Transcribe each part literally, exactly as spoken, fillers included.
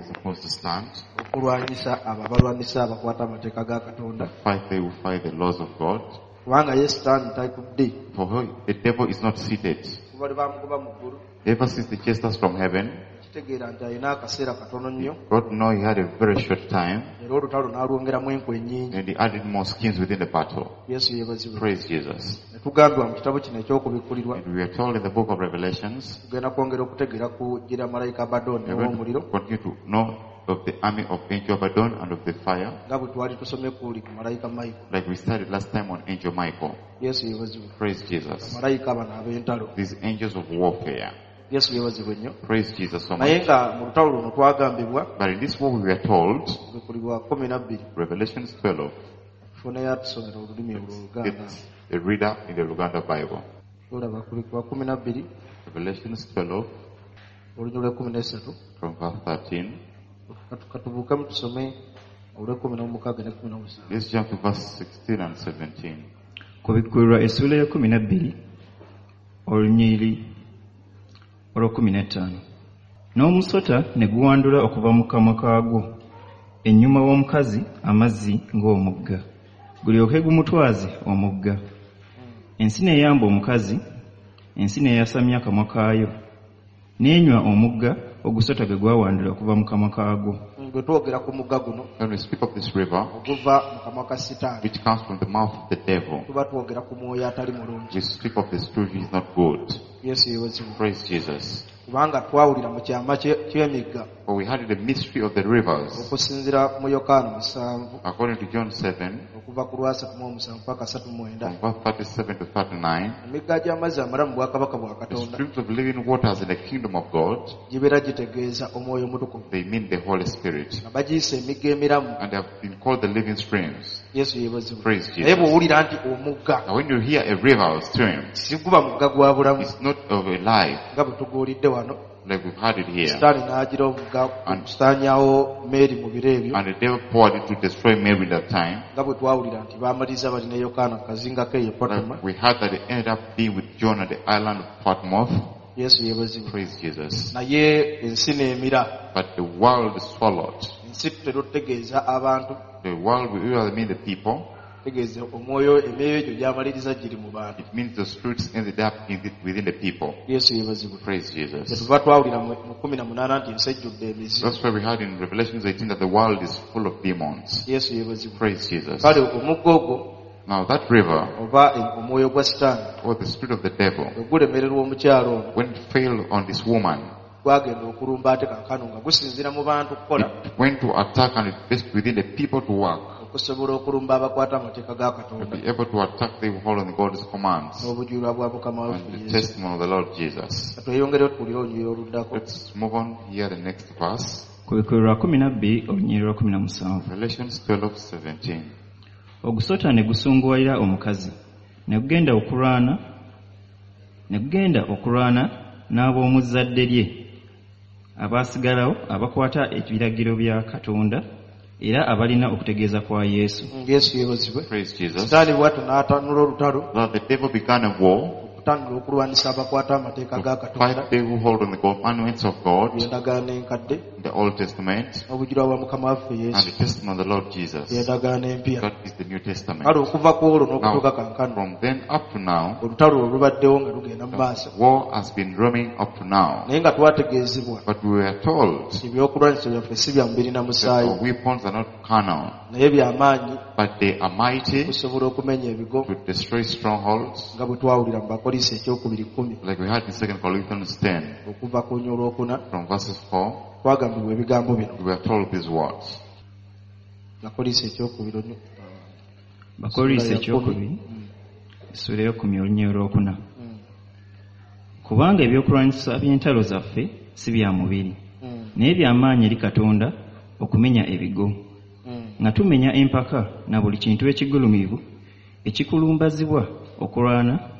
is supposed to stand. Okulwanyisa abo abalwanyisa abakwata amateeka ga Katonda. Fight they who fight the laws of God. Kubanga ye Sitaani tatudde. For her, the devil is not seated. Kuva lwe baamugoba mu ggulu. Ever since they chased us from heaven, kitegeera nti alina akaseera katono nnyo. God know he had a very short time. Era olutalo n'alwongeramu enkwe nnyingi. And he added more skins within the battle. Yesu yeebazibwe. Praise Jesus. Ne tugambibwa mu kitabo kino eky'okubikkulirwa. And we are told in the book of Revelations, tugenda kwongera okutegeera ku gira malayika Abaddon we are going ow'omuliro. to continue to know of the army of Angel Abaddon and of the fire. Nga bwe twali tusomye ku li ku malayika Michael. Like we studied last time on Angel Michael. Yesu yeebazibwe. Praise Jesus. Malayika bano ab'entalo. These angels of warfare. Yesu yeebazibwe nnyo. Praise Jesus so Naye much. nga mu lutalo luno twagambibwa, But in this war we were told, Okubikkulirwa kkumi na bbiri. Revelations twelve, Tufuneyo atusomera olulimi olwo Oluganda. it's a reader in the Luganda Bible. Olaba Okubikkulirwa kkumi na bbiri. Revelations twelve, Olunyiriri lw'ekkumi n'essatu. from verse thirteen. Katu-, katubuukemu tusome olw'ekkumi n'omukaaga n'ekkumi n'omusanvu. Let's jump to verse sixteen and seventeen. Kubikkulirwa essuula y'ekkumi na bbiri, olunyiriri olw'ekkumi n'ettaano. N'omusota ne guwandula okuva mu kamwa kaagwo ennyuma w'omukazi amazzi ng'omugga, gulyoke gumutwaze omugga. Ensi n'eyamba omukazi, ensi n'eyasamya akamwa kaayo, n'enywa omugga ogusota gwe gwawandula okuva mu kamwa kaagwo. Bwe twogera ku mugga guno, When we speak of this river, oguva mu kamwa ka Sitaani, which comes from the mouth of the devil, tuba twogera ku mwoyo atali mulungi. we speak of the spirit which is not good. Yesu yeebazibwe. Praise Jesus. Kubanga twawulira mu kyama kye-, ky'emigga. For we had the mystery of the rivers. Okusinziira mu Yokaana musanvu. According to John seven, Okuva ku lwasatu mu omusanvu paka asatu mu mwenda. From verse thirty-seven to thirty-nine, Emigga gy'amazzi amalamu mu bwakabaka bwa the Katonda. streams of living waters in the kingdom of God, Gibeera gitegeeza omwoyo omutukuvu. They mean the Holy Spirit. Nga bagiyise emigga emiramu. And they have been called the living streams. Yesu yeebazibwe. Praise Jesus. Naye bw'owulira nti omugga, Now when you hear a river or stream, siguba mugga gwa bulamu. It's not of a life. Nga bwe tuguwulidde wano. Like we've had it here. Sitaani n'agira omugga And okusaanyaawo Mary mu biro ebyo. And the devil poured it to destroy Mary that time. Nga bwe twawulira nti baamaliriza bali ne Yokaana ku kazinga ke e Patmos. Like we heard that they ended up being with John at the island of Patmos. Yesu yeebazibwe. Praise Jesus. Naye ensi n'emira. But the world swallowed. Ensi tutera okutegeeza abantu. The world, we usually mean the people. Tegeeza omwoyo, emyoyo egyo gy'amaliriza giri mu bantu. It means the spirits ended up in the, within the people. Yesu yeebazibwe. Praise Jesus. Kyetuva twawulira mu, mu kkumi na munaana nti ensi ejjudde emizimu. That's why we heard in Revelation eighteen that the world is full of demons. Yesu yeebazibwe. Praise Jesus. Kale omugga ogwo, Now that river, oba omwoyo gwa Sitaani, or the spirit of the devil, bwe gulemererwa omukyalo ono, when it failed on this woman, gwagenda okulumba ate kaakano nga gusinziira mu bantu kukola. It went to attack and it based within the people to work. Okusobola okulumba abakwata amateeka ga Katonda. To be able to attack the whole on God's commands. N'obujulirwa bwa Mukama waffe And the Yesu. testimony of the Lord Jesus. Tweyongereyo tuwulire olunyiriri oluddako. Let's move on here the next verse. Kubikkulirwa kkumi na bbiri olunyiriri lwa kkumi na musanvu. Revelations twelve seventeen. Ogusota ne gusunguwalira omukazi, ne gugenda okulwana, ne gugenda okulwana n'ab'omu zzadde lye abaasigalawo abakwata ebiragiro bya Katonda era abalina okutegeeza kwa Yesu. Yesu yeebazibwe. Praise Jesus. Sitaani bw'atyo n'atanula olutalo. Now the devil began a war. Okutandika okulwanyisa abakwata amateeka ga Katonda. Fight they who hold on the commandments of God. Endagaano enkadde. The Old Testament. N'obujulirwa bwa Mukama waffe Yesu. And the testimony of the Lord Jesus. Endagaano empya. That is the New Testament. Kale okuva ku olwo n'okutuuka Now, kaakano. from then up to now, Olutalo olwo lubaddewo nga lugenda mu maaso. War has been roaming up to now. Naye nga twategeezebwa. But we were told Ebyokulwanyisa byaffe si bya mubiri na musaayi. that our weapons are not carnal. Naye bya maanyi. But they are mighty. Okusobola okumenya ebigo. To destroy strongholds. Nga bwe twawulira mu Bakolinso ekyokubiri kkumi. Like we had in Second Corinthians ten. Okuva ku lunyiriri olwokuna. From verses four. Twagambibwa ebigambo bino. We were told these words. Bakolinso ekyokubiri onyo. Bakolinso ekyokubiri, essuula ey'ekkumi olunyiriri olwokuna. Kubanga ebyokulwanyisa by'entalo zaffe si bya mubiri, naye bya maanyi eri Katonda okumenya ebigo. Nga tumenya empaka na buli kintu ekigulumivu ekikulumbazibwa okulwana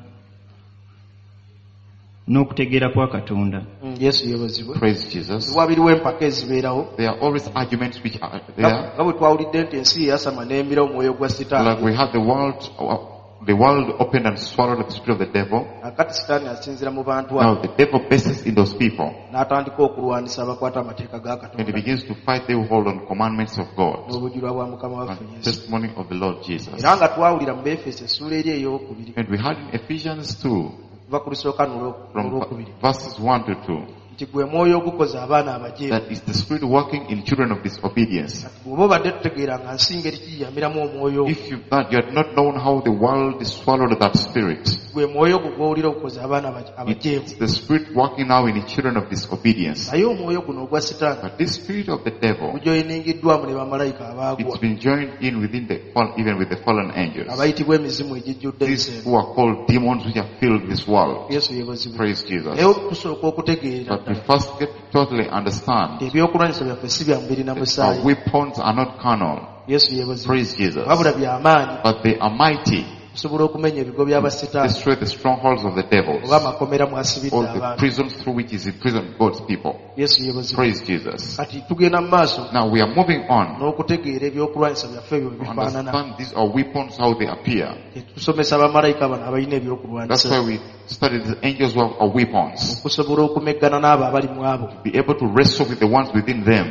n'okutegeera kwa Katonda. Mm, Yesu yeebazibwe. Praise Jesus. Wabiriwo empaka ezibeerawo. There are always arguments which are there. Nga bwe twawulidde nti ensi yasama n'emira omwoyo gwa Sitaani. Like we had the world, uh, the world opened and swallowed the spirit of the devil. Akati sitaani asinzira mu bantu Now abo the devil bases in those people n'atandika okulwanisa abakwata amateeka ga and he Katonda begins to fight they who hold on commandments of God n'obujulwa bwa Mukama waffe and Yesu. testimony of the Lord Jesus. Era nga twawulira mu Befeso essuula eri ey'okubiri And we had in Ephesians two okuva ku lusooka n'olwo- from n'olwokubiri verses one to two nti gwe mwoyo ogukoza abaana abajeemu. that is the spirit working in children of disobedience. Kati bw'oba obadde tutegeera nga nsi ngeri kiyamiramu omwoyo ogwo, If you that you had not known how the world swallowed that spirit, gwe mwoyo ogwo gw'owulira okukoza abaana abaje- abajeemu. it's the spirit working now in the children of disobedience. Naye omwoyo guno ogwa sitaani But this spirit of the devil, gujoyiningiddwamu ne bamalayika abaagwa it's been joined in within the fall, even with the fallen angels. abayitibwa emizimu egijjudde These ensi eno. who are called demons which have filled this world. Yesu yeebazibwe. Praise Jesus. Naye tusooka okutegeera But we first get to totally understand nti ebyokulwanyisa byaffe si bya mubiri na that our musaayi. weapons are not carnal. Yesu yeebazibwe. Praise Jesus. Wabula by'amaanyi But they are mighty. okusobola okumenya ebigo by'abasitaani Destroy the strongholds of the devils. oba amakomera mwasibidde All the abantu. prisons through which is imprisoned God's people. Yesu yeebazibwe. Praise Jesus. Kati tugenda mu maaso Now we are moving on n'okutegeera ebyokulwanyisa byaffe ebyo bwe to bifaanana. understand these are weapons, how they appear. Tusomesa bamalayika bano abalina That's ebyokulwanyisa why we study the angels who have our weapons. okusobola okumeggana n'abo abali mu abo. Be able to wrestle with the ones within them.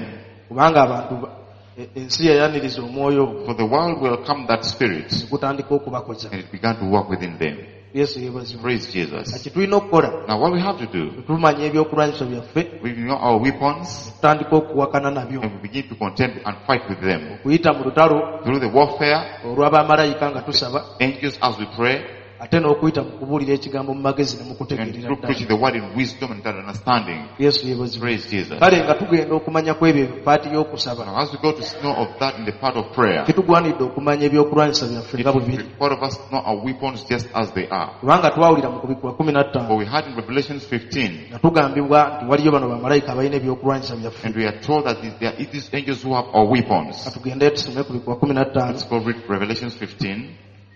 Kubanga abantu ba- e- ensi yayaniriza omwoyo ogwo For the world welcomed that spirit ne gutandika okubakoza. and it began to work within them. Yesu yeebazibwe. Praise Jesus. Kati tulina okukola Now what we have to do, tumanya ebyokulwanyisa byaffe we know our weapons tutandika okuwakana nabyo and we begin to contend and fight with them. okuyita mu lutalo Through the warfare, olw'abamalayika nga tusaba angels as we pray, ate n'okuyita mu kubuulira ekigambo mu magezi ne mu and kutegeerera through ddala. preaching the word in wisdom and understanding. Yesu yeebazibwe. Praise Jesus. Kale nga tugenda okumanya ku ebyo paati y'okusaba Now as we go to know of that in the part of prayer, kitugwanidde okumanya ebyokulwanyisa byaffe it nga bwe biri requires of us to know our weapons just as they are. kubanga twawulira mu kubikkulwa kumi na ttaano For we had in Revelations fifteen, nga tugambibwa nti waliyo bano bamalayika abalina ebyokulwanyisa byaffe. and we are told that there are these angels who have our weapons. Katugende tusome kubikkulwa kumi na ttaano Let's go read Revelations fifteen.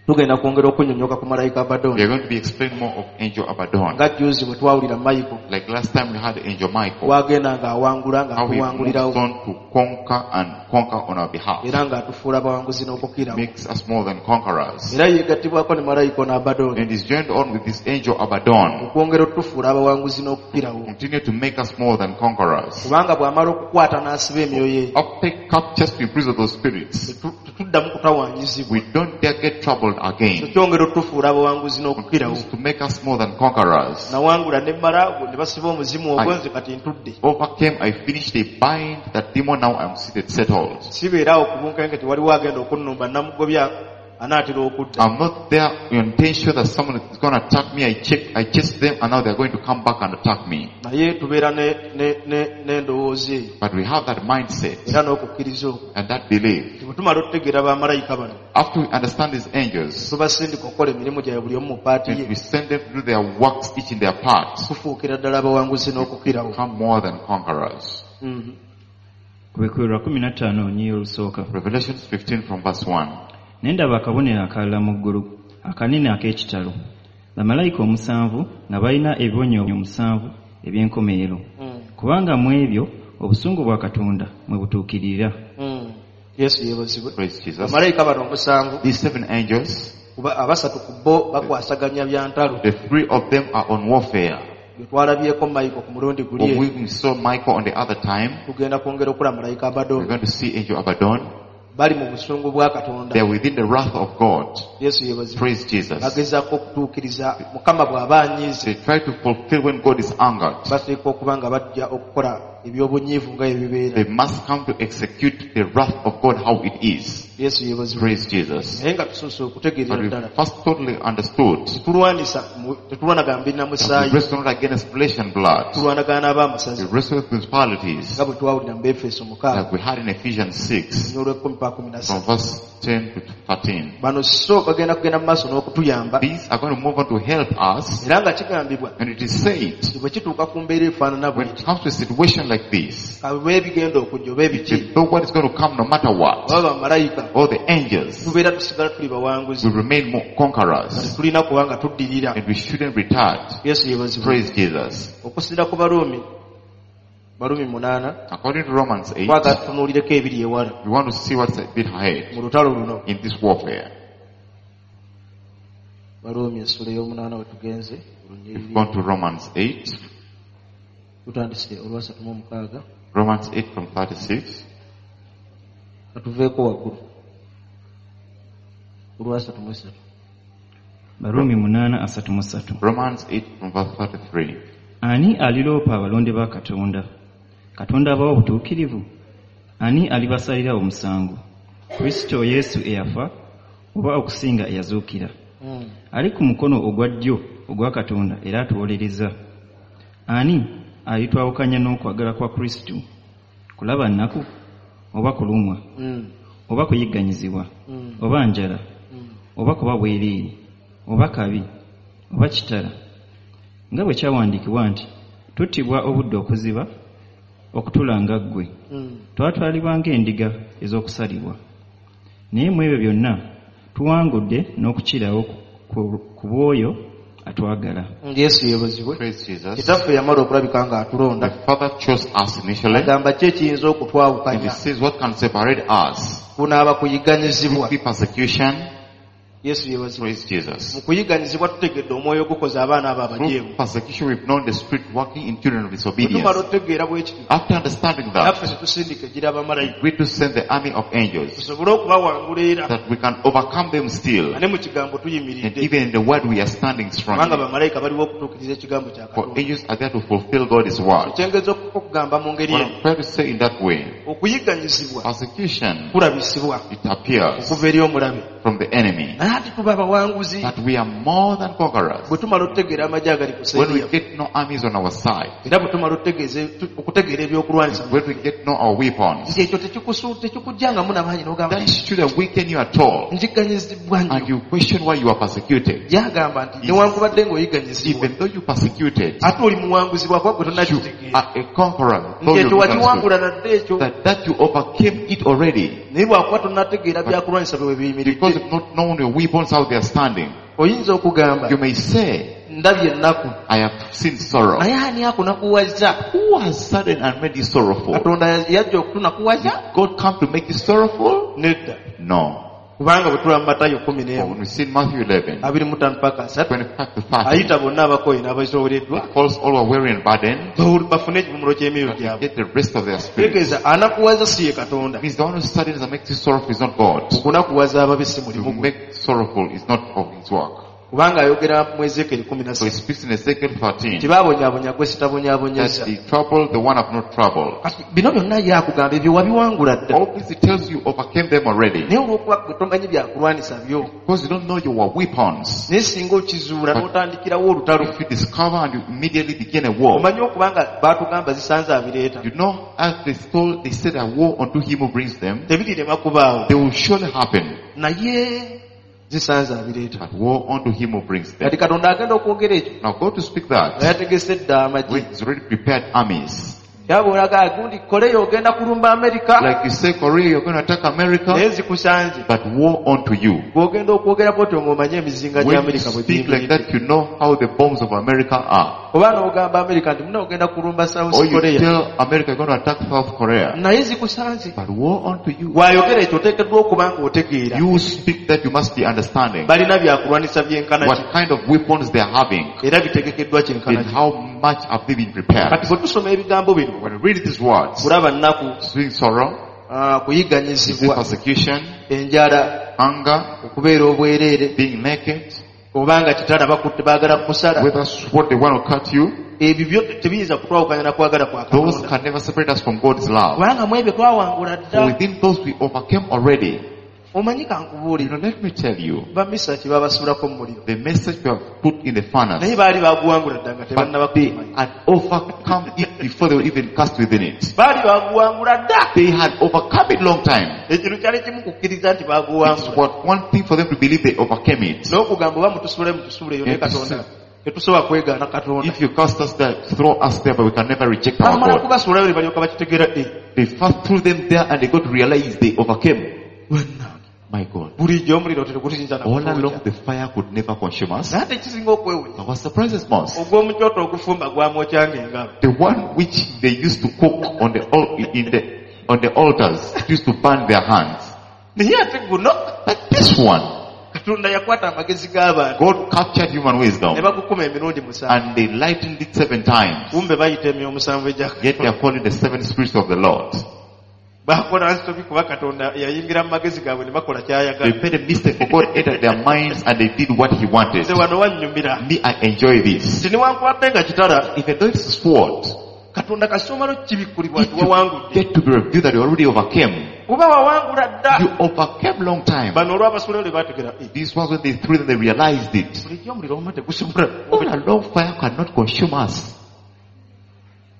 tugenda kwongera okunnyonnyoka ku malayika We Abaddoni are going to be explaining more of Angel Abaddon. nga jjuuzi bwe twawulira Michael Like last time we had Angel Michael, wagenda ng'awangula how he moves ng'atuwangulirawo on to conquer and conquer on our behalf. era ng'atufuula abawanguzi n'okukirawo Makes us more than conquerors. era yeegattibwako ne malayika ono Abaddoni And is joined on with this angel Abaddon. okwongera otufuula abawanguzi n'okukirawo Continue to make us more than conquerors. kubanga bw'amala okukwata n'asiba emyoyo eyo After captures to imprison those spirits, tetu- tetuddamu kutawaanyizibwa we don't dare get troubled again. kyongera otufuula abawanguzi n'okukirawo To make us more than conquerors. nawangula ne mmala ne basiba omuzimu ogwo nze kati ntudde Overcame, I finished, they bind that demon, now I'm seated, settled. sibeera awo ku bunkenke tewaliwo agenda okunnumba namugobya anaatera okudda I'm not there in intention that someone is going to attack me. I check, I chase them and now they're going to come back and attack me. naye tubeera ne- ne- ne- n'endowooza eyo But we have that mindset era n'okukkiriza okwo and that belief. nti bwe tumala okutegeera bamalayika bano After we understand these angels, tubasindika okukola emirimu gyabwe buli omu mu paati and ye we send them to do their works each in their part, tufuukira ddala abawanguzi n'okukirawo become more than conquerors. Mhm. Kubikkulirwa kumi na ttaano olunyiriri olusooka. Revelations fifteen from verse one. Ne ndaba akabonero akalala mu ggulu, akanene ak'ekitalo. Bamalayika omusanvu nga balina ebibonyoobonyo omusanvu eby'enkomerero. Mm. Kubanga mu ebyo obusungu bwa Katonda mwe butuukirira. Mm. Yesu yeebazibwe. Praise Jesus. Bamalayika bano omusanvu These seven angels, kuba abasatu ku bo bakwasaganya bya ntalo the three of them are on warfare. bye twalabyeko Michael ku mulundi guli When eri we saw Michael on the other time, tugenda kwongera okulaba malayika we're Abaddoni going to see Angel Abaddon. bali mu busungu bwa Katonda. They are within the wrath of God. Yesu yeebazibwe. Praise Jesus. Bagezaako okutuukiriza Mukama bw'aba anyiize They try to fulfill when God is angered. bateekwa okuba nga bajja okukola eby'obunyiivu nga bwe bibeera. They must come to execute the wrath of God how it is. Yesu yeebazibwe. Praise Jesus. Naye nga tusoose okutegeerera But we ddala first totally understood tetulwanisa mu- tetulwanagana mubiri na that we musaayi wrestle not against flesh and blood. tulwanagana We n'ab'amasaza wrestle with principalities nga bwe twawulira mu Befeso mukaaga like we had in Ephesians six olw'ekkumi paka kumi na from ssatu. verse ten to thirteen. Bano so bagenda kugenda mu maaso n'okutuyamba These are going to move on to help us, era nga kigambibwa and it is said nti bwe kituuka ku mbeera efaanana when bw'eti it comes to a situation like this, kabe ebigenda okujja oba ebiki though what is going to come no matter what, oba bamalayika all the angels tubeera tusigala tuli bawanguzi will remain more conquerors, tetulina kuba nga tuddirira. and we shouldn't retard. Yesu yeebazibwe. Praise Jesus. Okusinziira ku Baruumi Baruumi munaana According to Romans eight, twagala tutunuulireko ebiri ewala we want to see what's a bit ahead mu lutalo luno. in this warfare. Baruumi essula ey'omunaana we tugenze We've olunyiriri gone to Romans eight. tutandise olwasatu mu omukaaga Romans eight from thirty-six. Katuveeko waggulu olwasatu mu esatu. Baruumi munaana asatu mu ssatu. Romans eight from verse thirty-three. Ani aliroopa abalonde ba Katonda? Katonda abawa obutuukirivu? Ani alibasalira omusango? Kristo Yesu eyafa oba okusinga eyazuukira. Mm. Ali ku mukono ogwa ddyo ogwa Katonda era atuwolereza. Ani alitwawukanya n'okwagala kwa Kristo? Kulaba nnaku oba kulumwa Mm. oba kuyigganyizibwa Mm. oba njala Mm. oba kuba bwereere oba kabi oba kitala, nga bwe kyawandiikibwa nti tuttibwa obudde okuziba okutulanga ggwe, Mm. twatwalibwa ng'endiga ez'okusalibwa. Naye mu ebyo byonna tuwangudde n'okukirawo ku, ku bw'oyo atwagala. Yesu yeebazibwe. Praise Jesus. Kitaffe yamala okulabika ng'atulonda. The Father chose us initially. Agamba ki ekiyinza okutwawukanya? And he says what can separate us? Kunaaba kuyigganyizibwa. Could be persecution. Yesu yeebazibwe. Praise Jesus. Mu kuyigganyizibwa tutegedde omwoyo ogukoza abaana abo abajeemu. Through persecution we've known the spirit working in children of Bwe tumala disobedience. okutegeera bwe kityo, After understanding that, naffe tetusindika egira abamalayika. we to send the army of angels Tusobole okubawangula era. that we can overcome them still. Ne mu kigambo And tuyimiridde. even in the word we are standing Kubanga strongly. bamalayika baliwo okutuukiriza ekigambo kya For Katonda. angels are there to fulfill God's word. Ekyengeza okugamba mu ngeri What eno, I'm trying to say in that way, okuyigganyizibwa persecution, kulabisibwa it appears okuva eri omulabe. from the enemy. Naye ate tuba abawanguzi. But we are more than conquerors. Bwe tumala okutegeera amagye agali ku When we sseeri get no armies on our side, era bwe tumala okutegeeza, okutegeera ebyokulwanyisa, when we get no our weapons, nti ekyo tekikusu-, tekikujjangamu n'amaanyi n'ogamba that shouldn't weaken you at all. njigganyizibwa And nnyo. you question why you are persecuted. Yagamba nti newankubadde ng'oyigganyizibwa, Even though you persecuted, ate oli muwanguzi bw'akuba gwe you tonnakitegeera. are a conqueror. Nti Though you ekyo wakiwangula misunderstood. nadde ekyo. That, that you overcame it already. Naye bw'akuba tonnategeera byakulwanyisa bwe biyimiridde. Because you've not known your weapons, how they are standing. Oyinza okugamba, You may say, ndabye ennaku. I have seen sorrow. Naye ani akunakuwazza? Who has sudden and made you sorrowful? Katonda yajja okutunakuwaza? Did God come to make you sorrowful? Nedda. No. Kubanga bwe tulaba mu Matayo kkumi For n'emu, when we see in Matthew eleven, abiri mu ttaano paka asatu, twenty-five to thirty, ayita bonna abakooye n'abazitoowereddwa, it calls all who are weary and burdened, bafune ekivumulo ky'emyoyo that gyabwe. they get the rest of their spirit. Tegeeza anakuwaza si ye Katonda. It means the one who saddens and makes you sorrowful is not God. Okunakuwaza ababi si To mulimu gwe. make sorrowful is not of his work. Kubanga ayogera mu Ezeekeri kkumi na So he ssatu. speaks in Ezekiel thirteen Nti baabonyaabonya gwe sitabonyaabonyezza. that the trouble, the one have not troubled. Kati bino byonna ye akugamba ebyo wabiwangula dda. All this he tells you overcame them already. Naye olw'okuba gwe tomanyi byakulwanyisa byo. Because you don't know your weapons. Naye singa okizuula n'otandikirawo olutalo. If you discover and you immediately begin a war. Omanyi okuba nga baatugamba zisanze abireeta. You know, as they stole, they said a war unto him who brings them. Tebirirema kubaawo. They will surely happen. Naye zisanze abireeta. But woe unto him who brings them. Kati Katonda agenda okwogera ekyo. Now go to speak that. Nga yategese dda amagye. When he's already prepared armies. Yabw'olaga gundi Korea ogenda kulumba Amerika. Like you say, Korea, you're going to attack America. Naye zikusanze. But woe unto you. Bw'ogenda okwogera bw'otyo ng'omanye emizinga gya When you Amerika bwe speak like giyimiridde. that, you know how the bombs of America are. Oba n'ogamba Amerika nti muna ogenda kulumba South Or you Korea. tell America you're going to attack South Korea. Naye zikusanze. But woe unto you. Bw'ayogera ekyo oteekeddwa okuba ng'otegeera. You speak that you must be understanding Balina byakulwanyisa byenkana ki. what kind of weapons they are having Era bitegekeddwa kyenkana and ki. how much have they been prepared. Kati bwe tusoma ebigambo bino, When we read these words, kulaba nnaku, seeing sorrow, ah, seeing kuyigganyizibwa, persecution, enjala, hunger, okubeera obwereere, being naked, oba nga kitala bakutte baagala kukusala. whether sword they want to cut you, Ebyo byo tebiyinza kutwawukanya na kwagala kwa those Katonda. can never separate us from God's love. Kubanga mu ebyo twawangula For dda. within those we overcame already. Omanyi You kankubuulire, know, let me tell you, bamisaki babasuulako mu muliro. the message we have put in the furnace, Naye baali baguwangula dda nga tebannaba but they kumanya. had overcome it before they were even cast within it. Baali baguwangula dda. They had overcome it long time. Ekintu kyali kimu kukkiriza nti It's baguwangula. what one thing for them to believe they overcame it. N'okugamba oba mutusuule mutusuuleyo ne Yeah, Katonda. Tetusobola kwegaana Katonda. If you cast us there, throw us there, but we can never reject our Bamala God. kubasuulayo ne balyoka bakitegeera eh, They first threw them there and they got to realize they overcame. bannange. My God. Bulijjo omuliro teguyinza na All kutwokya. along the fire could never consume us. Naye ate ekisinga okwewuunya, But what surprises most, ogw'omu kyoto ogufumba gwamwokyanga engalo. the one which they used to cook on the al- in the on the altars used to burn their hands. Naye ate guno But this one, kati Katonda yakwata amagezi g'abantu God captured human ne wisdom bagukuma emirundi musanvu and they lightened it seven times. kumbe bayita emyoyo omusanvu egya Yet they are calling the seven spirits of the Lord. bakola nsobi kuba katonda yayingira mu magezi gaabwe ne bakola kyayagala They made a mistake for God entered their minds and they did what he wanted. nze wano wannyumira Me, I enjoy this. nti newankubadde nga kitala Even though it's a sword, katonda kasomalo kibikkulibwa if nti you wawangudde get to be revealed that you already overcame, kuba wawangula dda you overcame long time. bano olw'abasulayo lwe baategera "Eh, These ones, when they threw them, they realized it. bulijjo omuliro wamma tegusobola All along, fire cannot consume us.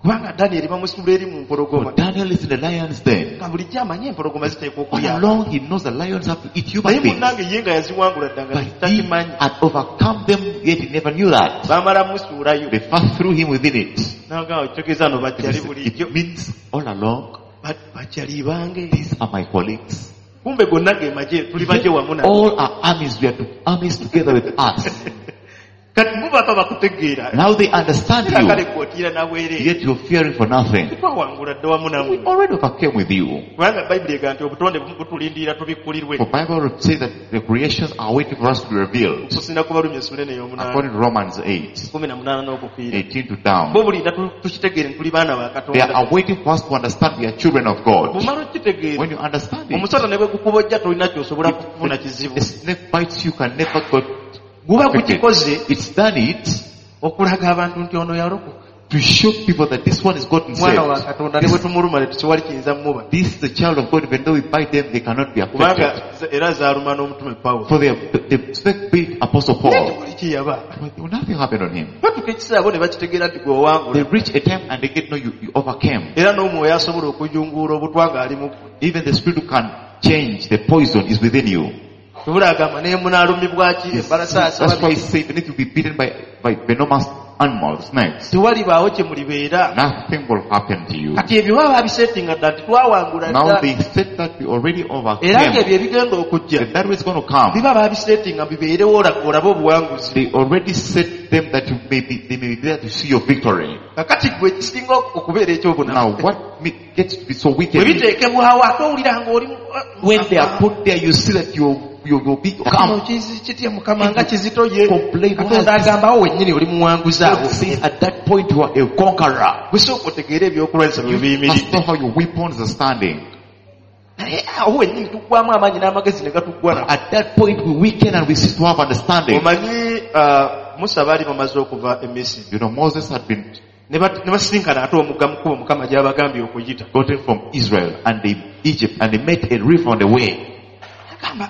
kubanga danyeri bamusuula eri mu mpologoma But Daniel is in the lion's den. nga bulijjo amanyi empologoma ziteekwa All okulya along, he knows the lions have to eat human naye beings. munnange ye nga yaziwangula dda nga But he takimanyi had overcome them, yet he never knew that. baamala musuulayo They first threw him within it. nagamba kitegeeza no bajjali bulijjo It means all along, Ba- bajjali bange these are my colleagues. kumbe gonna ge magye tuli bagye wamu nabo All our armies, we are to armies together with us. kati bo baba bakutegeera Now they understand era kale you, gwotiira nabwereere yet you're fearing for nothing. twawangula dda wamu We nammwe already overcame with you. kubanga bayibuli egamba nti obutonde butulindirira tubikkulirwe For Bible says that the creations are waiting for us to be revealed. okusinda ku balumi essula eno ey'omunaana According to Romans eight, kumi na munaana n'okufiira eighteen to down. bo bulinda tu- tukitegeere nti tuli baana ba They katonda are waiting for us to understand we are children of God. bw'omala okukitegeera When you understand it, omusota ne bwe gukubojja tolina ky'osobola kufuna kizibu a snake bites you can never go. guba affected. gukikoze It's done it okulaga abantu nti ono yalokoka to show people that this one is gotten mwana wa saved. katonda ne bwe tumuluma ne tewali kiyinza mmuba This is the child of God. Even though we bite them, they cannot be kubanga affected. za- era zaaluma n'omutume pawulo For the, the snake bit Apostle naye Paul, tewali kiyaba but nothing happened on him. batuuka ekiseera bo ne bakitegeera nti gwe owangula They reach a time and they get no, you, you overcame. era n'omwoyo asobola okujunguula obutwa ng'ali mu ggwe Even the spirit who can change the poison is within you. tubula agamba ne munaalumibwa ki embalasaasa That's why he said, even if you be beaten by, by venomous animals, snakes, tewalibaawo kye mulibeera nothing will happen to you. kati ebyo baba babisetinga dda nti twawangula Now dda they said that we already era overcame. ng'ebyo ebigenda okujja If that is going to come, biba babisetinga bibeerewo ola- olabe obuwanguzi they already set them that you may be, they may be there to see your victory. kakati gwe ekisinga okubeera ekyobunafu Now what me- gets to be so bwe wicked, biteekebwawo ate owulira ng'oli mu- when they are put there, you see that you, you will be Kino come. kizi- kitya mukama nga kizito ye Complain. katonda agambawo wennyini oli muwanguzi awo God says at that point you are a conqueror. gwe sooka otegeere ebyokulwanyisa bwe You must biyimiridde know how your weapons are standing. naye awo wennyini tuggwamu amaanyi n'amagezi ne gatuggwa nako At that point we weaken and we cease to have understanding. omanyi ah, musa baali bamaze okuva e misiri You know, Moses had been ne bat- ne basisinkana ate omugga mukubo mukama gy'abagambye okuyita gotten from Israel and they, Egypt and they met a river on the way. agamba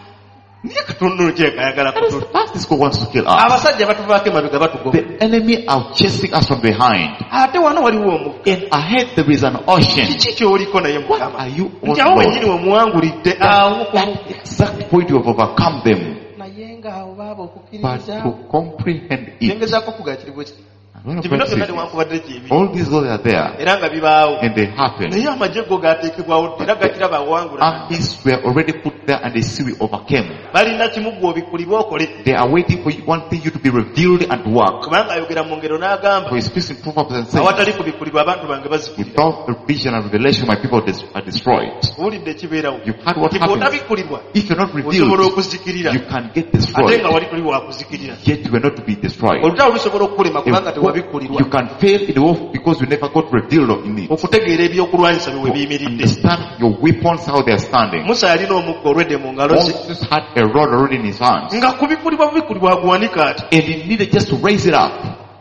naye katonda ono kireka ayagala That is kutu the past this God wants to kill us. abasajja batuvaako emabega batugoba The enemy are chasing us from behind. ate wano waliwo omugga And ahead there is an ocean. kiki ky'oliko naye What mukama are you on nti awo Lord? wennyini wemuwangulidde awo ku That exact point you have overcome them. naye ng'awo baaba But okukkiririza to comprehend it, ngezaako okugakiribwa ki and when nti bino I byonna say, newankubadde gyebi all these laws are there era nga bibaawo and they happen. naye amagye go gateekebwawo dda era gakiraba awangula Armies were already put there and they see we overcame. balina kimu gwe obikulibwa okole They are waiting for you, one thing you to be revealed and work. kubanga ayogera mu ngero n'agamba For he speaks in Proverbs and says, awatali kubikulibwa abantu bange bazikirira without the vision and revelation, my people des- are destroyed. owulidde ekibeerawo You've heard what nti happens. bw'otabikulibwa If you're not osobola revealed, okuzikirira you can get ate destroyed. nga wali tuli wakuzikirira Yet you were not to be destroyed. olutalo lusobola okukulema kubanga tewabikkulirwa You can fail in the war because you never got revealed in it. okutegeera ebyokulwanyisa bye we To biyimiridde understand your weapons, how they are standing. musa yalina omuggo olwedde mu ngalo ze Moses had a rod already in his hands. nga kubikulibwa bubikulibwa aguwanika ati And he needed just to raise it up.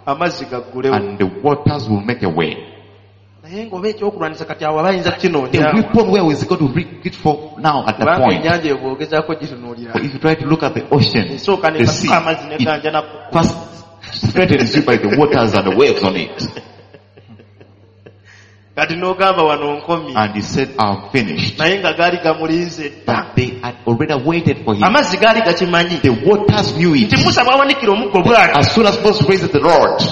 amazzi gaggulewo And the waters will make a way. naye ng'oba ekyokulwanyisa kati awo abayinza The kukinoonya weapon, where is he going to reach it for now at that kubanga point? ennyanja eyo bw'ogezaako gitunuulira But if you try to look at the ocean, esooka the sea, nekasuka amazzi it neganja naku first threatens you by the waters and the waves on it. kati n'ogamba wano nkomye And he said, I'm finished. naye nga gaali gamulinze dda But they had already waited for him. amazzi gaali gakimanyi The waters knew it. nti musa bw'awanikira omuggo bw'ati As soon as Moses raises the rod,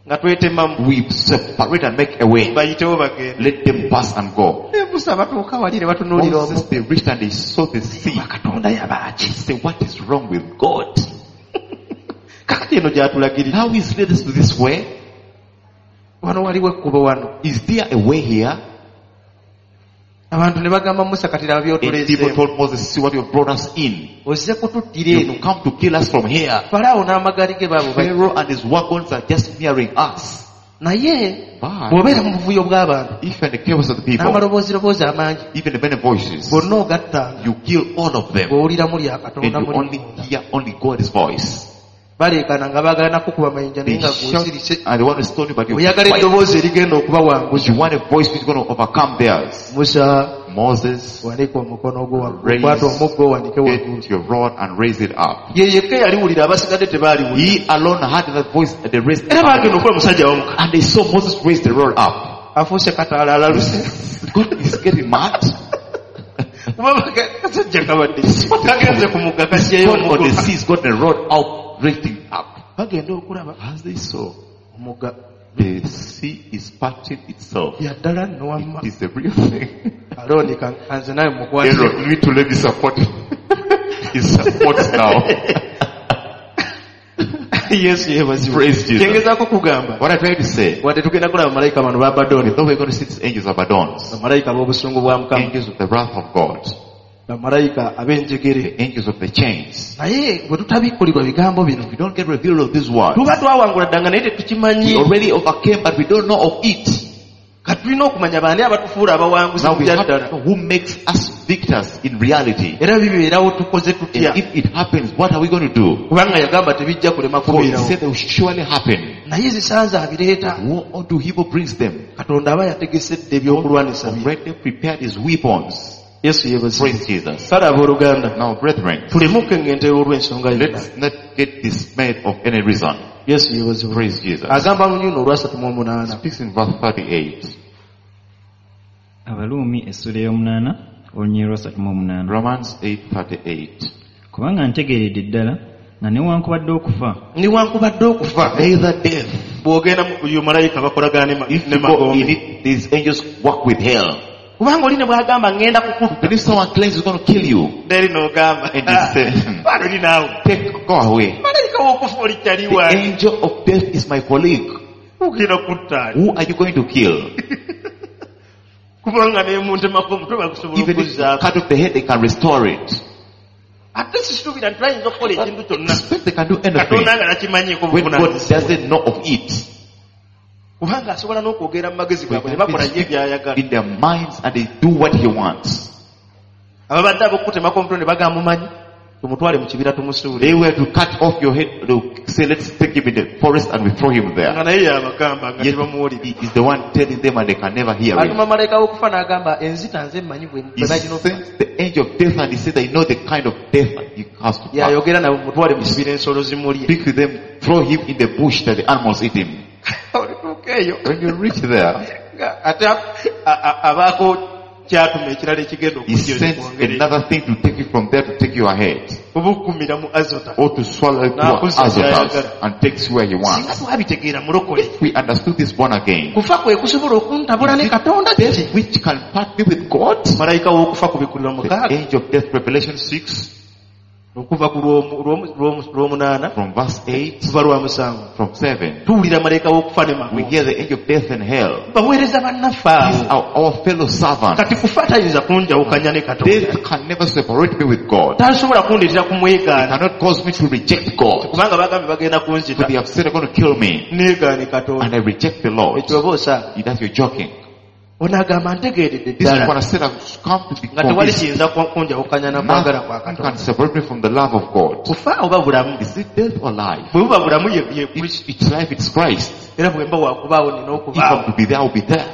nga twetemamu we separate and make a way. bayitewo bagende Let them pass and go. Ne musa batuuka wali ne batunuulira Moses, omuggo they reached and they saw the sea. katonda yabaaki Say, what is wrong with God? kakati eno gy'atulagirira Now he's led us to this way. wano waliwo ekkubo wano Is there a way here? Abantu ne bagamba Musa kati laba And people by'otuleeseemu. told Moses, see what you've brought us in. Ozze kututtira eno. You've come to kill us from here. Falaawo n'amagaali ge baabo bajja. Pharaoh and his wagons are just nearing us. Naye But bw'obeera mu buvuyo bw'abantu if in the chaos of the people, n'amalobooziroboozi amangi even the many voices, bonna ogattanga you kill all of them bw'owuliramu lya and Katonda you muli only munda. hear only God's voice. Baleekaana nga baagala na kukuba mayinja naye They nga shout gw'osirise. and they want to stone you, but you Oyagala keep quiet. eddoboozi erigenda okubawanguza. You want a voice which is going to overcome theirs. Musa Moses, wanika omukono gwo waggulu, Raise kwata omuggo owanike waggulu. get your rod and raise it up. Ye yekka eyaliwulira abasigadde tebaaliwulira. He alone had that voice and they raised it Era baagenda up. okuba musajja wamuka. And they saw Moses raise the rod up. Afuuse kataala alaluse. God is getting mad. Kuba baga- kasajja kabadde kagenze ku mugga kasyeyo God on the omuggo. sea has got the rod out, raising up. Bagenda okulaba As they saw, omugga the sea is parting itself. bya ddala nno wamma. It is the real thing. Alooni ka- kanze nawe mukwate. Aaron, you need to let me support him. He supports now. Yesu yeebazibwe. Praise Jesus. Kyengezaako kugamba What I try to say, wadde tugenda kulaba bamalayika bano b'Abadooni, though we're going to see these angels of Abaddons, bamalayika b'obusungu bwa Mukama, angels of the wrath of God, bamalayika ab'enjegere. the angels of the chains. Naye bwe tutabikkulirwa bigambo bino, If we don't get revealed of these words, tuba twawangula dda nga naye tetukimanyi. we already overcame, but we don't know of it. Kati tulina okumanya baani abatufuula abawanguzi Now mu we bya have ddala. to know who makes us victors in reality. Era bibeerawo tukoze tutya. And if it happens, what are we going to do? Kubanga yagamba tebijja kulema For he kubeerawo. said they will surely happen. Naye zisanze abireeta. Woe unto him who brings them. Katonda aba yategesedde ebyokulwanisa bye. Already prepared his weapons. Yesu yeebazibwe. Praise Jesus. Kale abooluganda, Now, brethren, tuleme okukengentera olw'ensonga yonna. let's not get dismayed of any reason. Yesu yeebazibwe. Praise Jesus. Agamba mu lunyiriri olwasatu mu omunaana. Speaks in verse thirty-eight. Abaluumi essula ey'omunaana olunyiriri lwasatu mu omunaana. Romans eight thirty-eight. Kubanga ntegeeredde ddala nga newankubadde okufa Newankubadde okufa Neither death. bw'ogenda mu yo malayika bakolagana ne ma- If ne you go in magombe. it, these angels work with hell. Kubanga oli ne bw'agamba ŋŋenda kukutta. But if someone claims he's going to kill you, Eri n'ogamba And he said, "Baana oli naawe. take, go away. Malayika w'okufa oli kyali The wange. angel of death is my colleague. Ogenda kutta ani? Who are you going to kill? Kubanga ne muntemako omutwe bagusobola Even if you okuzzaako. cut off the head, they can restore it. Ate sisuubira nti bayinza okukola ekintu kyonna. Expect they can do anything. Katonda nga takimanyiiko When God buvunaanyizibwa. doesn't know of it, Kubanga asobola n'okwogera mu magezi they gaabwe ne can bakola ye speak by'ayagala. in their minds and they do what he wants. Ababadde ab'okukutemako omutwe ne bagamba mumanyi tumutwale mu kibira tumusuule. They were to cut off your head, they'll say, let's take him in the forest and we throw him Nga there. naye yabagamba nga Yet tebamuwulira. he is the one telling them and they can never hear Atuma him. malayika w'okufa n'agamba enzita nze mmanyi bwe He bwe balina okufa. sends the angel of death and he said, I know the kind of death he has to pass. Yayogera nabo mutwale mu kibira ensolo zimulye. Speak to them, throw him in the bush that the animals eat him. Olituuka eyo When you reach there, nga ate a- a- abaako kyatuma ekirala ekigenda he okujja sends ekikwongere. another thing to take you from there to take you ahead. Obukumira mu Azota. Or to swallow you to N'akuza Azotus gy'ayagala. and takes you where he Singa wants. twabitegeera mulokole. If we understood this born again, Kufa kwe kusobola okuntabula ne Katonda kiki? death which can part me with God, Malayika w'okufa kubikkulirwa the mukaaga angel of death, Revelation six, okuva ku lw'omu- lw'omu- lw'omu- lw'omunaana from verse eight, kuva lwa musanvu. from seven, Tuwulira malayika w'okufa ne we magombe. hear the angel of death and hell. Baweereza bannaffe These abo. are our fellow servants. Kati kufa tayinza kunjawukanya ne Katonda. Death can never separate me with God. Tasobola kundeetera kumwegaana. Cannot cause me to reject God. Kubanga bagambye bagenda For kunzita. they have said they're going to kill me. Neegaane Katonda. And I reject the Lord. Ekyo oba osaaga. That's you're joking. Ono agamba ntegeeredde This is ddala what I said. I've come to be nga tewali convinced. kiyinza ku- kunjawukanya na kwagala kwa Nothing Katonda. can separate me from the love of God. Kufa oba bulamu. Is it death or life? Bwe buba bulamu ye ye Kristo. It's, it's life, it's Christ. Era bwe mba wakubaawo nina If I'm okubaawo. to be there, I'll be there.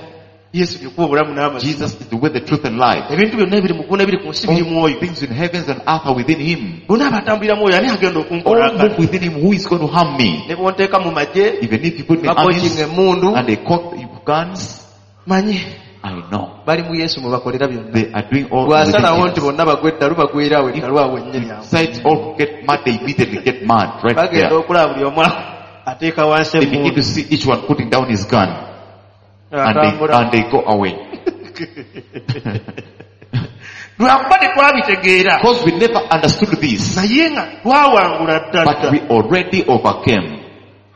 Yesu lyekuba obulamu n'amazima. Jesus is the way, the truth, and life. Ebintu byonna ebiri mu ggulu n'ebiri ku nsi biri All mwoyo. things in heavens and earth are within him. Bonna abatambulira mwoyo ani agenda okunkola All akabi? move within him. Who is going to harm me? Ne bw'onteeka mu magye, Even if you put me in bakokinga armies emmundu, and they caught you guns, manyi I know. bali mu Yesu mwe bakolera byonna. They are doing all within Bw'asalawo nti him. bonna bagwe eddalu bagwera awo eddalu awo wennyini awo. Besides all get mad, they immediately get mad right Bagenda there. okulaba buli omu ateeka wansi They begin emmundu. to see each one putting down his gun and they, Atambula. and they go away. Lwakuba tetwabitegeera. Because we never understood this, Naye nga twawangula ddala but we already overcame.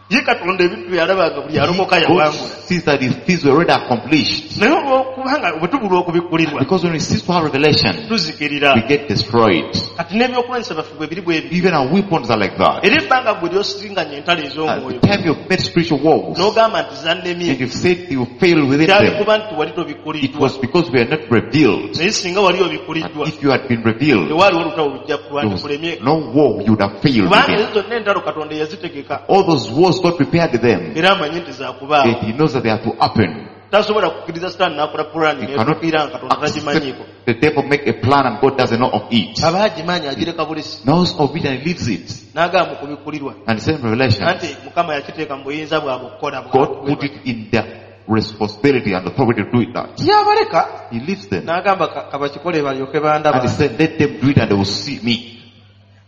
Ye Katonda ebintu bye yalabanga buli alokoka God yawangula. sees that his things were already accomplished. Naye olwokubanga bwe tubulwa okubikkulirwa Because when we cease to have revelation, tuzikirira. we get destroyed. Kati n'ebyokulwanyisa byaffe bwe biri bwe bityo. Even our weapons are like that. Era ebbanga gwe ly'osinganya entalo At ez'omwoyo the time you've made spiritual wars, n'ogamba nti zannemye and you've said you failed within kyali them, kuba nti wali it tobikkuliddwa. was because we are not revealed. Naye singa wali And obikkuliddwa if you had been revealed, tewaaliwo olutalo lujja there was kulwandikulemye. no war you would have failed Kubanga within. ezo zonna entalo Katonda yazitegeka All those wars God prepared them, era amanyi nti zaakubaawo. and He knows that they are to happen. Tasobola kukkiriza Sitaani n'akola pulaani You cannot n'etuukirira nga Katonda tagimanyiiko. accept the devil make a plan and God doesn't know of it. Aba agimanyi agireka bulesi Knows of it and he leaves it. n'agamba mu kubikkulirwa And the same revelation, anti Mukama yakiteeka mu buyinza bwabwe okukola God put it in their responsibility and authority to do it that. Yabaleka He leaves them. n'agamba ka- kabakikole balyoke bandaba. And he said, let them do it and they will see me.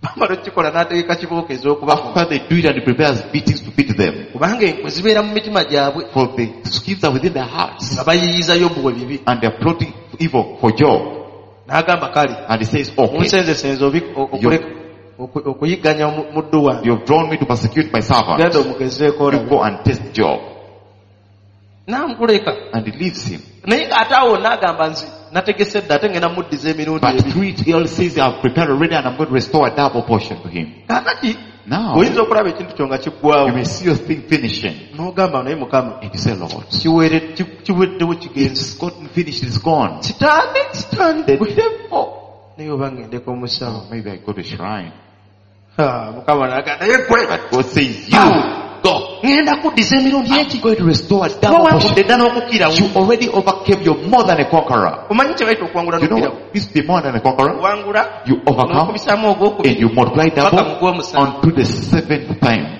Bamala okukikola n'ategeka kibooko ez'okubakuma. After they do it and he prepares beatings to beat them. Kubanga enkwe zibeera mu mitima gyabwe For the schemes are within their hearts. nga bayiyiza Yobu we bibi. And they are plotting evil for Job. N'agamba kale And he says, okay, munsenzesenze obi- o- okuleka- oku- okuyigganya omu- muddu wange. you've drawn me to persecute my servant. Genda omugezeeko You olabe. go and test Job. N'amuleka. And he leaves him. Naye ng'ate awo n'agamba nzi nategese dda ate ngenda muddiza emirundi But ebiri. through it, he also says, I've prepared already and I'm going to restore a double portion to him. Kaakati Now, oyinza okulaba ekintu kyo nga kiggwawo you may see your thing finishing. n'ogamba naye Mukama And you say, Lord, kiwere- ki- kiweddewo kigenze. it's gotten finished, it's gone. Sitaani sitaani The devil. naye oba ngendeko omusawo. Oh, maybe I go to shrine. Ha, Mukama n'agamba naye gwe But God says, you go. ŋŋenda kuddiza emirundi I'm eki going to restore a double wawangudde portion. dda n'okukirawo. You already overcame, you're more than a conqueror. Omanyi kye bayita okuwangula You know n'okukirawo? what? This be more than a conqueror. Owangula You overcome n'okubisaamu ogwokubiri and you multiply paka double mu gw'omusanvu. unto the seventh time.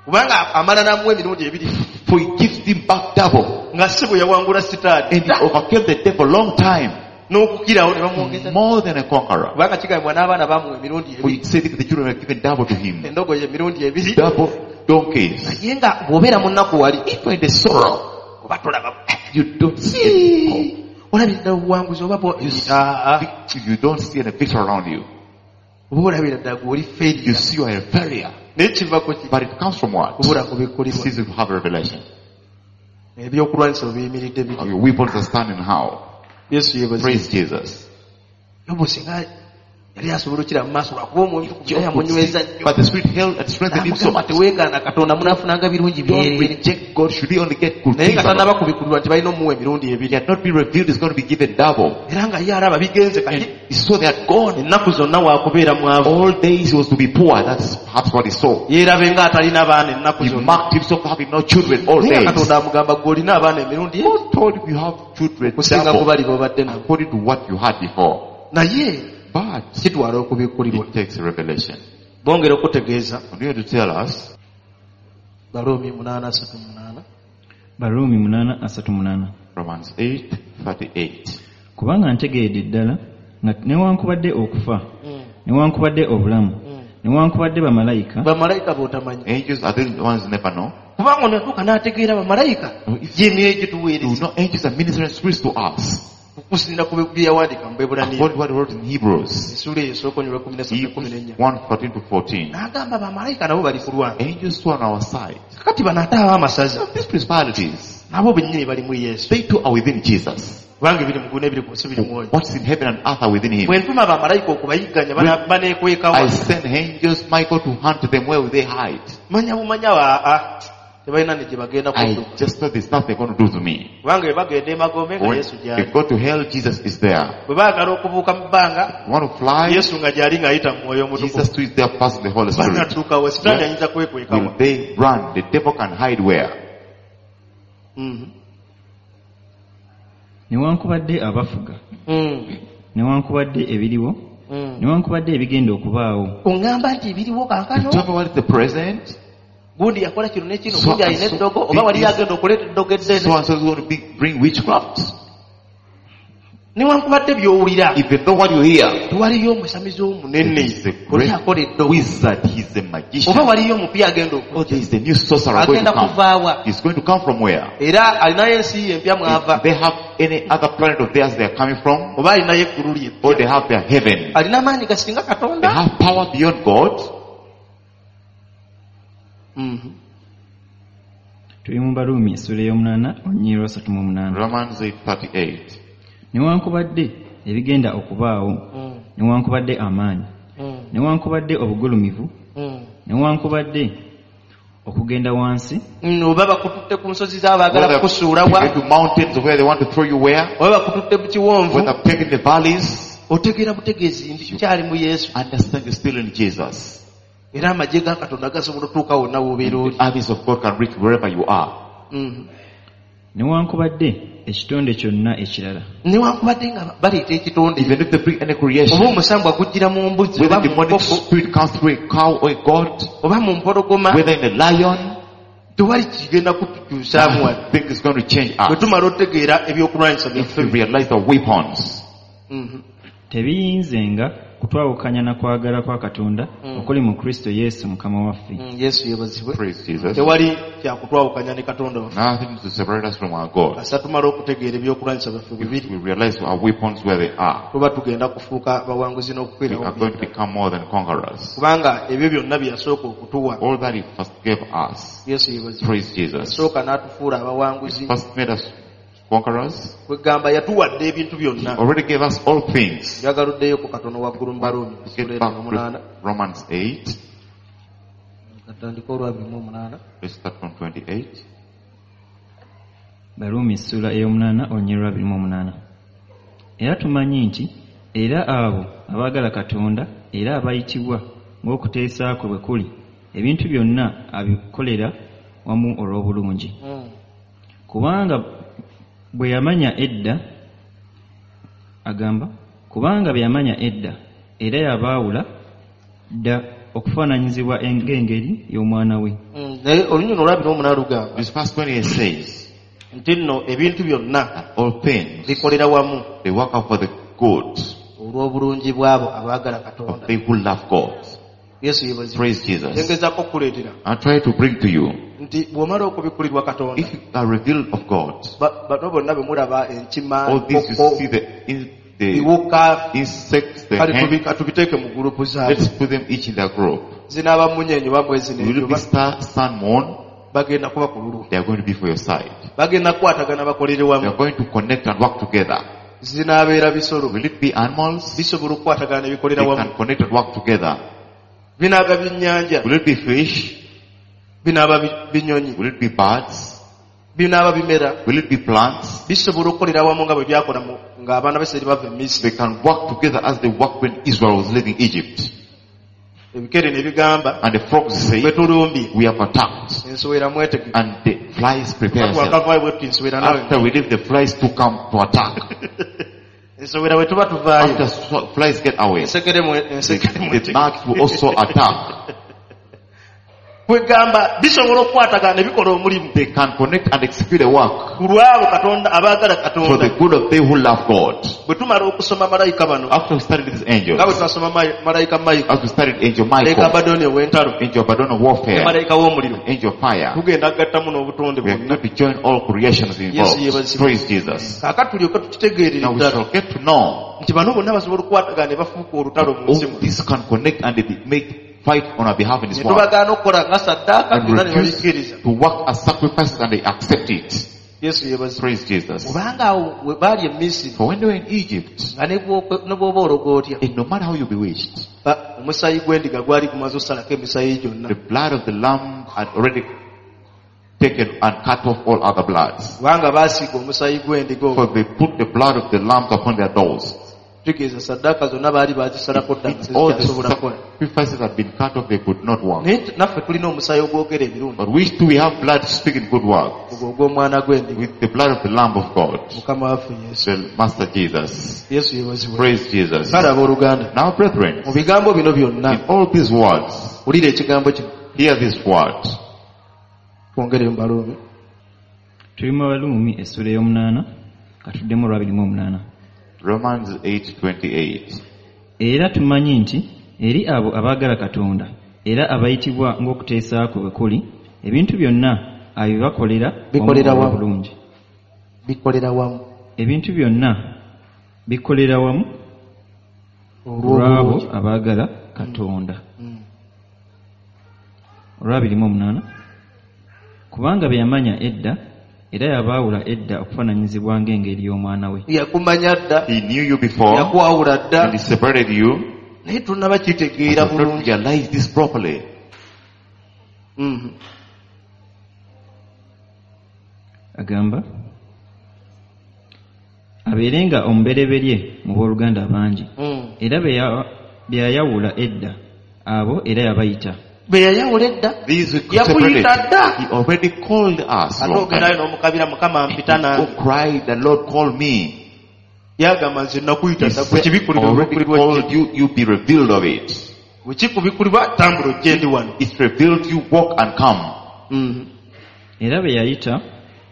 Kubanga amala n'amuwa emirundi ebiri For he gives him back double. nga si bwe yawangula Sitaani And he overcame the devil long time. n'okukirawo ne bamwongeza. More than a conqueror. Kubanga kigambibwa n'abaana bamuwa emirundi For ebiri he said the children were given double to him. endogoyi emirundi ebiri. Double donkeys. Naye nga bw'obeera mu nnaku wali If you're in the sorrow, oba tolaba you don't see any hope. olabira ddala obuwanguzi oba bwo- You, see, Ah, ah. you don't see any victory around you. Oba olabira ddala gwe oli You failure. see you are a failure. Naye kiva ku ki? But it comes from what? Kubula kubikkulirwa. Cease to have a revelation. Ebyokulwanyisa bwe biyimiridde How bityo. your weapons are standing how? Yesu yeebazibwe. Praise Jesus. Yobu singa yali asobola okukira mu maaso lwakuba omwoyo Job naye could amunyweza see, nnyo. but the Spirit held and strengthened him so N'amugamba much. teweegaana Katonda munaafunanga birungi Don't byereere. reject God. Should he only get good Naye things? nga alone? tannaba kubikkulirwa nti balina omuwa emirundi He ebiri. had not been revealed, he's going to be given double. Era nga ye alaba bigenze kati And he saw they had gone. ennaku zonna waakubeera mwavu. All days he was to be poor. That's perhaps what he saw. Yeerabe ng'atalina baana ennaku He zonna. marked himself having no children all Naye nga days. Katonda amugamba gwe olina abaana emirundi ebiri God told him you have children okusinga ku double bali b'obadde nabo. according to what you had before. Naye But kitwala okubikkulirwa. it takes a revelation. Bongera okutegeeza Continue to tell us Baruumi munaana asatu munaana. Baruumi munaana asatu munaana. Romans eight thirty-eight. Kubanga ntegeeredde ddala nga newankubadde okufa newankubadde obulamu newankubadde bamalayika Bamalayika b'otamanyi. Angels are the ones you never know. Kubanga ono yatuuka n'ategeera bamalayika No, if gy'emyoyo you gituweereza. know angels are ministering spirits to us. Okusinziira ku bye yawandiika mu Bebbulaniya. According to what he wrote in Hebrews. Essuula eyo esooka onyolwa kkumi na ssatu ne kkumi Hebrews n'ennya. one fourteen to fourteen. N'agamba bamalayika nabo bali kulwana. Angels too are on our side. Kakati bano ate ab'amasaza So these principalities, nabo bennyini bali mu Yesu. they too are within Jesus. Kubanga ebiri mu ggulu n'ebiri ku nsi biri mwoyo. What's in heaven and earth are within him. Bwe ntuma bamalayika okubayigganya bana- baneekwekawa. I send angels, Michael, to hunt them. Where will they hide? Manya bumanya aa tebalina ne gye bagenda I kudduka. just thought there's nothing they're going to do to me. Kubanga bwe bagenda emagombe nga When Yesu they gy'ali. go to hell, Jesus is there. Bwe baagala okubuuka mu bbanga You want to fly? Yesu nga gy'ali ng'ayita mu mwoyo omutukuvu. Jesus too is there passing the Holy Spirit. Banatuukawa Sitaani ayinza kwekwekawa. Will they run? The devil can hide where? Mhm. Newankubadde abafuga Mm. newankubadde ebiriwo Mm. newankubadde ebigenda okubaawo. Oŋŋamba nti ebiriwo kaakano You tell me what is the present? gundi yakola kino ne kino So- gundi alina so- eddogo oba waliyo agenda okuleeta eddogo So eddene. and so is going to be, bring witchcraft. Newankubadde by'owulira Even though what you hear, tewaliyo omusamizi omunene is a oli great akola eddogo wizard, he's a magician. oba waliyo omupya agenda Oh, okujja there is a new sorcerer going agenda to come. kuvaawa He's going to come from where? era alinayo ensi ye empya mwava If they have any other planet of theirs they are coming from, oba alinayo eggulu lye or they have their heaven. alina amaanyi gasinga They Katonda. have power beyond God. Mhm. Tuli mu Baruumi essuula ey'omunaana olunyiriri lwa asatu mu omunaana. Romans eight thirty-eight. Newankubadde ebigenda okubaawo, Mm. newankubadde amaanyi, Mm. newankubadde obugulumivu, Mm. newankubadde okugenda wansi, Mm, oba bakututte ku nsozi z'abaagala Whether kukusuula wa, to mountains where they want to throw you where, oba bakututte mu kiwonvu, whether taken the valleys, otegeera butegeezi nti kyali mu Yesu. Understand you're still in Jesus. Era amagye ga Katonda gasobola otuuka wonna w'obeera oli. The armies of God can reach wherever you are. Mm. Newankubadde ekitonde kyonna ekirala. Newankubadde nga baleeta ekitonde. Even if they bring any creation, Oba omusambwa gujjira mu mbuzi, whether oba mu demonic nkoko, spirit comes through a cow or a goat, oba mu mpologoma, whether in a lion, tewali kigenda kutukyusaamu wano. Nothing is going to change Bwe us. tumala otegeera ebyokulwanyisa If we byaffe. realize the weapons. Mm-hmm. Tebiyinzenga kutwawukanya na kwagala kwa Katonda Mm. okuli mu Kristo Yesu Mukama waffe. Mm, Yesu yeebazibwe. Praise Jesus. Tewali kyakutwawukanya ne Katonda waffe. Nothing to separate us from our God. Kasita tumala okutegeera ebyokulwanyisa byaffe If bibiri, we realize our weapons where they are, tuba tugenda kufuuka bawanguzi we n'okukwerawo are going to byonna. become more than conquerors. Kubanga ebyo byonna bye yasooka okutuwa. All that he first gave us. Yesu yeebazibwe. Praise Jesus. Yasooka n'atufuula abawanguzi. He first made us conquerors. Kwegamba yatuwadde ebintu byonna. He already gave us all things. Njagaluddeyo ku katono waggulu mu Baruumi, Get essuula back omunaana. to Romans eight. Katandika olwa abiri mu omunaana. Let's start from twenty-eight. Baruumi essuula ey'omunaana olunyiriri lwa abiri mu omunaana. Era tumanyi nti era abo abaagala Katonda era abayitibwa ng'okuteesa kwe bwe kuli, ebintu byonna abikolera wamu olw'obulungi. Mm. Kubanga bwe yamanya edda, agamba, kubanga bwe yamanya edda, era yabaawula dda okufaananyizibwa ng'engeri y'omwana we. Mm, naye olunyiriri olwa abiri mu omunaana lugamba This verse twenty-eight says nti nno ebintu byonna that all things bikolera wamu they work out for the good olw'obulungi bw'abo abaagala Katonda. of they who love God. Yesu yeebazibwe. Praise Jesus. Ngezaako okukuleetera I try to bring to you nti bw'omala okubikulirwa Katonda, if you are revealed of God, ba-, bano bonna be mulaba enkima, all these you enkoko, see the, in, the biwuka, insects, the kale hen, tubi-, tubiteeke mu gurupu zaabwe. Let's put them each in their group. Zinaaba mmunyeenye oba mwezi Will it be n'enjuba? star, sun, moon? Bagenda kuba ku lulwo. They are going to be for your side. Bagenda kukwatagana bakolere wamu. They are going to connect and work together. Zinaabeera bisolo. Will it be animals? Bisobola okukwatagana ne bikolera They wamu. can connect and work together. Binaaba byennyanja. Will it be fish? Binaaba bi-, binyonyi. Will it be birds? Binaaba bimera. Will it be plants? Bisobola okukolera wamu nga bwe byakola mu-, ng'abaana ba Isirayiri bava e Misiri. They can work together as they worked when Israel was leaving Egypt. Ebikere ne bigamba, And the frogs say, Bwe tulumbye. We have attacked. Ensowera mwetegeke. And the flies prepare Twakavaayo themselves. bwe tuti ensowera nawe. After we leave, the flies to come to attack. Ensowera bwe tuba tuvaayo. After so-, flies get away, Ensekere mwe-, ensekere the, mwetegeke. the gnats will also attack. Kwegamba bisobola okukwatagana ne bikola omulimu. They can connect and execute a work. Ku lwabo Katonda abaagala Katonda. For the good of they who love God. Bwe tumala okusoma malayika bano. After we studied these angels. Nga bwe twasoma ma-, malayika Michael. After we studied angel Michael. Malayika Abaddon ow'entalo. Angel Abaddon of warfare. Ne malayika w'omuliro. Angel of fire. Tugenda kugattamu n'obutonde We are bwonna. going to join all creations involved. Yesu yeebazibwe. Praise Jesus. Kaakati tulyoke tukitegeerere Now we ddala. shall get to know. Nti bano bonna basobola okukwatagana ne bafuuka olutalo mu nsi All muno. these can connect and they make fight on our behalf in this Ne world. tubagaana okukola nga saddaaka, And byonna ne refuse babikkiriza. to work as sacrifices and they accept it. Yesu yeebazibwe. Praise Jesus. Kubanga awo we baali e Misiri, For when they were in Egypt, nga ne bw'okwe-, ne bw'oba ologa otya, and no matter how you bewitched, ba-, omusaayi gw'endiga gwali gumaze okusalako emisaayi gyonna. The blood of the lamb had already taken and cut off all other bloods. Kubanga baasiiga omusaayi gw'endiga ogwo. For they put the blood of the lamb upon their doors. Kitegeeza saddaaka zonna baali baazisalako dda nga All the tezikyasobola kukola. sacrifices had been cut off, they could not work. Naye t-, naffe tulina omusaayi ogwogera ebirungi. But we too, we have blood speaking good works. Ogwo ogw'omwana gw'endiga. With the blood of the Lamb of God. Mukama waffe Yesu. The Master Jesus. Yesu yeebazibwe. Praise Jesus. Kale abooluganda. Now brethren, Mu bigambo bino byonna, in all these words, wulira ekigambo kino. Hear this word. Twongere mu Baruumi. Tuli mu Baruumi essuula ey'omunaana, katuddemu olwa abiri mu omunaana. Romans eight twenty-eight. Era tumanyi nti eri abo abaagala Katonda era abayitibwa ng'okuteesa kwe bwe kuli, ebintu byonna abibakolera wamu Bikolera wamu. obulungi. Bikolera wamu. Ebintu byonna bikolera wamu Olw'obulungi. olw'abo abaagala Katonda. Mm. Olwa abiri mu omunaana. Kubanga bye yamanya edda era yabaawula edda okufaananyizibwa ng'engeri y'omwana we. Yakumanya dda. He knew you before Yakwawula dda. and he separated you. Naye tonnaba But kitegeera you have not bulungi. realized this properly. Mhm. Agamba abeerenga omubereberye mu booluganda bangi. Mm. Era be ya- be yayawula edda abo era yabayita. Be yayawula edda. These we Yakuyita separated. dda. He already called us. Ate long ogendayo time. n'omukabira Mukama mpita Oh, nange. cried, the Lord called me. Yagamba nze nakuyita He dda said, bwe already kibikkulirwa called you, you be revealed of it. bwe kikubikkulibwa tambula ojje ndi wano. It's revealed, you walk and come. Mhm. Era be yayita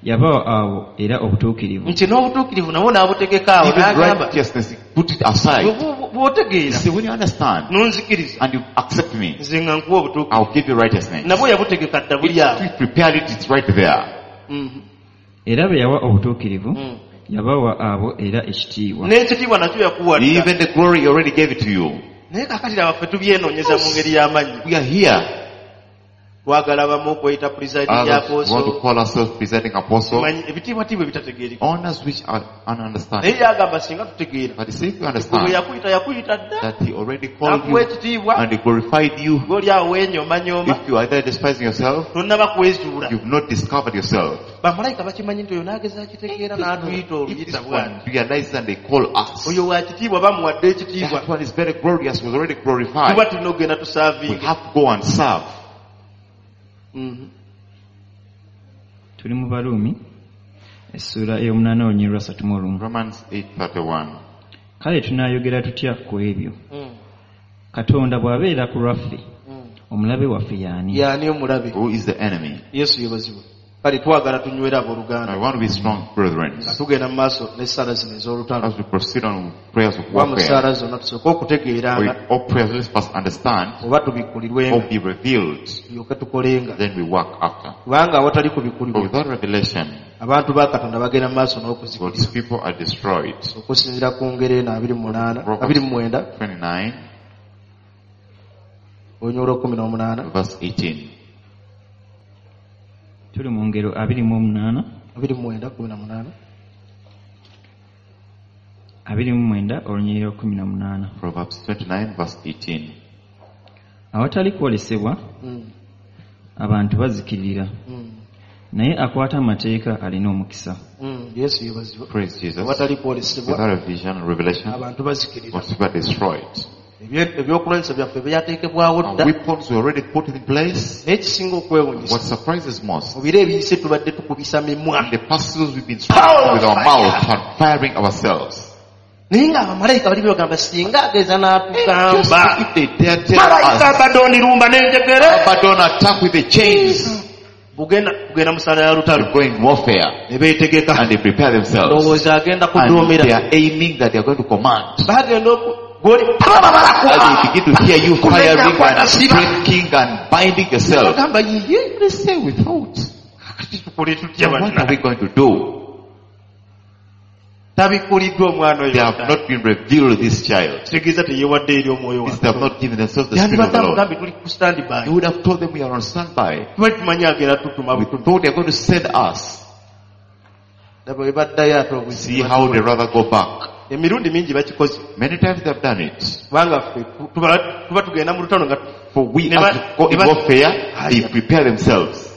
yabawa abo era obutuukirivu. Nti n'obutuukirivu nabwo n'abutegeka awo Even n'agamba righteousness, he put it aside. bwe- bwe- bw'otegeera See, when you understand n'onzikiriza and you accept me, nze nga nkuwa obutuukirivu. I'll give you righteousness. Nabwo yabutegeka dda buli awo. If you prepared it, it's right there. Mhm. Era be yawa obutuukirivu Mm. yabawa abo era ekitiibwa. N'ekitiibwa nakyo yakuwa dda. Even the glory, he already gave it to you. Naye kaakati laba ffe tubyenoonyeza mu ngeri y'amannya. We are here. Twagala abamu okweyita presiding Others want to apostle. call ourselves presiding apostle. Manyi ebitiibwatiibwa ebitategeereka. Honors which are ununderstanding. Naye yagamba singa tutegeera. But he said, if you Gwe bwe understand yakuyita yakuyita dda. that he already called N'akuwa you ekitiibwa. and he glorified you, Gw'oli awo weenyoomanyooma. if you are there despising yourself, Tonnaba kwezuula. you've not discovered yourself. Bamalayika bakimanyi nti oyo n'ageza akitegeera n'atuyita If this oluyita bw'ati. one realizes and they call us, Oyo wa kitiibwa bamuwadde ekitiibwa. that one is very glorious, was already glorified. Tuba tulina okugenda We tusaavinge. have to go and serve. Mhm. Tuli mu Baruumi essuula ey'omunaana olunyiriri lwa ssatu mu olumu. Romans eight thirty-one. Kale tunaayogera tutya ku ebyo? Mm. Katonda bw'abeera ku lwaffe, Mm. omulabe waffe y'ani? Y'ani omulabe? Who is the enemy? Yesu yeebazibwe. Kale twagala tunywere abooluganda. I want to be strong, brethren. Nga tugenda mu maaso n'essaala zino ez'olutalo. As we proceed on prayers of Kuba mu warfare, ssaala zonna tusooke okutegeeranga with all prayers, let's first understand oba tubikkulirwenga or be revealed, tulyoke tukolenga. then we work after. Kubanga awatali But kubikkulirwa without revelation, abantu ba Katonda bagenda mu maaso God's n'okuzikirira. people are destroyed. Okusinziira ku ngeri eno abiri mu munaana abiri mu mwenda twenty-nine, olunyiriri olw'ekkumi n'omunaana. verse eighteen. Tuli mu ngero abiri mu omunaana, abiri mu mwenda kkumi na munaana. abiri mu mwenda olunyiriri lw'ekkumi na munaana. Proverbs twenty-nine, verse eighteen. Awatali kwolesebwa Mm. abantu bazikirira, Mm. naye akwata amateeka alina omukisa. Mm. Yesu yeebazibwe. Praise Jesus. Awatali kwolesebwa Without a vision and revelation, abantu bazikirira. God's people are destroyed. Ebye- ebyokulwanyisa byaffe byateekebwawo Our dda. weapons were already put in place. Naye ekisinga okwewuunyisa, What surprises most, mu biro ebiyise tubadde tukubisa mimwa. in the past seasons we've been striking with our mouth and firing ourselves. Naye ng'abamalayika bali bagamba singa ageza Just n'atugamba. if they dare tell Malayika us, Abaddon lumba n'enjegere. Abaddon attack with the chains. Bugenda kugenda mu ssaala ya lutalo. They're going warfare. Ne beetegeka. And they prepare themselves. Ndowooza agenda And kuduumira. they are aiming that they are going to command. Bagenda oku- gw'oli As they begin to hear you firing and breaking and binding yourself. Bagamba yiye. They say without. Kati tukole tutya What banna? are we going to do? Tabikkuliddwa omwana oyo. They have not been revealed this child. Kitegeeza teyeewadde eri omwoyo This wa they have not given themselves the spirit of Yandibadde the Lord. amugambe tuli ku standby. You would have told them we are on standby. Tubadde tumanyi agenda tutuma We butumi. thought they are going to send us. Laba bwe baddayo ate obuzibu. See how they rather go back. Emirundi mingi bakikoze. Many times they have done it. Kubanga ffe tuba tuba tugenda mu lutalo nga For we Ne ba- as we go in ne ba- warfare, they prepare themselves.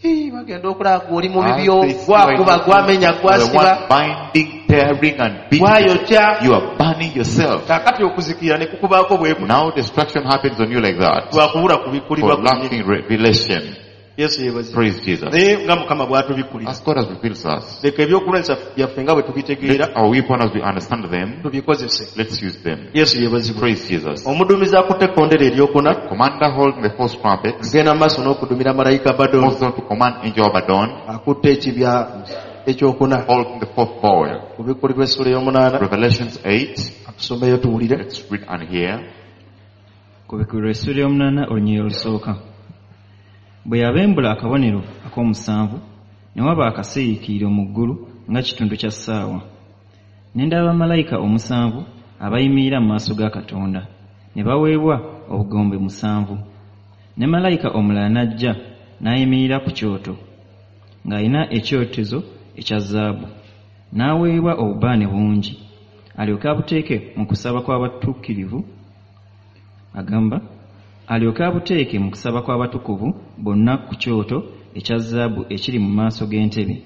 Hii, bagenda okulaba gw'oli mu As bibyo, they see gwakuba, right gwamenya, the gwasiba, one binding, tearing and beating. gwayokya. You are burning yourself. Kaakati okuzikirira ne kukubaako bwe kuti. Now destruction happens on you like that. Lwakubula kubikkulibwa For lacking revelation. Yesu yeebazibwe. Praise Jesus. Naye nga Mukama bw'atubikkulira. As God has revealed us, Leka ebyokulwanyisa byaffe nga bwe tubitegeera, let our weapon as we understand them, tubikozese. let's use them. Yesu yeebazibwe. Praise Jesus. Omuduumizi akutte ekkondere eryokuna, Commander holding the fourth trumpet, agenda mu maaso n'okudumira malayika Abaddon, moves on to command angel Abaddon, akutte ekibya ekyokuna. holding the fourth bowl. Kubikkulirwa essuula ey'omunaana, Revelations eight, atusomeyo tuwulire. let's read and hear. Kubikkulirwa essuula ey'omunaana olunyiriri olusooka. Bwe yabembula akabonero ak'omusanvu, ne waba akasiriikiriro mu ggulu nga kitundu kya ssaawa. Ne ndaba malayika omusanvu abayimirira mu maaso ga Katonda, ne baweebwa obugombe musanvu. Ne malayika omulala n'ajja n'ayimirira ku kyoto, ng'alina ekyotezo ekya zaabu. N'aweebwa obubaane bungi, alyoke abuteeke mu kusaba kw'abatuukirivu, agamba, alyoke abuteeke mu kusaba kw'abatukuvu bonna ku kyoto ekya zaabu ekiri mu maaso g'entebe.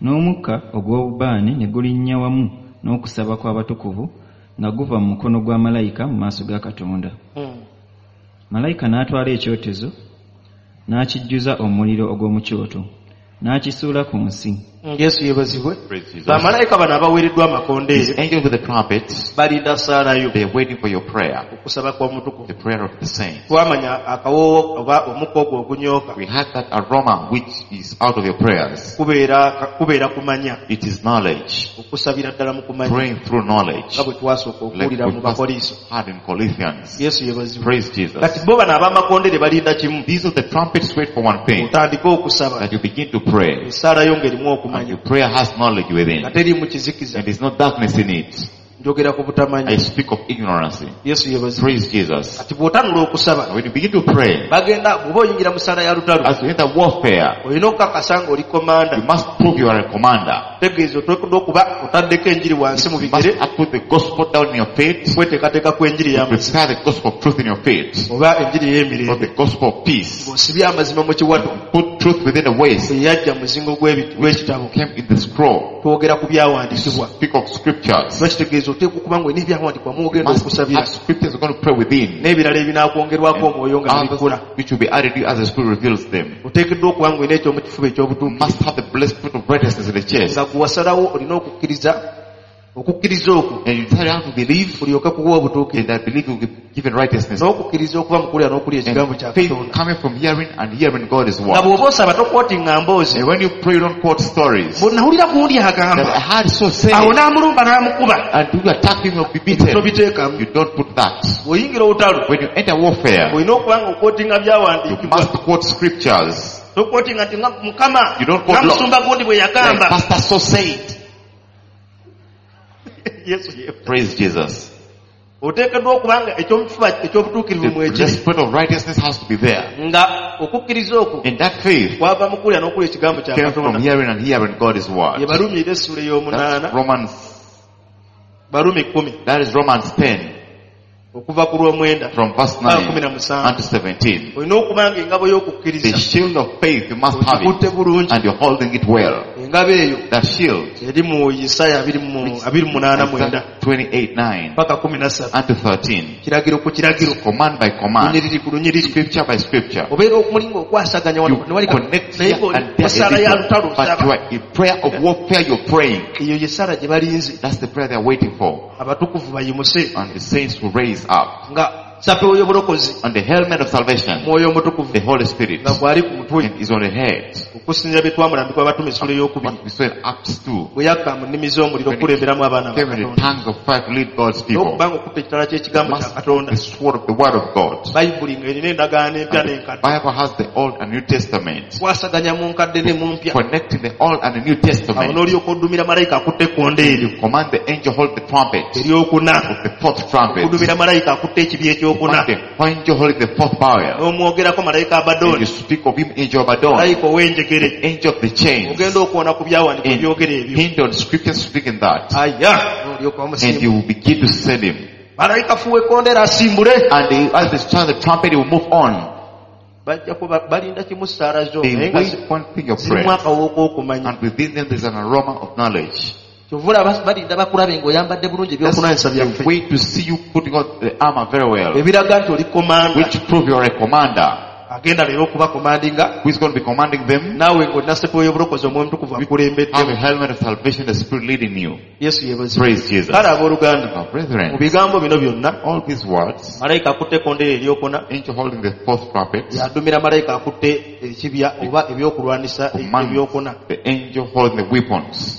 N'omukka ogw'obubaane ne gulinnya wamu n'okusaba kw'abatukuvu nga guva mu mukono gwa malayika mu maaso ga Katonda. Hmm. Malayika n'atwala ekyotezo n'akijjuza omuliro ogw'omu kyoto n'akisuula ku nsi. Yesu yeebazibwe. Praise Jesus. Bamalayika bano abaweereddwa amakondeere These angels with the trumpets, balinda ssaalayo they are waiting for your prayer, okusaba kw'omutukuvu. the prayer of the saints. Twamanya akawoowo oba omukka ogwo ogunyooka We had that aroma which is out of your prayers. kubeera kubeera kumanya It is knowledge. okusabira ddala mu kumanya Praying through knowledge. nga bwe twasooka Like okuwulira we mu first Bakoliiso. had in Corinthians. Yesu yeebazibwe. Praise Jesus. Kati bo bano ab'amakondere balinda kimu These of the trumpets wait for one thing, otandike okusaba that you begin to pray. essaalayo ng'erimu And okumanya your prayer has knowledge within. nga teriimu kizikiza. And there's no darkness in it. Njogera ku butamanya. I speak of ignorance. Yesu yeebazibwe. Praise Jesus. Kati bw'otanula okusaba When you begin to pray, bagenda bw'oba oyingira mu ssaala ya lutalo as you enter warfare, olina okukakasa ng'oli komanda. you must prove you are a commander. Tegeeza oteekeddwa okuba otaddeko enjiri wansi mu You must bigere put the gospel down in your feet. kweteekateeka kw'enjiri y'amazima Prepare the gospel of truth in your feet. oba enjiri Or ey'emirembe the gospel of peace. ng'osibye amazima mu kiwato Put truth within the waist. eyajja mu muzingo gw'ebi- gw'ekitabo. Came in the scroll. Twogera ku byawandiikibwa. Speak of scriptures. Kiba kitegeeza oteekwa okuba ng'olina ebyawandiikibwa mw'ogenda Must okusabira have scriptures you're going to pray within. n'ebirala ebinaakwongerwako omwoyo nga Others bikula. which will be added to you as the Spirit reveals them. Oteekeddwa okuba ng'olina ekyomukifuba You eky'obutuukirivu must have the blessed fruit of righteousness in the chest. nga gwe wasalawo olina okukkiriza okukkiriza okwo And you decide how to believe, kulyoke kuwa obutuukirivu and that belief will be given righteousness. n'okukkiriza okuva mu kuwulira n'okulya ekigambo And kya faith Katonda. coming from hearing and hearing God's Nga word. bw'oba osaba tokwotinga mboozi. And when you pray, you don't quote stories. Bwe nawulira gundi That agamba I had so say, awo n'amulumba n'amukuba and you attack him, you'll be beaten. tobiteekamu. You don't put that. Bw'oyingira olutalo When you enter warfare, olina okuba nga okwotinga you byawandiikibwa. must quote scriptures. Tokwotinga nti nga Mukama You don't quote nga musumba gundi bwe Like yagamba. Pastor so said. Yesu ye. Praise Jesus. Oteekeddwa okuba nga ekyomukifuba eky'obutuukirivu The mwekiri spirit of righteousness has to be there. nga okukkiriza okwo And that faith kwava mu kuwulira n'okulya ekigambo kya came from Katonda. hearing and hearing God's Ye word. Barumi era essuula ey'omunaana That's Romans, Barumi kkumi that is Romans ten okuva ku lw'omwenda from verse paka kumi nine na musanvu. unto seventeen. Olina okuba nga engabo The y'okukkiriza shield of faith, you must have it ogikutte bulungi. and you're holding it well. Engabo eyo That shield, eri mu Isaaya abiri mu abiri mu munaana mwenda Isaiah twenty-eight nine paka kumi na ssatu. unto thirteen. Kiragiro ku kiragiro, Command by command, lunyiriri ku lunyiriri. scripture by scripture. Obeera okumulinga okwasaganya wano You ne wali connect naye here ng'oli and there mu ssaala a ya little, lutalo but osaba. you are in prayer of warfare, you're praying. Eyo ye ssaala gye balinze. That's the prayer they're waiting for. Abatukuvu bayimuse And the saints will raise up. nga sapewo y'obulokozi On the helmet of salvation, mwoyo omutukuvu the Holy Spirit nga gwali ku mutwe and is on the head. okusinziira bye twamulambikwa abatume essula ey'okubiri What we saw in Acts two. bwe yakka mu nnimi z'omuliro okukulemberamu abaana ba Came in the Katonda tongues of fire to lead God's people. n'okuba nga okutta ekitala ky'ekigambo kya Must Katonda the sword of the word of God. Bayibuli ng'erina endagaano empya And the n'enkadde Bible has the Old and New Testament. kwasaganya mu nkadde ne mu mpya Connecting the Old and the New awo Testament. n'olyoka oddumira malayika akutte ekkonde eryo Command the angel hold the trumpet. eryokuna Of the fourth trumpet. okuddumira malayika akutte ekibya ekyokuna Command the angel holding the fourth bowl. n'omwogerako malayika And Abadooni you speak of him, angel Abaddon, malayika ow'enjegere angel of the chains. ogenda okwona ku byawandiikibwa And byogera ebyo hint on scriptures speaking that. aya n'olyoka And omusimbula you will begin to send him. malayika fuwa ekkondeera asimbule And he, as they sound the trumpet, he will move on. bajja kuba balinda kimu ssaala zo They naye nga wait one thing your zirimu prayer. akawooka k'okumanya And within them there's an aroma of knowledge. kyova olaba balinda bakulabe ng'oyambadde bulungi That's ebyokunanyisa the byaffe way to see you putting on the armor very well. ebiraga nti oli komanda Which prove you are a commander. agenda leero okubakomandinga Who is going to be commanding them? naawe ng'olina sepewo y'obulokozi omwoyo omutukuvu Have akulembeddemu a helmet of salvation, the Spirit leading you. Yesu yeebazibwe. Praise Jesus. Kale abooluganda Now, mu brethren, bigambo bino byonna all these words, malayika akutte ekkondeere eryokuna angel holding the fourth trumpet, yadumira malayika akutte ekibya oba ebyokulwanisa commands ebyokuna the angel holding the weapons.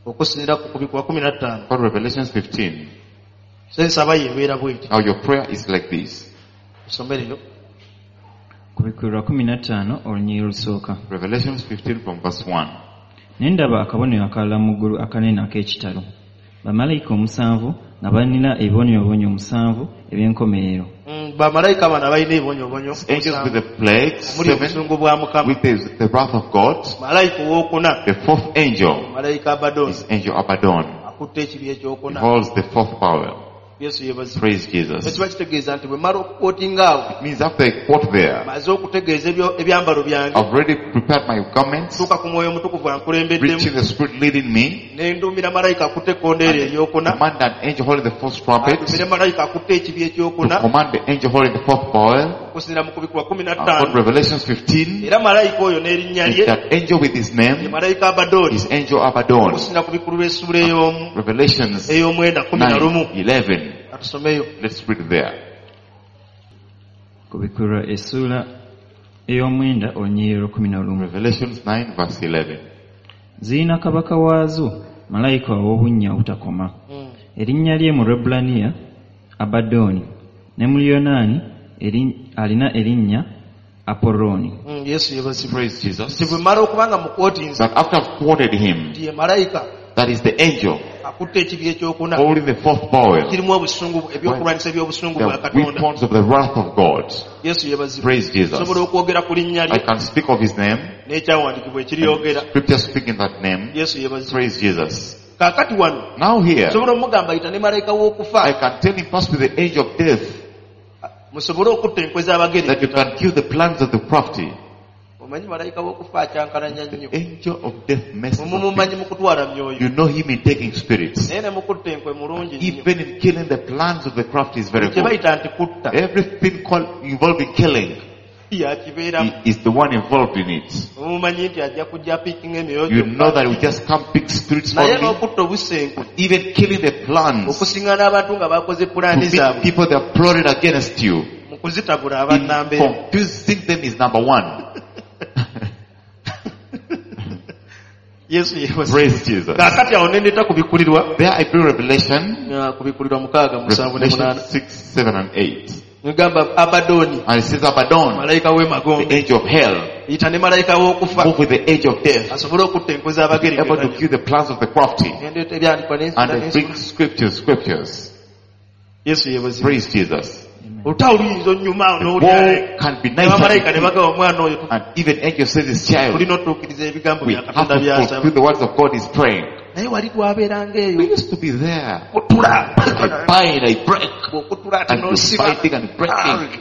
okusinziira ku kubikwa kumi na ttaano For Revelations fifteen. sensaba yeebeera bweti Now your prayer is like this. esomereyo Kubikkulirwa kumi na ttaano olunyiriri olusooka. Revelations fifteen from verse one. Ne ndaba akabonero akalala mu ggulu akanene ak'ekitalo. Bamalayika omusanvu nga balina ebibonyoobonyo omusanvu eby'enkomerero. Mm, Bamalayika bano abalina ebibonyoobonyo Angels with the plagues, omuli seven, obusungu bwa Mukama. with the, the wrath of God. Malayika owookuna, The fourth angel malayika Abaddon, is angel Abaddon. akutte ekibi He ekyokuna. holds the fourth power. Yesu yeebazibwe. Praise Jesus. Ekiba kitegeeza nti bwe mmala okukootinga awo, It means after I quote there, maze okutegeeza ebyo- ebyambalo byange, I've already prepared my garments, tuuka ku mwoyo omutukuvu ankulembeddemu, reaching the Spirit leading me, ne nduumira malayika akutte ekkondeere eryokuna, command an angel holding the fourth trumpet, atumire malayika akutte ekibi to ekyokuna, command the angel holding the fourth bowl. okusinziira mu kubikkulwa kumi na I've got ttaano. Revelations fifteen. Era malayika oyo n'erinnya Is lye that angel with his ye name malayika Abaddon, is angel Abaddon. okusinziira ku bikkulwa essuula ey'omu Revelations ey'omwenda kumi na lumu. nine, eleven. Atusomeyo. Let's read there. Kubikkulwa essuula ey'omwenda olunyiriri olw'ekkumi na lumu. Revelations nine verse eleven. Zirina kabaka waazo malayika ow'obunnya obutakoma. Erinnya lye mu Lwebbulaniya Abaddoni, ne mu Luyonaani eri- alina erinnya Apolloni. Mm, Yesu yeebazibwe. Praise Jesus. Nti bwe mmala okuba nga mukwotinze That after I've quoted him, nti ye malayika that is the angel akutte ekibi ekyokuna holding the fourth bowl, kirimu obusungu, ebyokulwanyisa eby'obusungu bwa the Katonda. weapons of the wrath of God. Yesu yeebazibwe. Praise Jesus. Nsobola okwogera ku linnya I lye can speak of his name. n'ekyawandiikibwa ekiryogera. Scripture speak in that name. Yesu yeebazibwe. Praise Jesus. Kaakati wano Now here, nsobola omugamba yita ne malayika w'okufa I can tell him pass with the angel of death musobole okutta enkwe z'abagere. that you can kill the plans of the crafty. Omanyi malayika w'okufa akyankalanya nnyo. Angel of death messes up Mumumumanyi people. mu kutwala myoyo. You know him in taking spirits. Naye ne mu kutta enkwe mulungi nnyo. Even in killing the plans of the crafty is very Kye good. bayita nti kutta Everything called involving killing, yakibeeramu. he is the one involved in it. Mumumanyi nti ajja kujja apiikinga emyoyo You know gyokka. that we just can't pick spirits Naye only. n'okutta obussa enkwe Even killing the plans okusinga n'abantu nga bakoze to pulaani meet zaabwe people that have plotted against you. mu kuzitabula In abannambeera. confusing them is number one. Yesu yeebazibwe. Praise Jesus. Kaakati awo ne ndeeta kubikkulirwa There I bring Revelation, uh, kubikkulirwa mukaaga musanvu ne Revelation munaana. six, seven and eight. Ngamba Abaddoni, And it says Abaddon, malayika w'emagombe, the angel of hell, yita ne malayika w'okufa move with the angel of death, asobole okutta enkwe z'abagere. able to kill the plans of the crafty. Ne ndeeta ebyandikwa ne And nsula I ne bring nsula. scriptures, scriptures. Yesu yeebazibwe. Praise Jesus. Olutalo luyinza onnyuma awo The n'owulira war can be ne bamalayika ne nice. bagaba omwana oyo And even angel says this child, tulina otuukiriza ebigambo we bya have Katonda to by'asaba. fulfill the words of God is praying. Naye wali twabeeranga We eyo used to be there. kutula I bind, I break, bw'okutula ate and you're n'osiba fighting and breaking,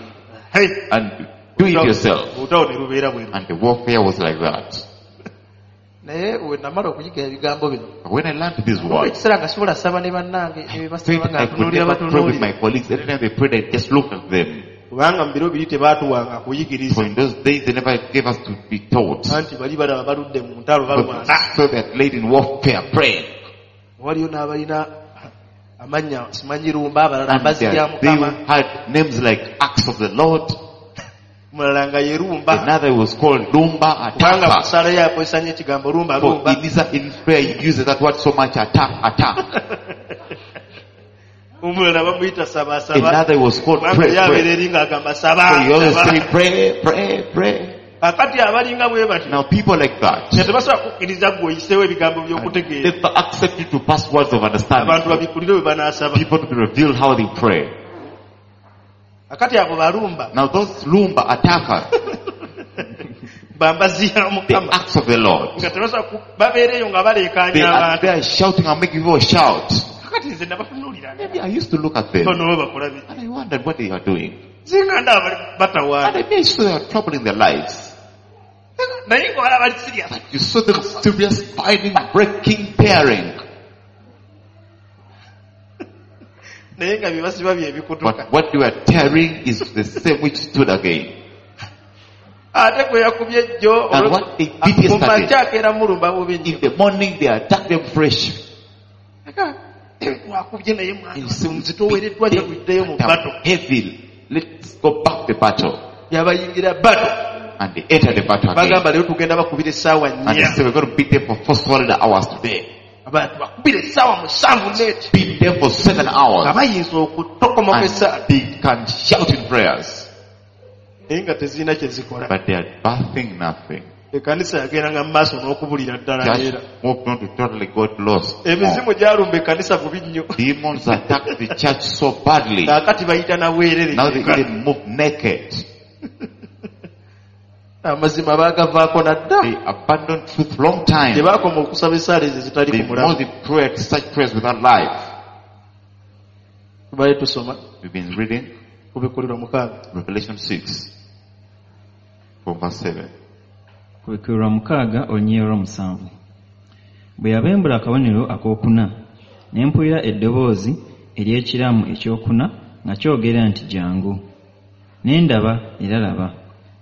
Hey. and do it yourself. Olutalo ne lubeera bwe luti. And the warfare was like that. Naye we namala okuyiga ebigambo bino But when I learned these words, ekiseera nga sobola saba ne bannange ebibasaba faith nga I could ntunuulira never pray with batunuulira my colleagues. Anytime they prayed, I just looked at them. kubanga mu biro biri tebaatuwanga kuyigiriza For in those days, they never gave us to be taught. anti bali balaba baludde mu ntalo balwana But so that laid in warfare, praying. waliyo n'abalina amannya simanyi lumba abalala And amazzi they, ga they Mukama had names like Acts of the Lord. omulala nga ye lumba Another was called Lumba kubanga Attacker. mu ssaala ye akozesa nnyo ekigambo lumba For lumba in his, in his prayer, he uses that word so much, attack, attack. omulala bamuyita saba saba Another was called kubanga pray, ye abeera pray. eri ng'agamba saba So he always saba. say pray, pray, pray. Kaakati abalinga bwe batyo Now people like that nga tebasobola kukkiriza ggwe oyiseewo ebigambo by'okutegeera never accept you to pass words of abantu understanding. babikulire bwe banaasaba People to be revealed how they pray. Kaakati abo balumba Now those Lumba attacker, bambazi ya the Mukama acts of the Lord, nga tebasobola ku- babeereyo nga baleekaanya they are abantu there shouting and making people shout. Kaakati nze nabatunuulira Maybe I used to look at them bano bo bakola biki and I wondered what they are doing. singa ndaba bali batawaana And I made sure they are troubling their lives. naye nga balaba bali serious But you saw them serious fighting, breaking, tearing. naye nga bye basiba bye bikutuka But what they were tearing is the same which stood again. ate gwe yakubye jjo And what they did mu yesterday, makya akeera mulumba bubi nnyo in the morning they attacked them fresh. wakubye naye mwana You see, nzitoowereddwa nnyo tuddeyo mu they bato are heavy. Let's go back the battle. yabayingira bato And they entered the battle again. bagamba leero tugenda bakubira essaawa And they nnya said, we're going to beat them for four solid hours today. abantu bakubira essaawa musanvu neeti Beat them for seven nga hours. bayinza okutokomoka And essaawa they can shout in prayers. naye nga tezirina kye zikola But they are birthing nothing. Ekkanisa yagendanga mu maaso n'okubulira ddala Church era moved on to totally got lost. More. Emizimu gyalumba ekkanisa bubi nnyo. Demons attacked the church so badly. Kaakati bayita na bwereere. Now they even move naked. Amazima baagavaako nadda. They abandoned truth long time. Gye baakoma okusaba essaala ezo ezitali They ku mulamu. mostly prayed such prayers without life. Tubadde tusoma We've been reading Kubikkulirwa mukaaga. Revelation six from verse seven. Kubikkulirwa mukaaga olunyiriri olw'omusanvu. Bwe yabembula akabonero akookuna, ne mpulira eddoboozi ery'ekiramu ekyokuna nga kyogera nti jangu. Ne ndaba era laba,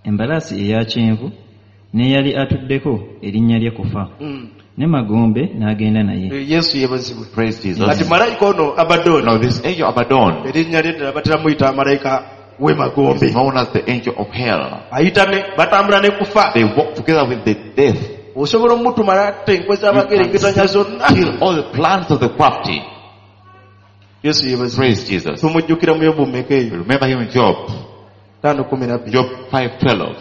embalaasi eya kyenvu n'eyali atuddeko erinnya lye kufa. Mm. Ne magombe n'agenda naye. Eh, Yesu yeebazibwe. Praise Jesus. Kati malayika ono Abaddon, Now this angel Abaddon erinnya lye ddala batera muyita malayika w'emagombe. is known as the angel of hell. Ayita ne batambula ne kufa. They walk together with the death. Osobola omutuma n'atta enkwe You z'abagerengetanya can zonna. kill all the plans of the crafty. Yesu yeebazibwe. Praise Jesus. Tumujjukira mu Yobu mmeka eyo? Remember him in Job. Ttaano kkumi na bbiri. Job five twelve.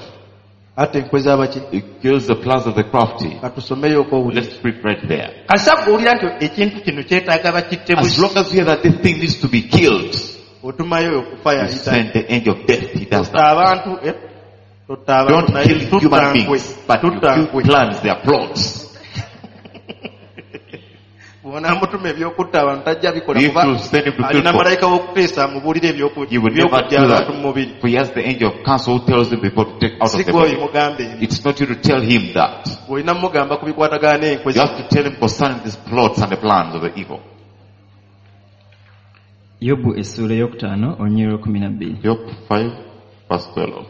Atta enkwe z'abaki? He kills the plans of the crafty. Katusomeyo okowulira. Let's read right there. Kasita ggwe nti ekintu kino kyetaaga bakitte As busi. long as you hear that this thing needs to be killed, Otumayo oyo okufa you yayita. send the angel of death. He does Totta that. abantu, eh? Totta abantu Don't naye kill human tutta nkwe. beings, but you Tutta kill nkwe. plans, their plots. Bw'onaamutuma eby'okutta abantu tajja bikola If kuba you send him to kill alina people, malayika w'okuteesa amubuulire ebyoku- he will never eby'okuggya do abantu mu mubiri. that. For he has the angel of counsel who tells him before to take out Si of the ggwe oyo body. mugambe ebyo. It's not you to tell him that. Olina mugamba ku bikwatagana n'enkwe You have to tell him concerning these plots and the plans of the evil. Yobu essuula ey'okutaano olunyiriri olw'ekkumi na bbiri. Job five verse twelve.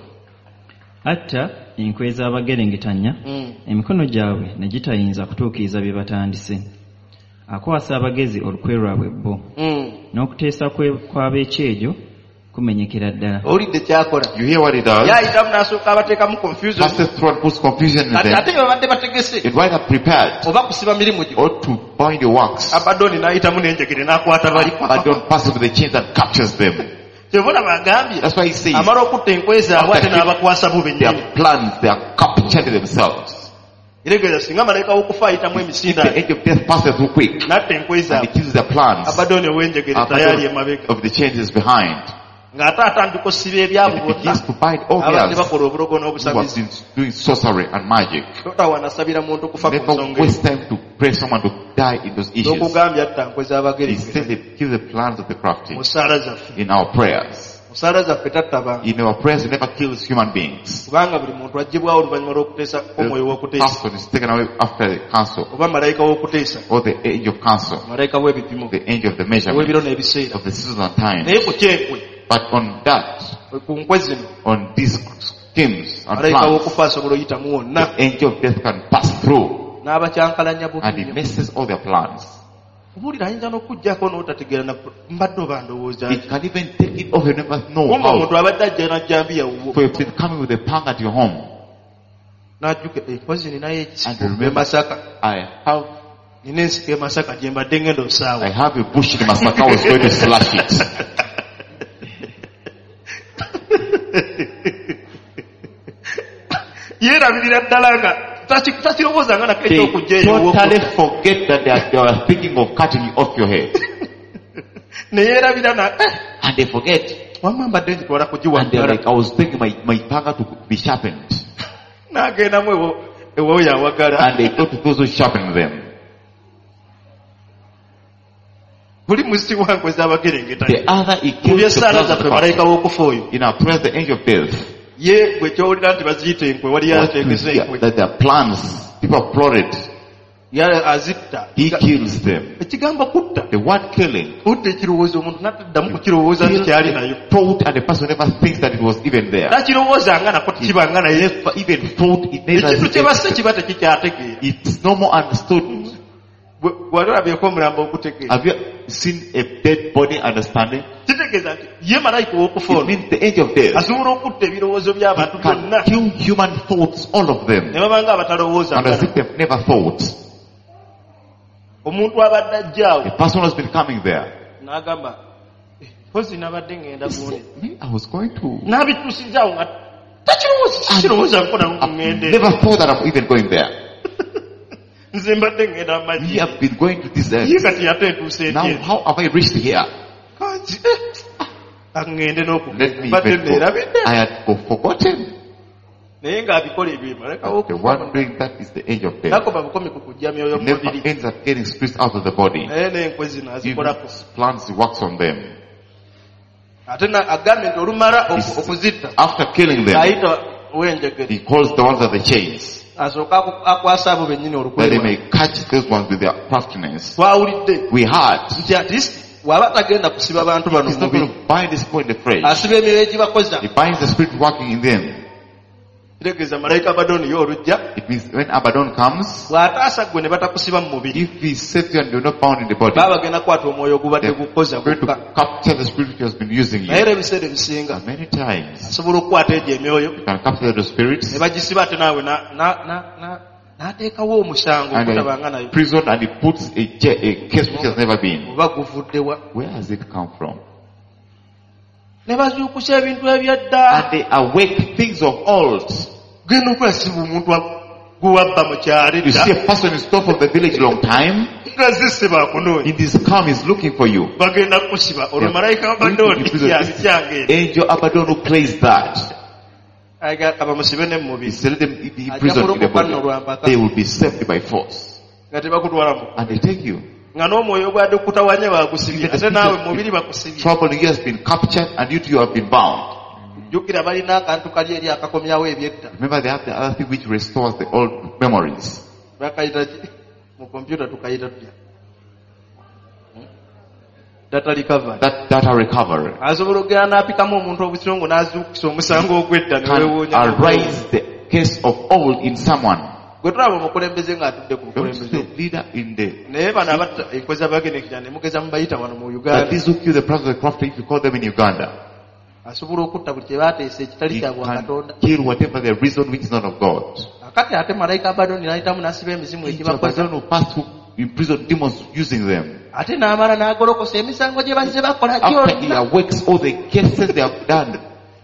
Atta enkwe z'abagerengetanya, Mm. emikono gyabwe ne gitayinza kutuukiriza bye batandise. Akwasa abagezi olukwe lwabwe bo. Mm. N'okuteesa kwe kw'ab'ekyejo kumenyekera ddala. Owulidde ky'akola. You hear what he does? Yayitamu n'asooka abateekamu confusion. Passes through and puts confusion in Kati them. ate bye babadde bategese It either prepared oba kusiba mirimu gyo. or to bind your works. Abaddoni n'ayitamu n'enjegere n'akwata bali. But don't pass it with the chains and captures them. Kyova olaba agambye That's why he says amala okutta enkwe zaabwe ate n'abakwasa bo bennyini. their plans, they are captured themselves. Eregeeza singa malayika w'okufa ayitamu emisinde The angel of death passes through quick n'atta enkwe and he zaabwe. kills their plans. Abaddoni ow'enjegere tayali emabega. Of the chains is behind. Ng'ate atandika osiba ebyabwe And he bonna begins to bind all abadde theirs bakola obulogo who have n'obusabizi. been doing sorcery and magic. Totawaana muntu kufa ku Never nsonga eyo. waste time to pray someone to die in those issues. N'okugambye atta nkwe He z'abagerengetanya. says they kill the plans of the crafty Mu ssaala zaffe. in our prayers. Mu ssaala zaffe tatta bantu. In our prayers, he never kills human beings. Kubanga buli muntu aggyibwawo oluvannyuma lw'okuteesa kw'omwoyo The w'okuteesa. person is taken away after the counsel Oba malayika w'okuteesa. or the angel of counsel, Malayika w'ebipimo. the angel of the measurement Ow'ebiro n'ebiseera. of the seasons and times. Naye ku kyenkwe, But on that, ku nkwe zino, on these schemes and malayika plans, w'okufa asobola oyitamu wonna the angel of death can pass through n'abakyankalanya and he bubi. messes all their plans. Obuulira ayinza n'okuggyako n'otategeera na mbadde oba ndowooza He ki. can even take it off, you never know Kumba how. omuntu abadde ajja n'ajjambiya wuwo For you've been coming with a pang at your home. n'ajjuka enkozi ninayo And ekisiko remember- e Masaka. I have, Nina ensiko e Masaka gye mbadde ngenda osaawa. I have a bush in Masaka, I was going to slash it. Yeerabirira ddala nga taki- takirowooza nga nako They eky'okujja eyo ew'oku- totally forget that they, are, they were thinking of cutting you off your head. Ne yeerabira na eh, And they forget. wamma mbadde ngitwala kugiwa And they're ddala. like, I was thinking my, my panga to be sharpened. N'agendamu ewo- ew'oyo awagala. And they go to those who sharpen them. Buli musisi wa nkwe z'abagerengetanya. The other, he Mu kills the by'essaala plans of zaffe the malayika crafty. w'okufa oyo. In our prayers, the angel of death. Ye gwe ky'owulira nti baziyita enkwe waliyo What to ategese hear enkwe. that their plans, people have plotted. Ye azitta. He kills them. Ekigambo kutta. The word killing, Kutta ekirowoozo omuntu n'ataddamu kukirowooza nti kills kyali nayo. the thought and the person never thinks that it was even there. Takirowoozanga nako tekibanga naye. Never even thought it never Ekintu kye basse kiba tekikyategeera. It's no more understood. Bwe- Wali olabyeko omulambo ogutegeera. Have you seen a dead body understanding? Kitegeeza nti ye malayika ow'okufa It ono means the angel of death asobola okutta ebirowoozo by'abantu can byonna kill human thoughts, all of them, ne babanga abatalowooza and as if they've never thought. Omuntu abadde ajja awo A person has been coming there. n'agamba "Eh, mpozi nabadde ngenda gundi Me, I was going to. n'abituusizaawo nga Takirowooza kirowooza nko I've ŋŋende never thought that I'm even going there. nze mbadde ŋŋenda We amagye have been going to this ye end. kati ate entuuse Now, etya how have I reached here? kanzi eh, ah, ŋŋende Let n'okugenda me mbadde even go. neerabidde I had go forgotten. naye ng'abikola ebyo malekawo The one doing that is the angel of death. nakoma bukomi ku kuggya myoyo He mu never mubiri ends up getting spirits out of the body. naye n'enkwe zino He azikolako plans, he works on them. ate na- agambye nti olumala oku- He's- okuzitta After killing them, ayita wenjegere he calls the ones at the chains asooke aku- akwasa abo bennyini that they olukwe may catch those ones with their craftiness. twawulidde We heard nti at least bw'aba tagenda kusiba bantu bano he's mu not going mubiri to bind this point in the flesh. asiba emyoyo egibakoza He binds the spirit working in them. kitegeeza malayika Abaddoni ye olujja It means when Abaddon comes, bw'ataasa ggwe ne batakusiba mu mubiri if he saves you and you're not bound in the body, baba bagenda kukwata omwoyo ogubadde they're gukoza going to gwokka capture the spirit which has been using naye you. era ebiseera ebisinga And many times, asobola okukwata egyo emyoyo you can capture the spirits ne bagisiba ate naawe na- na- na- na- n'ateekawo omusango and ogutabanga nayo he prison and he puts a, ja- a case which has never been. oba guvuddewa Where has it come from? ne bazuukusa ebintu ebyedda And they awake things of old. genda okulasiba omuntu gwewabba mu kyalo You edda see a person is stole from the village long time. nga zisiba akunoonya In this calm is looking for you. bagenda kukusiba olwo Yeah. malayika Going to wabadde imprison this yabikyange Angel Abaddon who plays that. abamusibe ne He mumubiri said, let them be Ajja imprisoned in the kulokoka nno body. lwa mpaka. They will be saved by force. nga tebakutwala mu And they take you. nga n'omwoyo ogwadde okutawanya bagusibye Even the ate naawe spirit mubiri bakusibye Trouble you has been captured and you too have been bound. jjukira balina akantu kali eri akakomyawo ebyedda Remember they have the other thing which restores the old memories. bakayita ki mu kompyuta tukayita tutya Hmm? data recovery That data recovery asobola okugenda n'apikamu omuntu obusungu n'azuukusa omusango ogw'edda can newewuunya arise the case of old in someone. gwe tulaba omukulembeze ng'atudde ku Don't bukulembeze the leader in the naye bano abatta enkwe z'abagenekera ne mugeza mubayita wano mu But uganda these who kill the brothers of the crafty, if you call them in Uganda, asobola okutta buli kye baateesa ekitali he kya bwakatonda can kill whatever the reason which is not of God. akati ate malayika Abaddoni n'ayitamu n'asiba emizimu Angel egibakoza Abaddon who passed through imprison demons using them. ate n'amala n'agolokosa emisango gye bazze bakola After he gyonna awakes all the cases they have done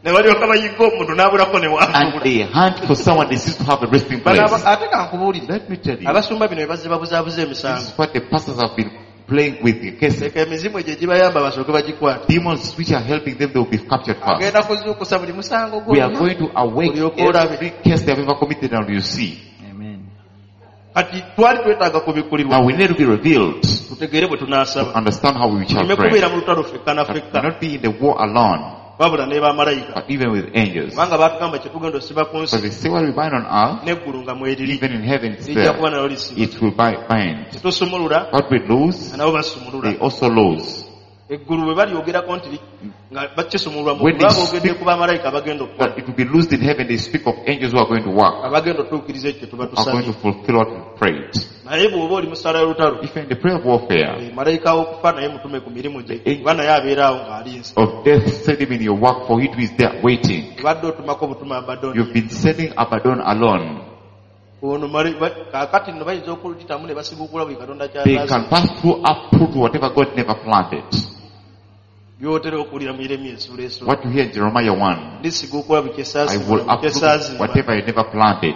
ne balyoka bayigga omuntu n'abulako ne and waabula they hunt for someone they seem to have a resting Bano place. aba- ate kankubuulire Let me tell you, abasumba bino bye bazze babuzaabuza this emisango is what the pastors have been playing with the cases. leka emizimu egyo egibayamba basooke bagikwate Demons which are helping them, they will be captured first. agenda kuzuukusa buli musango We are gwonna going to awake Olyoke olabe. every case they have ever committed and you see. Amen. kati twali twetaaga kubikkulirwa Now we need to be revealed tutegeere bwe to tunaasaba understand how we shall tuleme pray. kubeera mu lutalo ffekka na But ffekka not be in the war alone, wabula ne bamalayika but even with angels. kubanga baatugamba kye tugenda osiba ku Because nsi they say what we bind on earth, n'eggulu nga mweriri even in heaven it's lijja there. kuba nalyo lisiba It will bi- bind. tetusumulula What we lose, nabo basumulula they also lose. eggulu bwe balyogerako nti li- nga bakisumululwa mu When ggulu they baba boogedde speak- ku bamalayika abagenda okukola But it will be loosed in heaven. They speak of angels who are going to work, abagenda otuukiriza ekyo kye tuba are going tusabye to fulfill what we prayed. naye bw'oba oli mu ssaala y'olutalo If you're in the prayer of warfare, eh, malayika w'okufa naye mutume ku mirimu gye kuba naye abeera awo ng'alinze of death, send him in your work, for he too is there waiting. obadde otumako butuma Abaddoni You've been sending Abaddon alone. ono mali- ba- kaakati nno bayinza okuluyitamu ne basiguukula buli katonda They ky'ataasi can pass through uproot whatever God never planted. by'otera okuwulira mu Yeremiya essuula esooka What you hear in Jeremiah one, ndisiguukula buli I will kyesaasimbula uproot kyesaazimba whatever I never planted.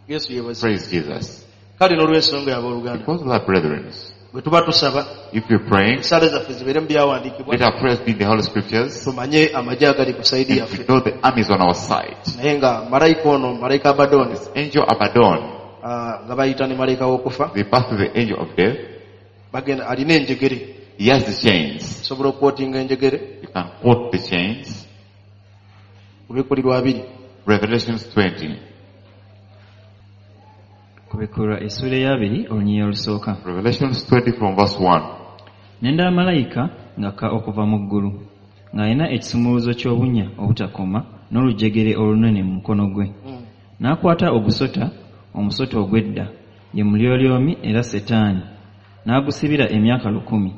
Yesu yeebazibwe Praise Jesus. kale n'olw'ensonga y'abooluganda Because of that, brethren, bwe tuba tusaba if you're praying, essaala zaffe zibeere mu byawandiikibwa let our prayers be in the Holy Scriptures tumanye amagye agali ku sayidi and yaffe we know the armies on our side. naye nga malayika ono malayika Abaddoni This angel Abaddon, ah, nga bayita ne malayika w'okufa they pass to the angel of death. bagenda alina enjegere He has the chains. osobola okwotinga enjegere You can quote the chains. kubikkulirwa abiri Revelations twenty. Kubikkulwa essuula ey'abiri olunyiriri olusooka. Revelations twenty from verse one. Ne ndaba malayika ng'akka okuva mu ggulu, ng'alina ekisumuluzo ky'obunnya obutakoma n'olujegere olunene mu mukono gwe. N'akwata ogusota, omusota ogw'edda, ye Mulyolyomi era Setaani, n'agusibira emyaka lukumi,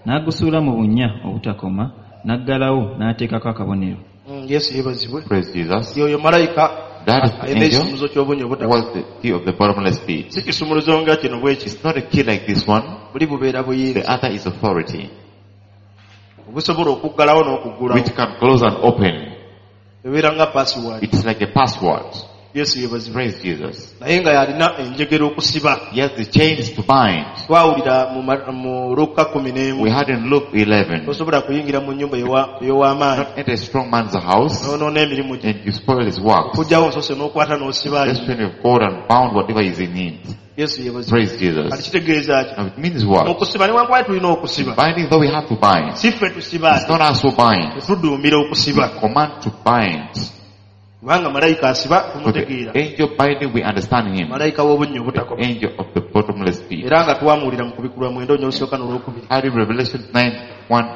n'agusuula mu bunnya obutakoma, n'aggalawo n'ateekako akabonero. Mm, Yesu yeebazibwe Praise Jesus. yoyo malayika That is the alina angel ekisumuluzo ky'obunnya obutakoma was the key of the bottomless pit. si kisumuluzo nga kino bwe kiti It's not a key like this one. buli bubeera The buyinza other is authority, obusobola okuggalawo n'okuggulawo which can close and open. Ebeera nga password. It's like a password. Yesu yeebazibwe. Praise Jesus. Naye nga yalina enjegere okusiba. He has the chains to bind. Twawulira mu ma- mu Luka kkumi n'emu. We had in Luke eleven. Tosobola kuyingira mu nnyumba ewa- ey'ow'amaanyi. Not enter a strong man's house N'onoona emirimu gye. and you spoil his works. Okugyawo nsose n'okwata n'osiba. Just when you've got and bound whatever is in it. Yesu yeebazibwe. Praise Jesus. Kati kitegeeza ki? Now it means what? Okusiba newankubadde tulina okusiba. Binding, though we have to bind. Si ffe tusiba It's not us who bind. Tetuduumira okusiba. We command to bind. Kubanga malayika asiba For the tumutegeera. angel binding, we understand him. Malayika w'obunnya The obutakoma. angel of the bottomless pit. Era nga twamuwulira mu kubikulwa mwenda olusooka n'olwokubiri. Had in Revelation nine, one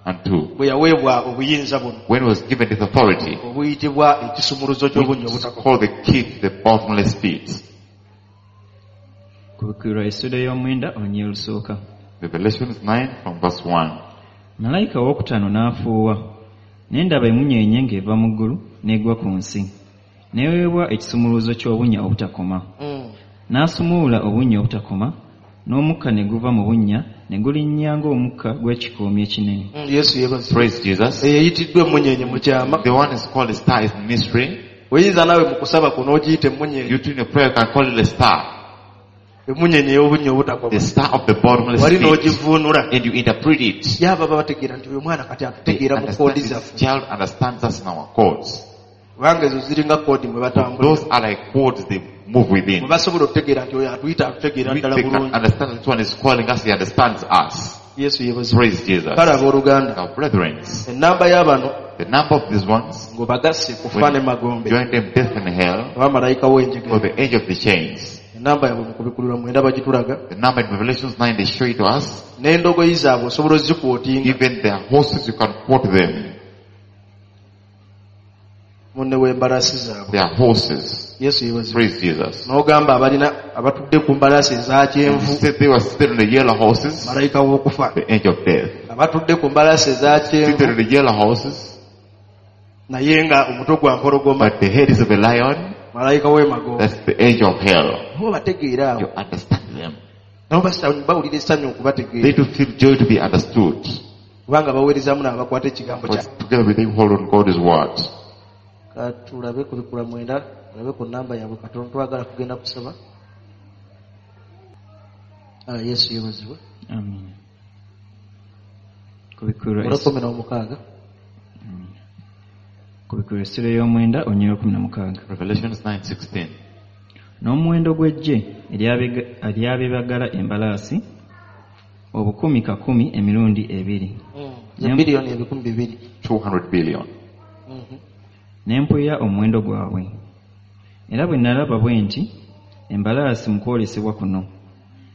and two. Bwe yaweebwa obuyinza buno. When he was given this authority, Obuyitibwa ekisumuluzo ky'obunnya which is obutakoma. called the key to the bottomless pit. Kubikulwa essuula y'omwenda olunyiriri olusooka. Revelation nine from verse one. Malayika owookutaano n'afuuwa, ne ndaba emunyeenye ng'eva mu ggulu n'egwa ku nsi. N'eweebwa ekisumuluzo ky'obunnya obutakoma. Mm. N'asumulula obunnya obutakoma, n'omukka ne guva mu bunnya ne gulinnya ng'omukka gw'ekikoomi ekinene. Mm, Yesu yeebazibwe. Praise Jesus. Eyo eyitiddwa emunyeenye mu kyama. The one is called a star is mystery. Oyinza naawe mu kusaba kuno n'ogiyita emunyeenye. You too in your prayer can call it a star. Emunyeenye ey'obunnya obutakoma. The star of the bottomless Wali pit. n'ogivuunula. And you interpret it. Ye ababa bategeera nti oyo mwana kati They atutegeera mu understand koodi this zaffe. child understands us in our codes. Kubanga ezo ziringa koodi mwe batambula. Those are like codes they move within. Mwe basobola okutegeera nti oyo atuyita atutegeera We, ddala they can bulungi. understand this one is calling us, he understands us. Yesu yeebazibwe. Praise Jesus. Kale abooluganda, Now brethren, ennamba y'abano the number of these ones, ng'obagasse kufa ne magombe. join them death and hell, Oba malayika w'enjegere. or the angel of the chains. Ennamba yaabwe mu kubikulirwa mwenda bagitulaga. The number in Revelation nine, they show it to us. N'endogoyi zaabwe osobola ozikwotinga. Even their horses, you can quote them. Munne w'embalaasi zaabwe. Their horses. Yesu yeebazibwe. Praise Jesus. N'ogamba abalina abatudde ku mbalaasi eza kyenvu. You said they were seated on the yellow horses, Malayika w'okufa. the angel of death. Abatudde ku mbalaasi eza kyenvu. Seated on the yellow horses, Naye nga omutwe gwa mpologoma. but the head is of a lion. Malayika w'emagombe. That's the angel of hell. Nabo bategeera awo. You understand them. Nabo basa- bawulira essanyu okubategeera. They do feel joy to be understood. Kubanga baweerezaamu n'abakwata ekigambo kya. But together with them hold on God's word. Katulabe ku bikula mwenda, tulabe ku nnamba yaabwe katono, twagala kugenda kusaba. Ah, Yesu yeebazibwe. Amiina. Kubikulwa Olw'ekkumi n'omukaaga. Kubikulwa essuula y'omwenda olunyiriri olw'ekkumi na mukaaga. Revelation nine sixteen. N'omuwendo gw'eggye ery'abeebagala embalaasi obukumi kakumi emirundi ebiri. Mm. Biliyoni ebikumi bibiri. two hundred billion. Mm-hmm. Ne mpulira omuwendo gwabwe. Era bwe nalaba bwe nti embalaasi mu kwolesebwa kuno,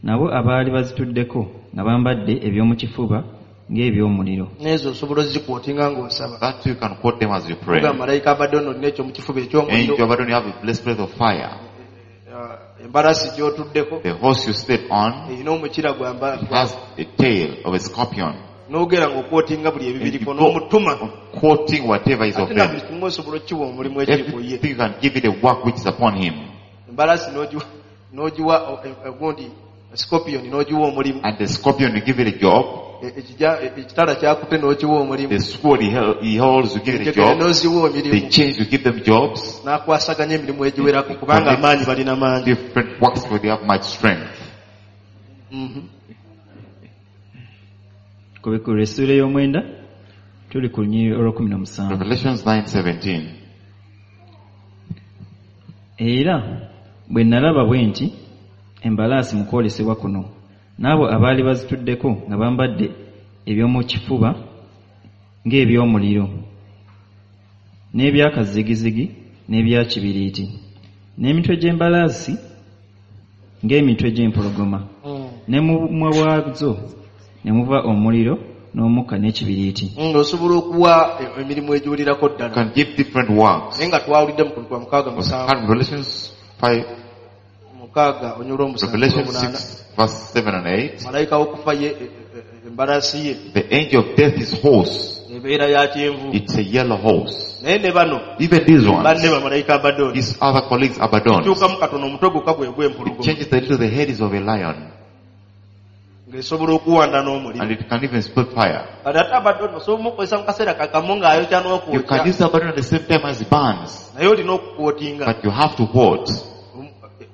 nabo abaali bazituddeko nga bambadde eby'omu kifuba ng'eby'omuliro. N'ezo osobola ozikwotinga ng'osaba. That you can quote them as you pray. Oga malayika Abaddon olina eky'omu kifuba eky'omuliro. Angel Abaddon, you have a blessed of fire. Uh, embalaasi gy'otuddeko. The horse you sit on. Erina omukira gwa mba-, It has a tail of a scorpion. N'ogera ng'okwotinga buli ebibiriko And you go n'omutuma. on quoting whatever is of Ate na them. buli kimu osobola okukiwa omulimu ekiri ku ye. Everything you can give it a work which is upon him. Embalaasi n'ogiwa, n'ogiwa, eh, eh, gundi, scorpion n'ogiwa omulimu. And the scorpion, you give it a job. E, ekija, e, ekitala kyakute n'okiwa omulimu. The sword he hel-, he holds, you give it a Enjegere job. n'oziwa emirimu. The chains, you give them jobs. N'akwasaganya emirimu egiwerako kubanga amaanyi balina mangi. Different works where they have much strength. Mm-hmm. Kubikulwa essuula ey'omwenda tuli ku lunyiriri olw'ekkumi na musanvu. Revelations nine seventeen. Era bwe nalaba bwe nti embalaasi mu kwolesebwa kuno, n'abo abaali bazituddeko nga bambadde eby'omu kifuba ng'eby'omuliro, n'ebyakazigizigi n'ebya kibiriiti, n'emitwe gy'embalaasi ng'emitwe gy'empologoma, Mm. ne mu bumwa bwazo ne muva omuliro n'omukka n'ekibiriiti. Mm, osobola okuwa e-, emirimu egiwulirako ddala. You can give different works. Naye nga twawulidde mu kubikkulwa mukaaga musanvu. Revelations five, Mukaaga onyula omusanvu Revelation n'omunaana. six, verse seven and eight. Malayika w'okufa ye, e, e, e, embalaasi ye. The angel of death is horse. Ebeera ya kyenvu. It's a yellow horse. Naye ne bano, Even these ones, banne bamalayika Abaddon. These other colleagues Abaddon. Kyukamu katono omutwe gwokka gwe gw'empologoma. It changes the little, the head is of a lion. Ng'esobola okuwanda n'omuliro. And it can even split fire. Kati ate Abaddoni osobola omukozesa mu kaseera kakamu ng'ayokya You can n'okwokya. use Abaddon at the same time as it burns. Naye olina okukwotinga. But you have to quote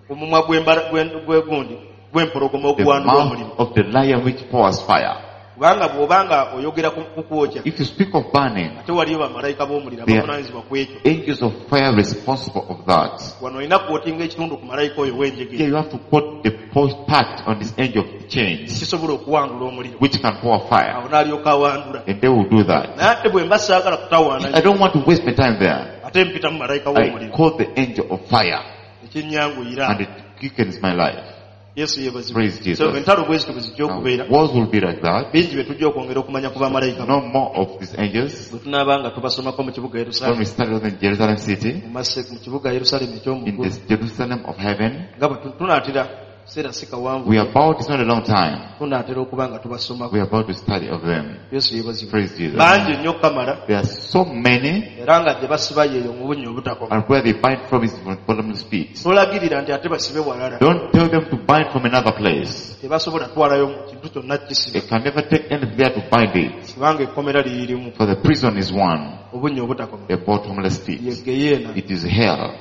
Omumwa gw'embala- gw'en- gw'egundi gw'empologoma the okuwandula mouth omuliro. of the lion which pours fire. Kubanga bw'oba nga oyogera ku ku kwokya If you speak of burning, ate waliyo bamalayika b'omuliro They are- abavunaanyizibwa ku ekyo. angels of fire responsible of that. Wano olina kwotinga ekitundu ku malayika oyo Here w'enjegere you have to quote the post part on this angel of chains, kisobola okuwandula omuliro. which can pour fire. Awo n'alyoka awandula. And they will do that. Naye ate bwe mba saagala kutawaana I don't want to waste my time there. ate mpita mu malayika I w'omuliro call the angel of fire ekinnyanguyira. and it quickens my life. Yesu yeebazibwe. Praise Jesus. So entalo bwe zityo bwe zijja Now, okubeera. wars will be like that. Bingi bye tujja okwongera okumanya ku bamalayika No more of these angels. bwe tunaaba nga tubasomako mu kibuga When Yerusaalemi we started in Jerusalem city, mu masse- mu kibuga Yerusaalemi in eky'omu this Jerusalem of heaven, nga bwe tu- tunaatera kiseera si kawanvu we are about, it's not a long time, tunaatera okuba nga tubasomako. we are about to study of them. Yesu yeebazibwe. Praise Jesus. Bangi nnyo kamala There are so many, era nga gye basiba yeeyo mu bunnya obutakoma. and where they bind from is from bottomless pit. Tolagirira nti ate basibe walala. Don't tell them to bind from another place. Tebasobola kutwalayo kintu kyonna They kisiba can never take anything there to bind it. kubanga ekkomera liririmu For the prison is one, obunnya obutakoma. the bottomless Ye pit. geyeena. It is hell.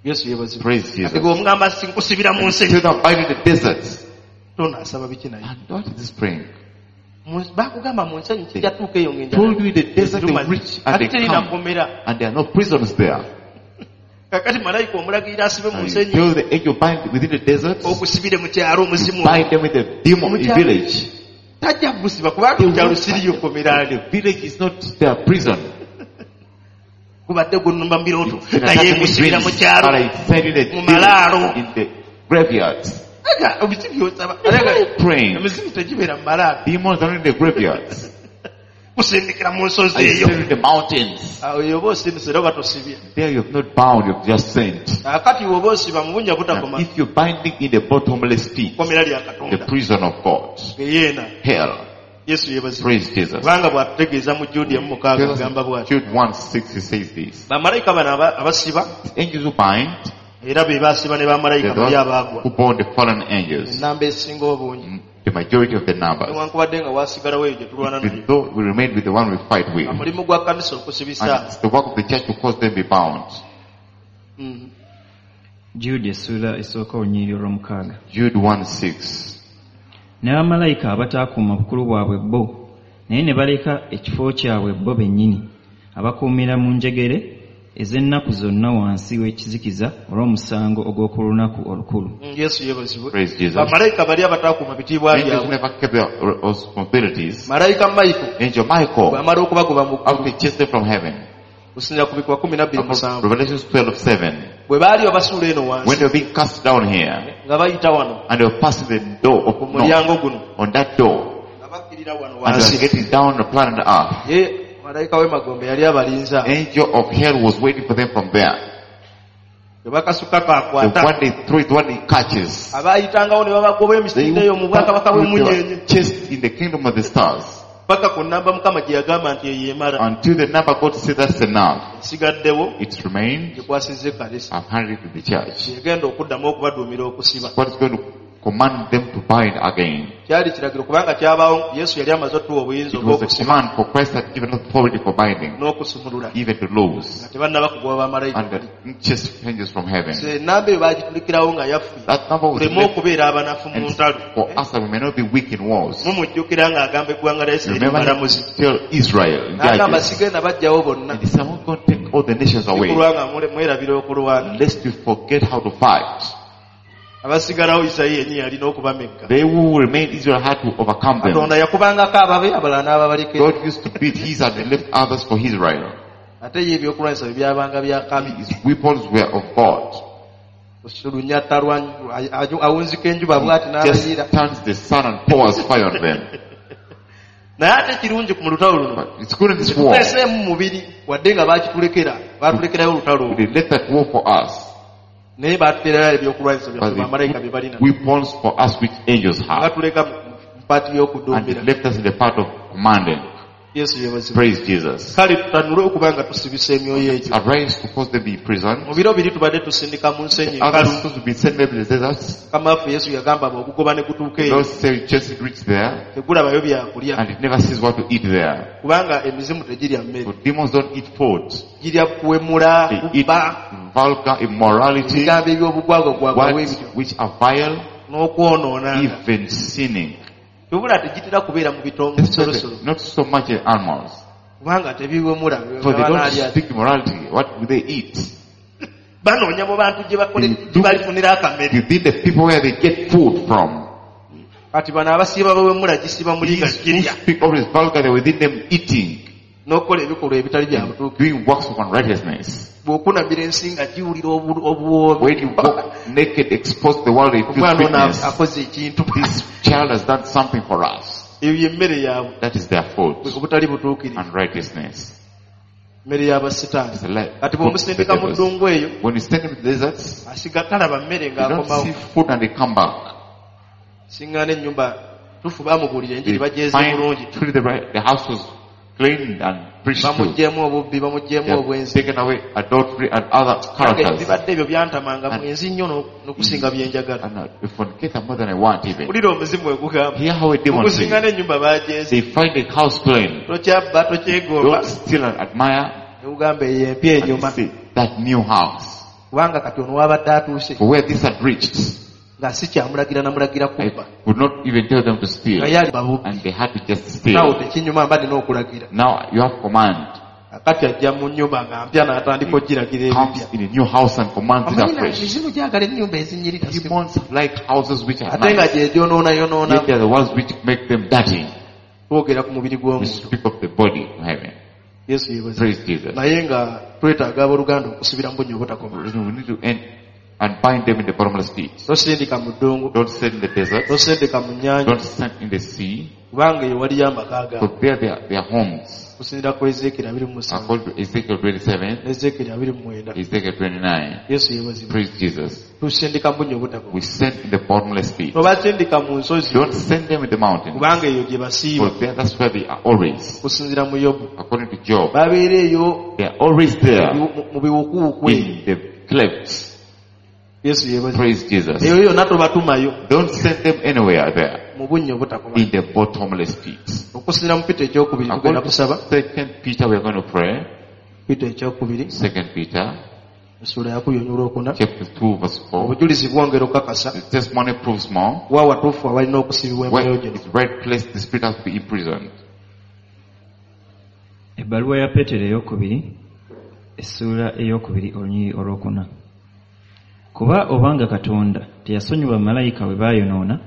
Yesu yeebazibwe. Praise Jesus. Kati bw'omugamba nkusibira mu nsi Tell them bind in the desert. tonaasaba biki naye. And what is this praying? Mu- Baakugamba mu nsenyi kijja tuuka eyo ng'enjala Told you in the desert they eruma. reach and Ate they terina come. kkomera. And there are no prisons there. Kakati malayika omulagirira asibe mu And you nsenyi tell the angel bind within the desert, okusibire mu kyalo omuzimu. bind them with the demon in Mukyalo. village. Tajja kugusiba kubanga mu kyalo siriyo kkomera The village is not their prison. Gubadde gunnumba mu birooto It's an naye attacking ngusibira mu dreams, kyalo. but I send in the Mu malaalo. village, in the graveyards. Aga, biki by'osaba? Aga, Praying. emizimu tegibeera mu malaalo. Demons are in the graveyards. Kusindikira mu nsozi I eyo. send in the mountains. Awo oba osindise era oba tosibye. There you have not bound, you have just sent. Kaakati bw'oba osiba mu bunnya Now, butakoma if you're binding in the bottomless pit, kkomera lya the Katonda. prison of God, Geyeena. hell, Yesu yeebazibwe. praise Jesus. Kubanga bw'atutegeeza mu Jude emu mukaaga agamba bw'ati. Jude one six, he says this. Bamalayika bano aba- abasiba Angels who bind, era be baasiba ne bamalayika the bali ones abaagwa. who born the fallen angels, Ennamba esinga obungi. the majority of the numbers. Newankubadde nga waasigalawo eyo gye tulwana Even nayo. though we remain with the one we fight with. Omulimu gwa kkanisa okusibisa. And it's the work of the church to cause them be bound. Mhm. Jude essuula esooka olunyiriri olw'omukaaga. Jude one six. Ne bamalayika abataakuuma bukulu bwabwe bo, naye ne baleka ekifo kyabwe bo bennyini, abakuumira mu njegere ez'ennaku zonna wansi w'ekizikiza olw'omusango ogw'oku lunaku olukulu. Mm, Yesu yeebazibwe. Praise Jesus. Bamalayika bali abataakuuma bitiibwa Angels byabwe. never kept their responsibilities. Malayika Michael Angel Michael, bw'amala okubagoba mu after ggulu he chased them from heaven, kusinziira ku bikwa kumi na bbiri musanvu Revelations twelve seven, bwe baali babasuula eno when wansi they were being cast down here, nga bayita wano and they were passing the door of ku north, mulyango guno on that door, nga bakkirira wano and they were wansi getting down the planet Earth, ye malayika w'emagombe yali abalinze angel of hell was waiting for them from there. bwe bakasuka The kakwata one they throw it, the one he catches. abayitangawo ne babagoba They emisinde eyo mu bwakabaka they bw'emunyenye were chased in the kingdom of the stars paka ku nnamba mukama gye yagamba nti eyo emala until the number God said that's enough. esigaddewo It remained. gikwasizza ekkanisa I've handed it to the church. yegenda okuddamu okubaduumira okusiba God is going to command them to bind again. kyali kiragiro kubanga kyabaawo yesu yali amaze otuwa obuyinza It was a obw'okusiba command for Christ had given authority for binding, n'okusumulula even to loose, nga tebannaba kugoba bamalayika and the chase angels from heaven. So, ennamba eyo baagitulikirawo nga yaffe That number was tuleme left okubeera abanafu mu and ntalo for us that we may not be weak in wars. mumujjukira ng'agamba eggwanga lya isirayiri Remember, balamuzi tell Israel, in n'agamba Judges, sigenda bajjawo bonna and he said, I'm not going to take all the nations away, sikulwa nga mule- mwerabira okulwana lest you forget how to fight. abasigalawo isayi yennyini yalina okubamegga They who remained Israel had to overcome them. katonda yakubangako ababe abalala n'ababalekera God used to beat his and he left others for Israel. ate ye ebyokulwanyisa bye byabanga bya kabi His weapons were of God. lunyata lwa awunzika enjuba bw'ati n'abayiira Just turns the sun and pours fire on them. naye ate kirungi ku mu lutalo luno But it's good in this war. tuteeseemu mubiri wadde nga baakitulekera baatulekerayo olutalo olwo They left that war for us. naye baatuteerayo ebyokulwanyisa But byaffe they bamalayika bye balina put weapons for us which angels have. batuleka mu mpaati And they y'okuduumira left us in the part of commanding. Yesu yeebazibwe. Praise Jesus. Kale tutanule okuba nga tusibisa emyoyo egyo. Arise to cause them be imprisoned. Mu biro biri tubadde tusindika mu nsenyi Others enkalu. supposed to be sent maybe to the deserts. Mukama waffe Yesu yagamba ogugoba ne gutuuka eyo. Lord said just reach there Tegulabayo byakulya. and it never sees what to eat there. Kubanga emizimu tegirya mmere. For demons don't eat food. Girya kuwemula, They eat kubba, vulgar immorality, ebigambo eby'obugwagwagwagwa words bw'ebityo. which are vile, N'okwonoona. even sinning. Wabula tegitera kubeera mu bitongo That's why bisolosolo. they- not so much in animals. Kubanga tebiwemula. For they don't Banaalya. speak immorality. What do they eat? Banoonya mu bantu gye bakole gye balifunira akamere. Within the people where they get food from. Kati bano abasiiba bawemula gisiba muli nga These who girya. speak always vulgar, they're within them eating, N'okukola ebikolwa ebitali bya butuukirivu. doing works of unrighteousness. Bw'okunamira ensi nga giwulira obu- obuwoomi. When you walk naked, exposed to the world, it feels Omwana ono witness. akoze ekintu. This child has done something for us. Eyo y'emmere yaabwe. That is their food. Obutali butuukirivu. Unrighteousness. Mmere y'abasitaani. It's a lie. Kati bw'omusindika mu ddungu eyo, When you send them to the deserts, asiga talaba mmere they don't ng'akomawo. see food and they come back. Siŋŋaana ennyumba tufu baamubuulira enjiri They bagyeze bulungi. find truly the, right, the house was cleaned and preached to. Bamuggyeemu obubbi, bamuggyeemu They have obwenzi. taken away adultery and other Nange characters. bibadde ebyo byantamanga mwenzi nnyo n'o- n'okusinga bye njagala. And uh, fornicate more than I want even. Wulira omuzimu egugamba. Hear how a demon says. Okusiŋŋaana ennyumba baagyeze. They find the house clean. Tokyabba, tokyegomba. Don't steal and admire. Ne ugamba eyo empya And enyuma. they say, that new house. Kubanga kati ono wabadde atuuse. For where this had reached, Nga si kyamulagira namulagira I kubba. could not even tell them to steal. Nga ye ali babu. And they had to just Naawe steal. tekinyuma mba nina okulagira. Now you have command. Akati ajja mu nnyumba nga mpya n'atandika okugiragira Comes ebipya. in a new house and commands it Amanyi afresh. emizimu gyagala ennyumba ezinyirira. Demons like houses which are Ate nga nice. gye gyonoonayonoona. Yet they are the ones which make them dirty. Twogera ku mubiri We gw'omuntu. speak of the body in heaven. Yesu yeebazibwe. Praise Jesus. Naye nga twetaaga abooluganda okusibira mu bunnya obutakoma. We need to end and bind them in the bottomless pit. Tosindika mu ddungu, Don't send in the desert. tosindika mu nnyanja, Don't send in the sea. kubanga eyo waliyo amaka gaabwe. For there their, their homes. Okusinziira ku Ezeekeri abiri mu musanvu According to Ezekiel twenty-seven, ne Ezeekeri abiri mu mwenda. Ezekiel twenty-nine. Yesu yeebazibwe. Praise Jesus. Tusindika mu bunnya obutakoma. We send in the bottomless pit. Tobasindika mu nsozi, Don't send them in the mountains. kubanga eyo gye basiiba. For there, that's where they are always. Okusinziira mu Yobu. According to Job, Babeera eyo they are always there mu biwukuwuku eyo. in the clefts. Yesu yeebazibwe. Praise Jesus. Eyo yonna tobatumayo Don't send them anywhere there mu bunnya obutakoma. in the bottomless pit. Okusinziira mu Peter ekyokubiri tugenda According to kusaba. Second Peter, we are going to pray. Peter ekyokubiri Second Peter, essuula yakubiri olunyiriri olwokuna. chapter two, verse four. Obujulizi bwongera okukakasa The testimony proves more. wa watuufu awalina okusibibwa Where emyoyo gino. it's right place, the spirit has to be imprisoned. Ebbaluwa ya Peetero eyokubiri essuula eyokubiri olunyiriri olwokuna. Kuba obanga Katonda teyasonyiwa malayika bwe baayonoona,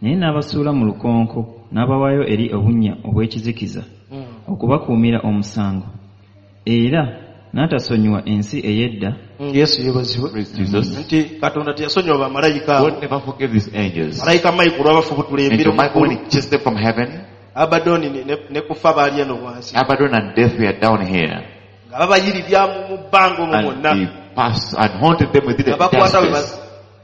naye n'abasuula mu lukonko n'abawaayo eri obunnya obw'ekizikiza okubakuumira omusango, era n'atasonyiwa ensi ey'edda. Mm, Yesu yeebazibwe. Praise Jesus. Nti Katonda teyasonyiwa bamalayika abo. God never forgave these angels. Malayika Michael lwabafubutula And embiro to Michael, when mu ggulu, he chased them from heaven, Abaddoni ne, ne, ne kufa baali eno wansi. Abaddon and death were down here. Nga babayiribya mu bbanga omwo And mwonna. they passed and haunted them within Nga the bakwata bwe darkness. bas-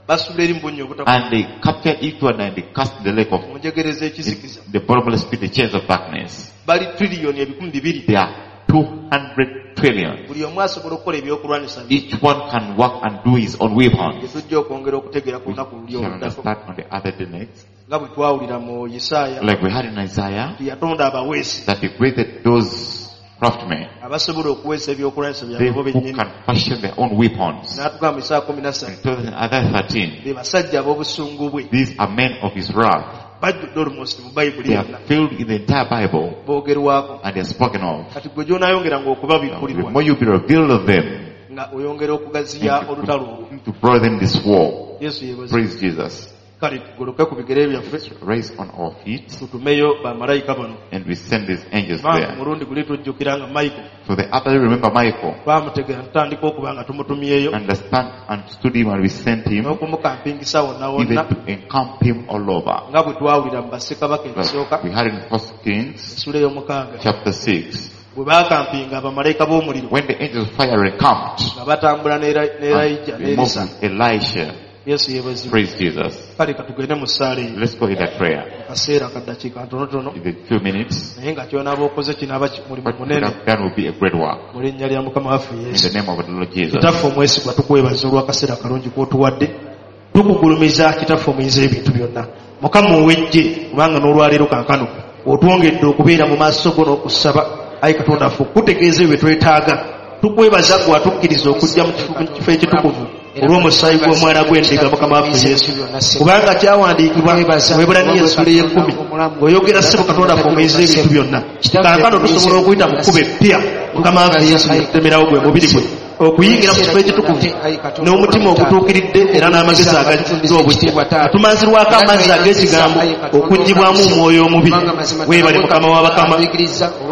basula eri mu bunnya obutakoma. And they captured each one and they cast in the lake of Mu njegere z'ekizikiza. the bottomless pit, the chains of darkness. Bali triliyoni ebikumi bibiri. They are two hundred trillion. Buli omu asobola okukola ebyokulwanyisa bye. Each one can work and do his own weapons. Bye tujja okwongera okutegeera ku We lunaku luli shall oluddako. understand on the other day next. Nga bwe twawulira mu Isaaya Like we had in Isaiah, nti yatonda abaweesi that he created those craftsmen, abasobola okuweesa ebyokulwanyisa they byabwe bo who bennyini. can fashion their own weapons. N'atugamba mu Isaaya kumi na ssatu In Isaiah thirteen, be basajja ab'obusungu bwe. these are men of his wrath. Bajjudde almost mu Bayibuli They are yonna. filled in the entire Bible Boogerwako. and they are spoken of. Kati gwe gy'onaayongeranga The okubabikkulirwa more you be revealed of them, nga oyongera okugaziya and olutalo olwo. you to broaden this war. Yesu yeebazibwe. Praise Jesus. Kale tugoloke ku bigere byaffe Raise on our feet tutumeyo bamalayika bano. and we send these angels Kubanga there. mulundi guli tujjukira nga Michael For the other, remember Michael. twamutegera tutandika okuba nga tumutumyeyo Understand and stood him and we sent him n'okumukampingisa wonna even wonna to encamp him all over. nga bwe twawulira mu bassekabaka Like ekisooka we had in First Kings essula ey'omukaaga chapter six. bwe baakampinga bamalayika b'omuliro When the angels of fire encamped nga batambula ne Era- ne Erayija and ne they moved Erisa with Elisha Yesu yeebazibwe. Praise Jesus. Kale katugende mu ssaala eyo. Let's go in that prayer. Mu kaseera akaddakiika ntonotono. In a few minutes, Naye nga ky'onaaba okoze kinaaba ki- mulimu what we munene. have done will be a great work. Mu linnya lya Mukama waffe In Yesu. the name of the Lord Jesus. Kitaffe omwesigwa tukwebaza olw'akaseera akalungi k'otuwadde. Tukugulumiza Kitaffe omuyinza ebintu byonna. Mukama ow'eggye kubanga n'olwaleero kaakano otwongedde okubeera mu maaso go n'okusaba ayi Katonda waffe okukutegeeza ebyo bye twetaaga. Tukwebaza ggwe atukkiriza okujja mu kifo mu kifo ekitukuvu olw'omusaayi gw'omwana gw'endiga Mukama waffe Yesu. Kubanga kyawandiikibwa mu Baebbulaniya essuula ey'ekkumi ng'oyogera ssebo Katonda waffe omuyinza ebintu byonna. Kaakano tusobola okuyita mu kkubo eppya Mukama waffe Yesu yakutemerawo gwe mubiri gwe okuyingira mu kifo ekitukuvu n'omutima ogutuukiridde era n'amagezi agajjudde obuggya. Atumanzirwako amazzi ag'ekigambo okuggyibwamu omwoyo omubi. Weebale Mukama w'abakama,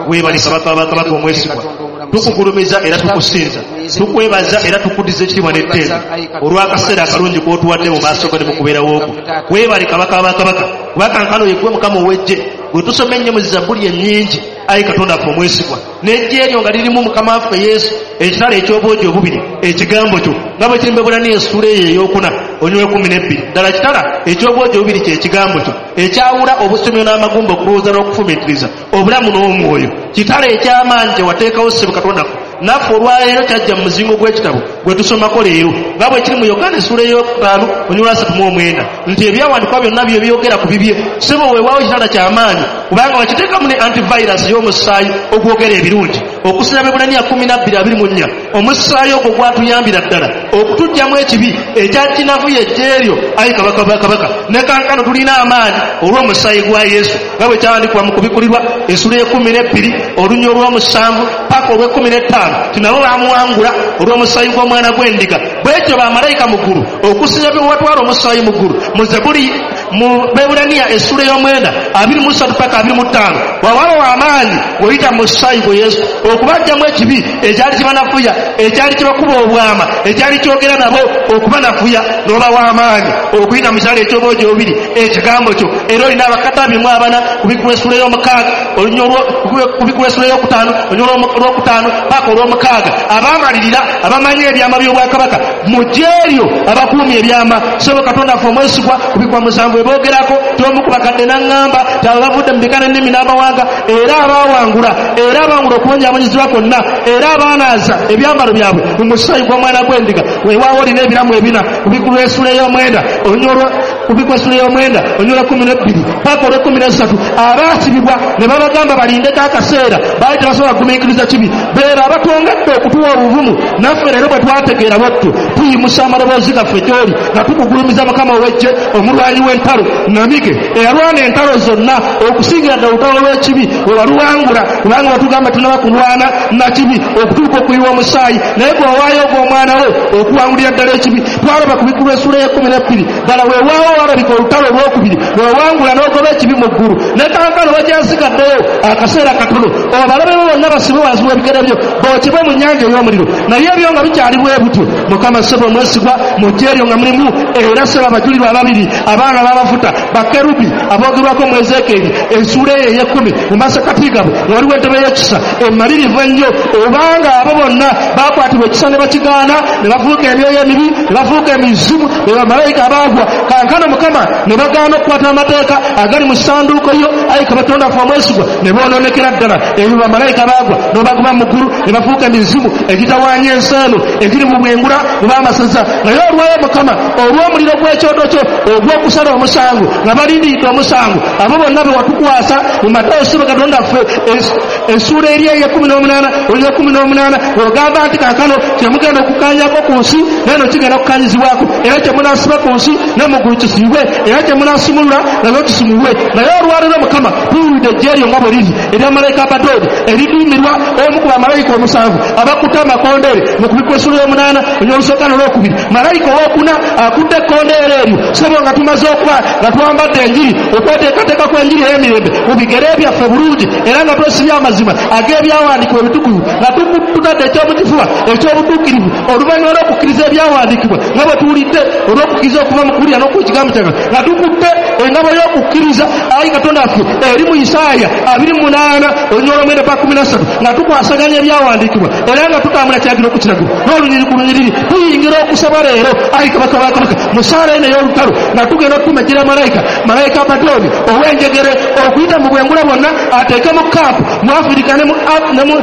weebale Kabaka w'abakabaka omwesigwa. Tukugulumiza era tukusinza, tukwebaza era tukuddiza ekitiibwa n'ettendo olw'akaseera akalungi k'otuwadde mu maaso go ne mu kubeerawo kwo. Weebale Kabaka w'abakabaka, kuba kankano ye ggwe Mukama ow'eggye gwe tusoma ennyo mu Zabbuli ennyingi ayi Katonda waffe omwesigwa. N'eggye eryo nga lirimu Mukama waffe Yesu ekitala eky'obwogi obubiri ekigambo kyo nga bwe kiri mu Baebbulaniya essuula eyo ey'okuna olunyiriri lw'ekkumi n'ebbiri. Ddala kitala eky'obwogi obubiri kye kigambo kyo ekyawula obusomyo n'amagumba okulowooza n'okufumiitiriza obulamu n'omwoyo. Kitala eky'amaanyi kye wateekawo ssebo Katonda waffe naffe olwaleero kyajja mu muzingo gw'ekitabo gwe tusomako leero nga bwe kiri mu Yokaana essuula ey'okutaano olunyiriri lwa asatu mu omwenda nti ebyawandiikibwa byonna bye byogera ku bibye. Ssebo weewaawo kitala ky'amaanyi kubanga wakiteekamu ne antivirus y'omusaayi ogwogera ebirungi. Okusinga Baebbulaniya kkumi na bbiri abiri mu nnya omusaayi ogwo gwatuyambira ddala okutuggyamu ekibi ekyakinavuya eggye eryo ayi Kabaka w'abakabaka. Ne kankano tulina amaanyi olw'omusaayi gwa Yesu nga bwe kyawandiikibwa mu Kubikkulirwa essuula ey'ekkumi n'ebbiri olunyiriri olw'omusanvu paka olw'ekkumi n'ettaano nti nabo baamuwangula olw'omusaayi gw'omwana gw'endiga. Bw'etyo bamalayika mu ggulu okusinga bwe watwala omusaayi mu ggulu mu Zabbuli mu Baebbulaniya essuula ey'omwenda abiri mu ssatu paka abiri mu ttaano wawabawo amaanyi ng'oyita mu musaayi gwe Yesu okubaggyamu ekibi ekyali kibanafuya ekyali kibakuba obwama ekyali kyogera nabo okubanafuya n'obawa amaanyi okuyita mu kyalo eky'obwogi obubiri ekigambo kyo. Era olina abakadde abiri mu abana kubikkulwa essuula ey'omukaaga olunyiriri olwo kubikkulwa essuula ey'okutaano olunyiriri olwokutaano paka olw'omukaaga abaamalirira abamanyi ebyama by'obwakabaka mu ggye eryo abakuumi ebyama. Ssebo Katonda waffe omwesigwa kubikkulwa musanvu eboogerako t'omu ku bakadde n'aŋŋamba nti abo bavudde mu bika n'ennimi n'amawanga era abaawangula era abawangula okubonyaabonyezebwa kwonna era abaanaaza ebyambalo byabwe mu musaayi gw'omwana gw'endiga. Weewaawo olina ebiramu ebina kubikkulwa essuula ey'omwenda olunyiriri kubikkulwa essuula ey'omwenda olunyiriri lw'ekkumi n'ebbiri paka olw'ekkumi n'essatu abaasibibwa ne babagamba balindeko akaseera baali tebasobola kugumiikiriza kibi. Beera abatwongedde okutuwa obuvumu naffe leero bwe twategeera bwettu tuyimusa amaloboozi gaffe gy'oli nga tukugulumiza Mukama ow'eggye omulwanyi w'entalo namige eyalwana entalo zonna okusingira ddala olutalo lw'ekibi we waluwangula kubanga watugamba tunaba kulwana na kibi okutuuka okuyiwa omusaayi naye gwe wawaayo ogw'omwana wo okuwangulira ddala ekibi. Twalaba kubikkulwa essuula ey'ekkumi n'ebbiri ddala weewaawo walabika olutalo olwokubiri lwewangula n'ogoba ekibi mu ggulu ne kankano wakyasigaddeyo akaseera katono abalabe bo bonna basibe wansi w'ebigere byo bookebwe mu nnyanja ey'omuliro. Naye ebyo nga bikyali bwe butyo Mukama ssebo omwesigwa mu ggye eryo nga mulimu era ssebo abajulirwa ababiri abaana b'amafuta bakerubi aboogerwako mu Ezeekyeri essuula eyo ey'ekkumi mu masekati gaabwe nga waliwo entebe y'ekisa emmalirivu ennyo obanga abo bonna baakwatibwa ekisa ne bakigaana ne bafuuka emyoyo emibi ne bafuuka emizimu be bamalayika abaagwa. Kankano Mukama ne bagaana okukwata amateeka agali mu ssanduuko yo ayi Katonda waffe omwesigwa ne boonoonekera ddala. Ebyo bamalayika baagwa n'obagoba mu ggulu ne bafuuka emizimu egitawaanya ensi eno egiri mu bwengula mu b'amasaza. Naye olwayo Mukama olw'omuliro gw'ekyoto kyo ogw'okusala omusango nga balindiridde omusango abo bonna be watukwasa mu Matayo ssebo Katonda waffe essuula eri ey'ekkumi n'omunaana olunyiriri lw'ekkumi n'omunaana ogamba nti kaakano kyemugenda okukkaanyako ku nsi neno kigenda kukkanyizibwako era kye munaasiba ku nsi ne mu ggulu kisiibwe era kye munaasumulula nakyo kisumulwe. Naye olwaleero Mukama tuwulidde eggye eryo nga bwe liri erya malayika Abadooni eriduumirwa omu ku bamalayika omusanvu abakutte amakondeere mu kubikkulwa essuula ey'omunaana olunyiriri olusooka n'olwokubiri. Malayika owookuna akutte ekkondeere eryo ssebo nga tumaze okuba nga twambadde enjiri okweteekateeka kw'enjiri ey'emirembe mu bigere byaffe bulungi era nga twesibye amazima ag'ebyawandiikibwa ebitukuvu nga tutadde ekyomukifuba eky'obutuukirivu oluvannyuma lw'okukkiriza ebyawandiikibwa nga bwe tuwulidde olw'okukkiriza okuva mu kuwulira n'okuwa ekigambo kya Katonda nga tukutte engabo y'okukkiriza ayi Katonda waffe eri mu Isaaya abiri mu munaana olunyiriri olw'omwenda paka kkumi na ssatu nga tukwasaganya ebyawandiikibwa era nga tutambula kiragiro ku kiragiro n'olunyiriri ku lunyiriri tuyingira okusaba leero ayi kabaka wa kabaka mu ssaala eno ey'olutalo nga tugenda okutumejjera malayika malayika Abadooni ow'enjegere okuyita mu bwengula bwonna ateeke mu kampu mu Afirika ne mu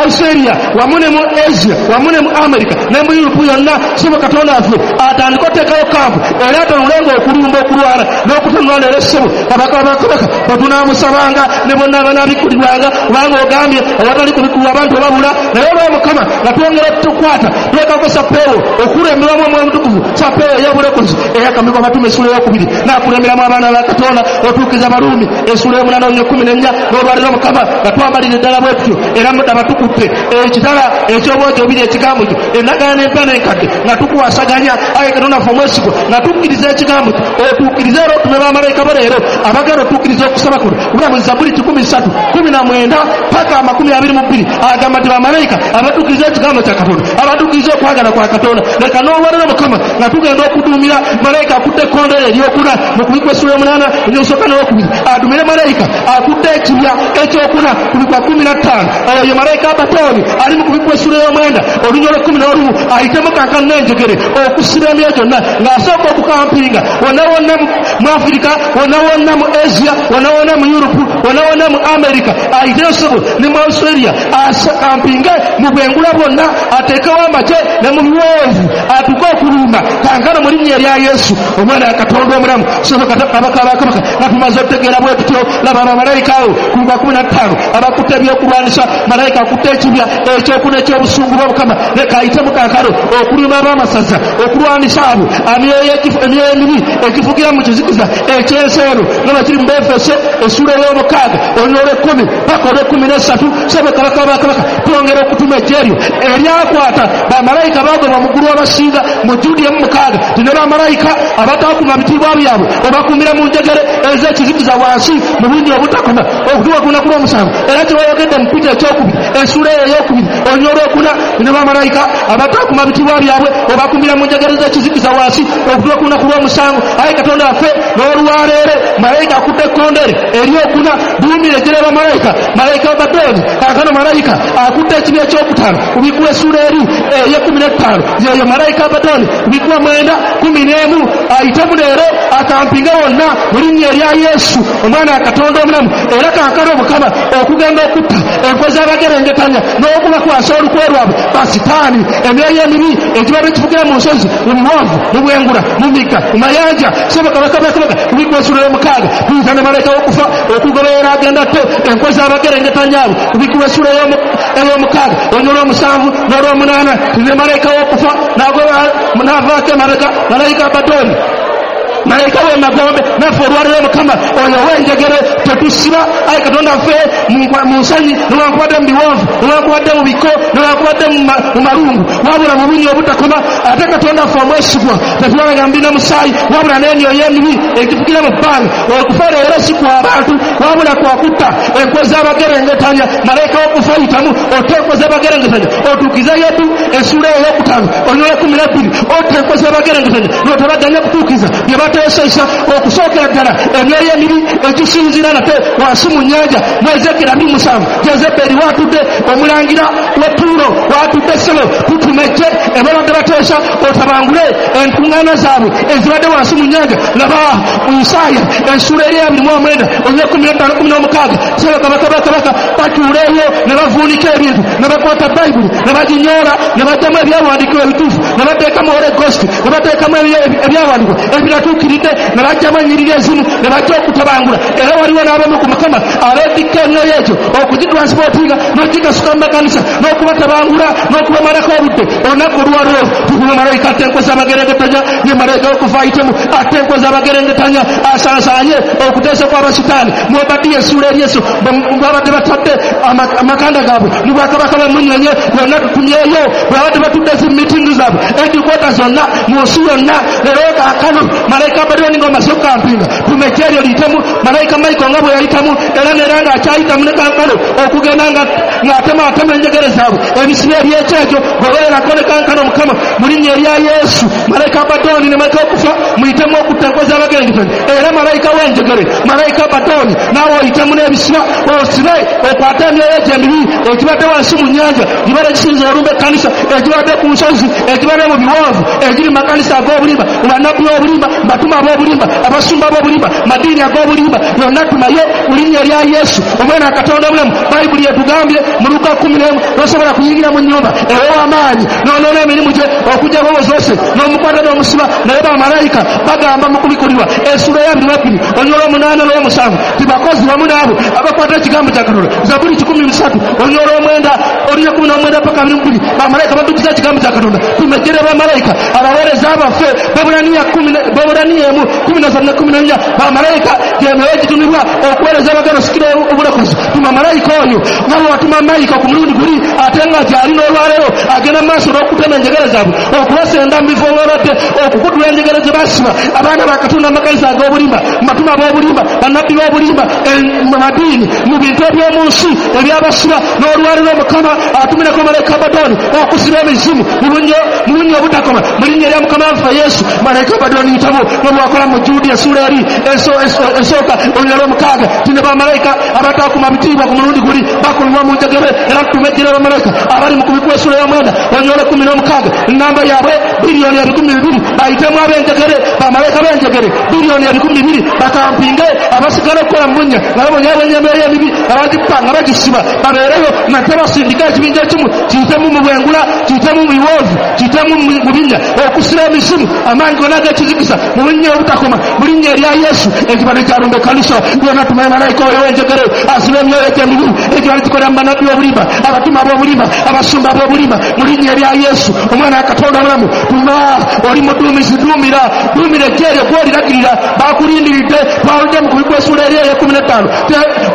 Australia wamu ne mu Asia wamu ne mu America ne mu Europe yonna ssebo Katonda waffe atandike oteekayo kampu era atanulenga okulumba okulwana n'okutanula leero ssebo kabaka wa kabaka bwe tunaamusabanga ne bonna abanaabikulirwanga kubanga ogambye awatali kubikulwa abantu babula naye olw'Omukama nga twongera tukwata twekako sappeewo okulemberwamu Omwoyo Omutukuvu sappeewo ey'obulokozi eyakamikwa Abatume essuula ey'okubiri n'akulemberamu abaana ba Katonda otuukiza Abaruumi essuula ey'omunaana olunya kkumi n'ennya n'olwaliro Mukama nga twambalira ddala bwe tutyo era mudaba tukutte ekitala eky'obwogi obubiri ekigambo kyo endagaano empya n'enkadde nga tukwasaganya ayi Katonda waffe omwesigwa nga tukkiriza ekigambo kyo otuukirize era otume bamalayika bo leero abagenda otuukiriza okusaba kuno kubanga mu Zabbuli kikumi ssatu kumi na mwenda paka amakumi abiri mu bbiri agamba nti bamalayika abatuukiriza ekigambo kya Katonda abatuukiriza okwagala kwa Katonda leka n'olwaliro Mukama nga tugenda okuduumira malayika akutte ekkondere eryokuna mu kubikwa essuula y'omunaana olusooka n'olwokubiri adumire malayika akutte ekibya ekyokuna ku bikwa kkumi na ttaano oyo malayika Abadooni ali mu kubikwa essuula y'omwenda olunya olw'ekkumi n'olumu ayitemu kankano n'enjegere okusiba emyoyo gyonna ng'asooka okukampinga wonna wonna mu Afirika wonna wonna mu Asia wonna wonna mu Europe wonna wonna mu America ayiteyo ssebo ne mu Australia akampinge mu bwengula bwonna ateekewo amagye ne mu biwonvu atuuke okulumba kankano mu linnya erya Yesu omwana wa Katonda omulamu ssebo kabaka wa kabaka nga tumaze okutegeera bwe tutyo laba bamalayika abo ku bikwa kkumi na ttaano abakutte ebyokulwanisa malayika akutte ekibya ekyokuna eky'obusungu bwa Mukama leka ayitemu kankano okuluma ab'amasaza okulwanisa abo emyoyo emibi egifugira mu kizikiza ekyensi eno nga bwe kiri mu Befeso essuula ey'omukaaga olunya olw'ekkumi paka olw'ekkumi n'essatu ssebo kabaka wa kabaka twongera okutuma eggye eryo eryakwata bamalayika baagobwa mu ggulu abasinga mu Judi emu mukaaga ti ne bamalayika abataakuuma bitiibwa byabwe obakuumira mu njegere ez'ekizikiza wansi mu bungi obutakoma okutuuka ku lunaku lw'omusanvu era kye bayogedde mu Peter ekyokubiri essuula eyo ey'okubiri olunya olwokuna ne bamalayika abataakuuma bitiibwa byabwe obakuumira mu njegere z'ekizikiza wansi okutuuka ku lunaku lw'omusanvu ayi Katonda waffe n'olwaleero malayika akutte ekkondere eryokuna duumira eggye lya bamalayika malayika Abadooni kaakano malayika akutte ekibya ekyokutaano kubikuwa essuula eri ey'ekkumi n'ettaano yeyo malayika Abadooni kubikuwa mwenda kumi n'emu ayitemu leero akampinge wonna mu linnya erya Yesu omwana wa Katonda omulamu era kaakano Mukama okugenda okutta enkwe z'abagerengetanya n'okubakwasa olukwe lwabwe basitaani emyoyo emibi ekibadde kifugira mu nsozi mu biwonvu mu bwengula mu migga mu mayanja ssebo kabaka wa kabaka kubikuwa essuula y'omukaaga tuyita ne malayika w'okufa okugoberera agenda tte enkwe z'abagerengetanya abo kubikuwa essuula ey'omukaaga olunya olw'omusanvu n'olw'omunaana ne malayika w'okufa n'avaako emabega malayika Abadooni malayika w'emagombe naffe olwaliro Mukama oyo ow'enjegere tetusiba ayi Katonda ffe mu nsenyi newankubadde mu biwonvu newankubadde mu biko newankubadde mu malungu wabula mu bunnya obutakoma ate Katonda ffe omwesigwa tetulabanga mbi na musaayi wabula n'emyoyo emibi egifugira mu bbanga okufa leero si kwa bantu wabula kwa kutta enkwe z'abagerengetanya malayika w'okufa yitamu otte enkwe z'abagerengetanya otuukize Yesu essuula ey'okutaano olunya olw'ekkumi n'ebbiri otte enkwe z'abagerengetanya n'otabaganya kutuukiza bye bateesesa okusookera ddala emyoyo emibi egisinziira nate wansi mu nnyanja mu Ezekiel abiri musanvu Jezeberi waatudde omulangira w'e Tuulo waatudde ssebo tutuma eggye ebabadde bateesa otabangule enkuŋŋaana zaabwe ezibadde wansi mu nnyanja laba Isaaya essuula eri abiri mu omwenda olunya ekkumi n'ettaano kkumi n'omukaaga ssebo kabaka ba kabaka batuula eyo ne bavuunika ebintu ne bakwata Bayibuli ne baginyoola ne baggyamu ebyawandiikibwa ebituufu ne bateekamu Holy Ghost ne bateekamu ebyawandiikibwa ebiratuukiridde ne baggyamu ennyiriri ezimu ne bajja okutabangula era waliwo n'abamu ku Mukama abeetikka emyoyo egyo okugitransportinga n'okugikasuka mu makanisa n'okubatabangula n'okubamalako obudde olunaku olwaleero tukuma malayika atte enkwe z'abagerengetanya ye malayika w'okufa ayitemu atte enkwe z'abagerengetanya asansaanye okuteesa kw'abasitaani mu Obadiya essuula eri Yesu babadde batadde amakanda gaabwe mu bwakabaka bw'emmunyeenye bonna tutumyeyo bwe babadde batudde zi mitingi zaabwe edikwota zonna mu nsi yonna leero kaakano malayika Abadooni ng'omaze okukampinga tuma eggye eryo liyitemu malayika Michael nga bwe yayitamu era neera ng'akyayitamu ne kankano okugenda ng'atemaatema enjegere zaabwe ebisiba ebyekyejo gobererako ne kankano Mukama mu linnya erya Yesu malayika Abadooni ne malayika w'okufa muyitemu okutta enkwe z'abagerengetanya era malayika w'enjegere malayika Abadooni naawe oyitemu n'ebisiba osibe okwate emyoyo egyo emibi Ekibadde wansi mu nnyanja gibadde kisinza olumba ekkanisa, ekibadde ku nsozi, ekibadde mu biwonvu, ekiri mu makanisa ag'obulimba, mu bannabbi b'obulimba, mu batume ab'obulimba, abasumba b'obulimba, madiini ag'obulimba, yonna tumaye mu linnya lya Yesu omwana wa Katonda omulamu. Bayibuli etugambye mu Luka kkumi n'emu, tosobola kuyingira mu nnyumba ew'amaanyi n'onoona emirimu gye okuggyako ozose n'omukwata n'omusiba. Naye bamalayika bagamba mu kubikulirwa essuula ya abiri mu bbiri olunyiriri olw'omunaana n'olw'omusanvu ti bakozi wamu n'abo abakwata ekigambo kya Katonda. Zabuli kikumi mu ssatu olunyiriri olw'omwenda olunyiriri kkumi n'omwenda paka abiri mu bbiri, bamalayika batujjuza ekigambo kya Katonda. Tumejjere bamalayika abaweereza baffe. Baebulaniya kkumi Baebulaniya emu kkumi na ssatu ne kkumi na nnya, bamalayika gy'emyoyo egitumibwa okuweereza abagenda osikira obulokozi. Tuma malayika oyo nga bwe watuma malayika ku mulundi guli, ate nga gy'ali n'olwaleero agenda mu maaso n'okutema enjegere zaabwe, okubasenda mu bifo w'obadde, okukutula enjegere ze basiba abaana ba Katonda mu makanisa ag'obulimba, mu batume ab'obulimba, bannabbi b'obulimba, mu madiini, mu bintu eby'omu nsi ebyabasiba. N'olwaleero Mukama atumireko malayika Abadooni okusiba emizimu mu bunnya obutakoma mu linnya lya Mukama waffe Yesu. Malayika Abadooni yitamu nga bw'akola mu Juudi essuula eri esooka olunyiriri olw'omukaaga, ti ne bamalayika abataakuma bitiibwa ku mulundi guli bakulirwa mu njegere. Era tumejjere bamalayika abali mu kubikwa essuula y'omwenda olunyiriri olw'ekkumi n'omukaaga, ennamba yaabwe biliyoni ebikumi bibiri, bayitemu ab'enjegere, bamalayika b'enjegere biliyoni ebikumi bibiri bakampinge abasigala okukola mu bunnya nga babonyeebonye emyoyo emibi nga bagipa nga bagisiba, babeereyo nate basindika ekibinja ekimu kiyitemu mu bwengula, kiyitemu mu biwoovu, kiyitemu mu binnya okusiba emizimu, amaanyi gonna ag'ekizikiza mu bunnya obutakoma mu linnya erya Yesu. Ekibadde kyalumba ekkanisa yonna, tumaye malayika oyo w'enjegere asiba emyoyo egy'emibi ekibadde kikolera mu bannabbi b'obulimba, abatume ab'obulimba, abasumba ab'obulimba mu linnya erya Yesu omwana wa Katonda omulamu. Tuma oli muduumizi, duumira duumira ejje eryo gw'oliragirira, bakulindiridde. Twaludde mu kubikwa essuula eri ey'ekkumi n'ettaano,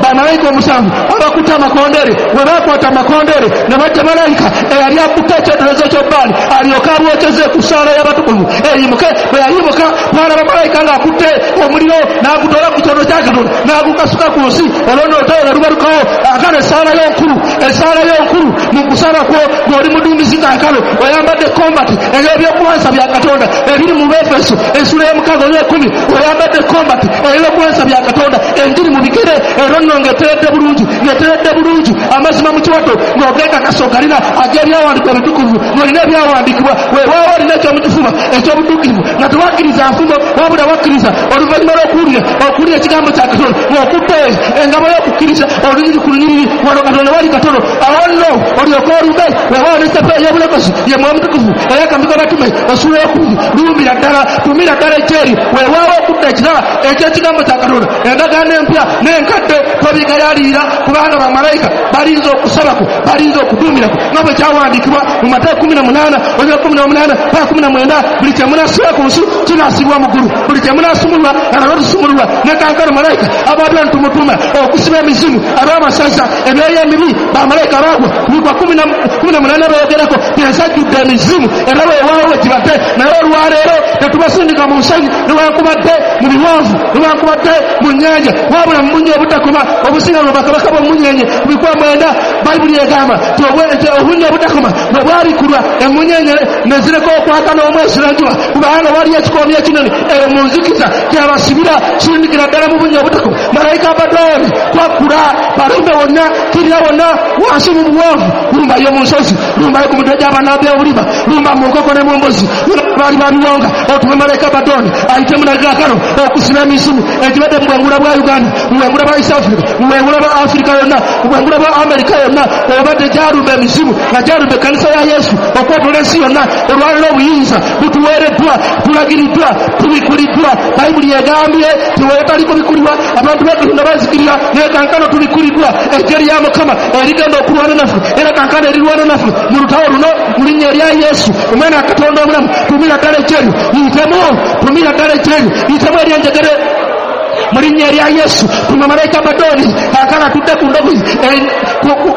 bamalayika omusanvu abakutte amakondeere bwe baakwata amakondeere ne bajja malayika eyali akutte ekyoterezo ky'obbaali alyoke abwokyeze ku ssaala y'abatukuvu eyimuke. Bwe yayimuka twalaba malayika ng'akutte omuliro n'agutoola ku kyoto kya Katonda n'agukasuka ku nsi, olwo nno olutalo ne lubalukawo. Kaakano essaala y'onkulu, essaala y'onkulu mu kusaba kwo ng'oli muduumizi kaakano oyambadde kombati ey'ebyokulwanyisa bya Katonda ebiri mu Befeso essuula y'omukaaga olw'ekkumi, oyambadde kombati ey'ebyokulwanyisa bya Katonda, enjiri mu bigere, era nno ng'eteredde bulungi, ng'eteredde bulungi, amazima mu kiwato, ng'ogeekakasa ogalina ag'ebyawandiikibwa ebitukuvu, ng'olina ebyawandiikibwa, weewaawo olina ekyomukifuba eky'obutuukirivu, nga tewakkiriza nfumo wabula wakkiriza oluvannyuma lw'okuwulira okuwulira ekigambo kya Katonda, ng'okutte engabo y'okukkiriza olunyiriri ku lunyiriri, wano Katonda wali katono, awo nno olyoke olumbe. Weewaawo n'esseppa ey'obulokozi ye Mwoyo Mutukuvu ey'akambika abatume essuula ey'okubiri, lumbira ddala, tumira ddala ekyeri, weewaawo okudda ekirala eky'ekigambo kya Katonda, endagaano empya n'enkadde tobigayaalirira, kubanga bamalayika balinza okusabako, balinza okuduumirako nga bwe kyawandiikibwa mu Matayo kkumi na munaana olunyiriri kkumi na munaana paka kkumi na mwenda, buli kye munaasiba ku nsi kinaasibwa mu ggulu, buli kye munaasumulula nga nalwo tusumululwa. Ne kaakano malayika Abadooni tumutuma okusiba emizimu, ab'amasaza, emyoyo emibi, bamalayika baagwa kubikwa kkumi na munaana beeyogerako ensajjudde emizimu, era weewaawo we kibadde. Naye olwaleero tetubasindika mu nsenyi newankubadde mu biwonvu newankubadde mu nnyanja, wabula mu bunnya obutakoma obusinga mu bakabaka b'omunnyenye. Kubikwa mwenda Bayibuli egamba nti obunnya obutakoma bwe bwabikulwa emmunyeenye ne zireka okwaka n'omwezi n'enjuba, kubanga waliyo ekikoomi ekinene eyo mu nzikiza kyabasibira sindikira ddala mu bunnya obutakoma. Malayika Abadooni kwakkula balumbe wonna, kirira wonna wansi mu buwonvu, lumbayo mu nsozi, lumbayo ku mitwe gy'abannabbi b'obulimba, lumba mu nkoko ne mu mbuzi, baali babiwonga. Otume malayika Abadooni ayitemu nagakano okusiba emizimu egibadde mu bwengula bwa Uganda, mu bwengula bwa East Africa, mu bwengula bwa Africa yonna, mu bwengula bwa Amerika yonna, obadde gyalumba emizimu nga gyalumba ekkanisa ya Yesu okwetooloola ensi yonna. Olwaleero obuyinza butuweereddwa, tulagiriddwa, tubikuliddwa. Bayibuli egambye nti wetali kubikulibwa abantu ba Katonda bazikirira, naye kankano tubikuliddwa. Ejje lya Mukama erigenda okulwana naffe, era kankano erirwana naffe mu lutalo luno mu linnya erya Yesu omwana wa Katonda omulamu. Tumira ddala ejje eryo, yitemu, tumira ddala ejje eryo, yitemu ery'enjegere mu linnya erya Yesu. Tuma malayika Abadooni kaakano atudde ku ndogoyi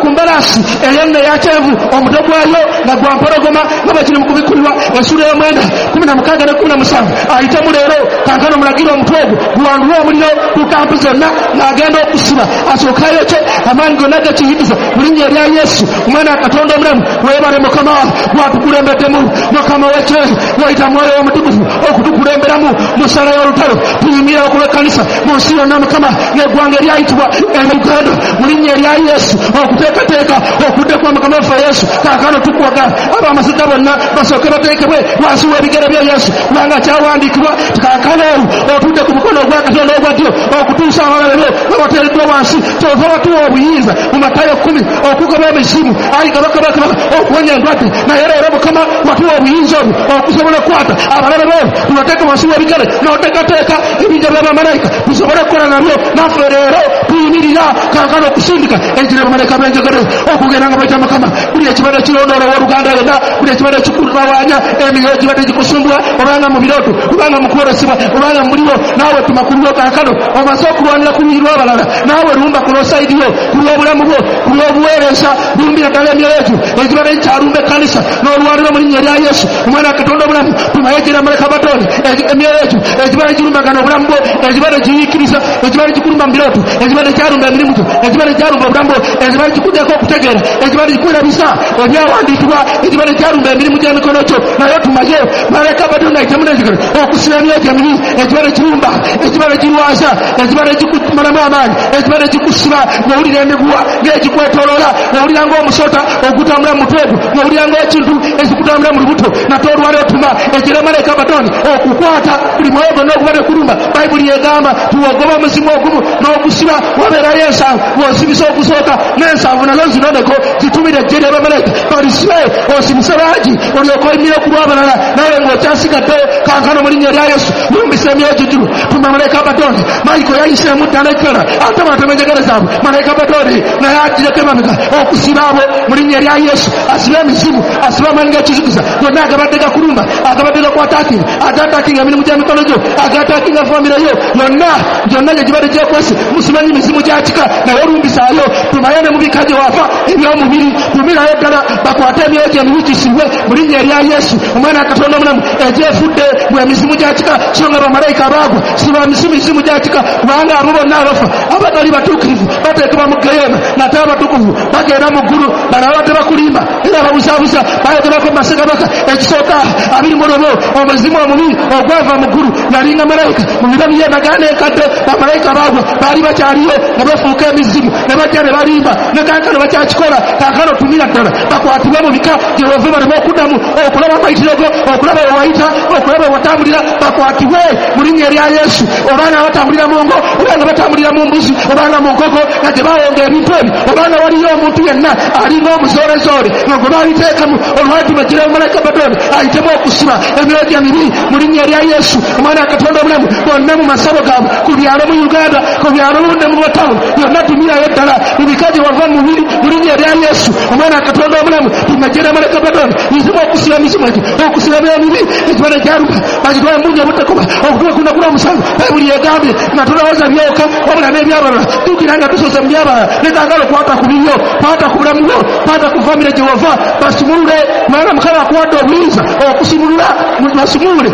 ku mbalaasi ey'enne eya kyenvu, omutwe gwayo nga gwa mpologoma nga bwe kiri mu kubikulirwa essuula y'omwenda kkumi na mukaaga ne kkumi na musanvu. Ayitemu leero kaakano mulagire omutwe ogwo guwandule omuliro ku kampu zonna ng'agenda okusiba, asooke ayokye amaanyi gonna g'ekizikiza mu linnya erya Yesu omwana wa Katonda omulamu. Weebale Mukama gwatukulembeddemu, Mukama w'ekye wayita Mwoyo Omutukuvu okutukulemberamu mu ssaala y'olutalo. Tuyimira okulw'ekkanisa mu nsi yonna Mukama, n'eggwanga eryayitibwa Uganda mu linnya erya Yesu, okuteekateeka okudda kwa Mukama waffe Yesu. Kaakano tukwaga ab'amasita bonna basooke bateekebwe wansi w'ebigere bya Yesu, kubanga kyawandiikibwa kaakano olwo otudde ku mukono ogwa Katonda ogwa ddyo okutuusa abalabe bo nga bateereddwa wansi. Kyova watuwa obuyinza mu Matayo kkumi okugoba emizimu, ayi kabaka bakabaka, okuwonya endwadde. Naye leero Mukama watuwa obuyinza obwo okusobola okukwata abalabe bo tubateeke wansi w'ebigere, n'oteekateeka ebijja by'abamalayika tusobole okukola nabyo. Naffe leero tuyimirira kaakano okusindika enjiri y'abamalayika b'enjegere okugenda nga bayita Mukama. Buli ekibadde kirondoola owooluganda yenna, buli ekibadde kikutawaanya, emyoyo gibadde gikusumbula, obanga mu birooto, obanga mu kwolesebwa, obanga mu muliro, naawe tuma ku lulwo kaakano. Omaze okulwanira ku luyi lw'abalala, naawe lumba ku lw'osayidi yo, ku lw'obulamu bwo, ku lw'obuweereza. Lumbira ddala emyoyo egyo egibadde gikyalumba ekkanisa n'olwanira mu linnya erya Yesu omwana wa Katonda obulamu. Tumayo ejjira malayika Abaddoni, emyoyo egyo egibadde girumbagana obulamu bwo, egibadde giyiikiriza, egibadde gikulumba mu birooto, egibadde gyalumba emirimu gyo, egibadde gyalumba obulamu bwo, egibadde gikuddeko okutegeera, egibadde gikwerabiza ebyawandiikibwa, egibadde gyalumba emirimu gy'emikono gyo, naye tumayo malayika Abaddoni ayitemu n'enjegere okusiba emyoyo gyo emibi egibadde girumba, egibadde girwaza, egibadde gikumalamu amaanyi, egibadde gikusiba ng'owulira emiguwa ng'egikwetooloola, ng'owulira ng'omusota ogutambula mu mutwe gwo, ng'owulira ng'ekintu ekikutambula mu lubuto. Nate olwaleero tuma ejjira malayika Abaddoni okukwata buli mwoyo gwonna ogubadde kulumba. Bayibuli egamba tuwogoba omuzimu ogumu n'ogusiba, wabeerayo ensanvu bw'osibisa ogusooka n'ensanvu nazo zinoneko, zitumire ejje ly'abamalayika balisibe, osibise bangi olyoke oyimire ku lw'abalala nawe ng'okyasigaddeyo. Kaakano mu linnya erya Yesu lumbisa emyoyo gigiro, tuma malayika Abaddoni. Mayiko yayiseemu ddala ekkala ate batema enjegere zaabwe. Malayika Abaddoni naye agireko emabega okusiba abo mu linnya erya Yesu, asibe emizimu, asibe amaanyi g'ekizikiza gonna agabadde gakulumba, agabadde gakwataakinga, agataakinga emirimu gy'emikono gyo, agataakinga famire yo yonna gyonna gye gibadde gyekwese. Musimanyi mizimu gya kika, naye olumbisaayo. Tumayo ne mu bika gye wafa eby'omubiri, tumirayo ddala bakwate emyoyo gyo emibi gisibwe mu linnya erya Yesu omwana wa Katonda omulamu, egyefudde mu emizimu gya kika, so nga bamalayika baagwa si ba mizimu gya kika, kubanga abo bonna abafa abatali batuukirivu bateekebwa mu ggeyeena, nate abatukuvu bagenda mu ggulu. Bano abadde bakulimba era babuzaabuza bayogerako mu Bassekabaka ekisooka abiri mu lumu, omuzimu omubi ogwava mu ggulu yalinga malayika mu biro by'endagaano enkadde. Bamalayika baagwa baali bakyaliyo nga bafuuka emizimu ne bajja ne balimba, ne kaakano bakyakikola. Kaakano tumira ddala bakwatibwe mu bika gye bava baleme okuddamu okulaba amayitiro go, okulaba we wayita, okulaba we watambulira, bakwatibwe mu linnya erya Yesu. Obanga batambulira mu ngo, obanga batambulira mu mbuzi, obanga mu nkoko nga gye bawonga ebintu ebyo, obanga waliyo omuntu yenna alinga omuzolezoole nga gwe babiteekamu olwatuma gira malayika Abaddoni ayitemu okusiba emyoyo emibi mu linnya erya Yesu omwana wa Katonda obulamu. Bonna mu masabo gaabwe ku byalo mu Uganda, ku byalo ne mu matawuni yonna, tumirayo ddala mu bika gye wava mu mubiri mu linnya erya Yesu omwana wa Katonda obulamu. Tumajjira malayika Abaddoni mizimu okusiba emizimu egyo, okusiba emyoyo emibi ekibadde kyalumba bagitwale mu bungi obutakoba okutuuka ku lunaku lw'omusanvu. Bayibuli egambye nga tolowooza byoka wabula n'ebyabalala. Tuukira nga tusoose mu byabalala, ne kaagala okwata ku bibyo, kwata ku bulamu bwo, kwata ku famire gye wava, basumulule, kubanga Mukama akuwadde obuyinza okusumulula. Basumulule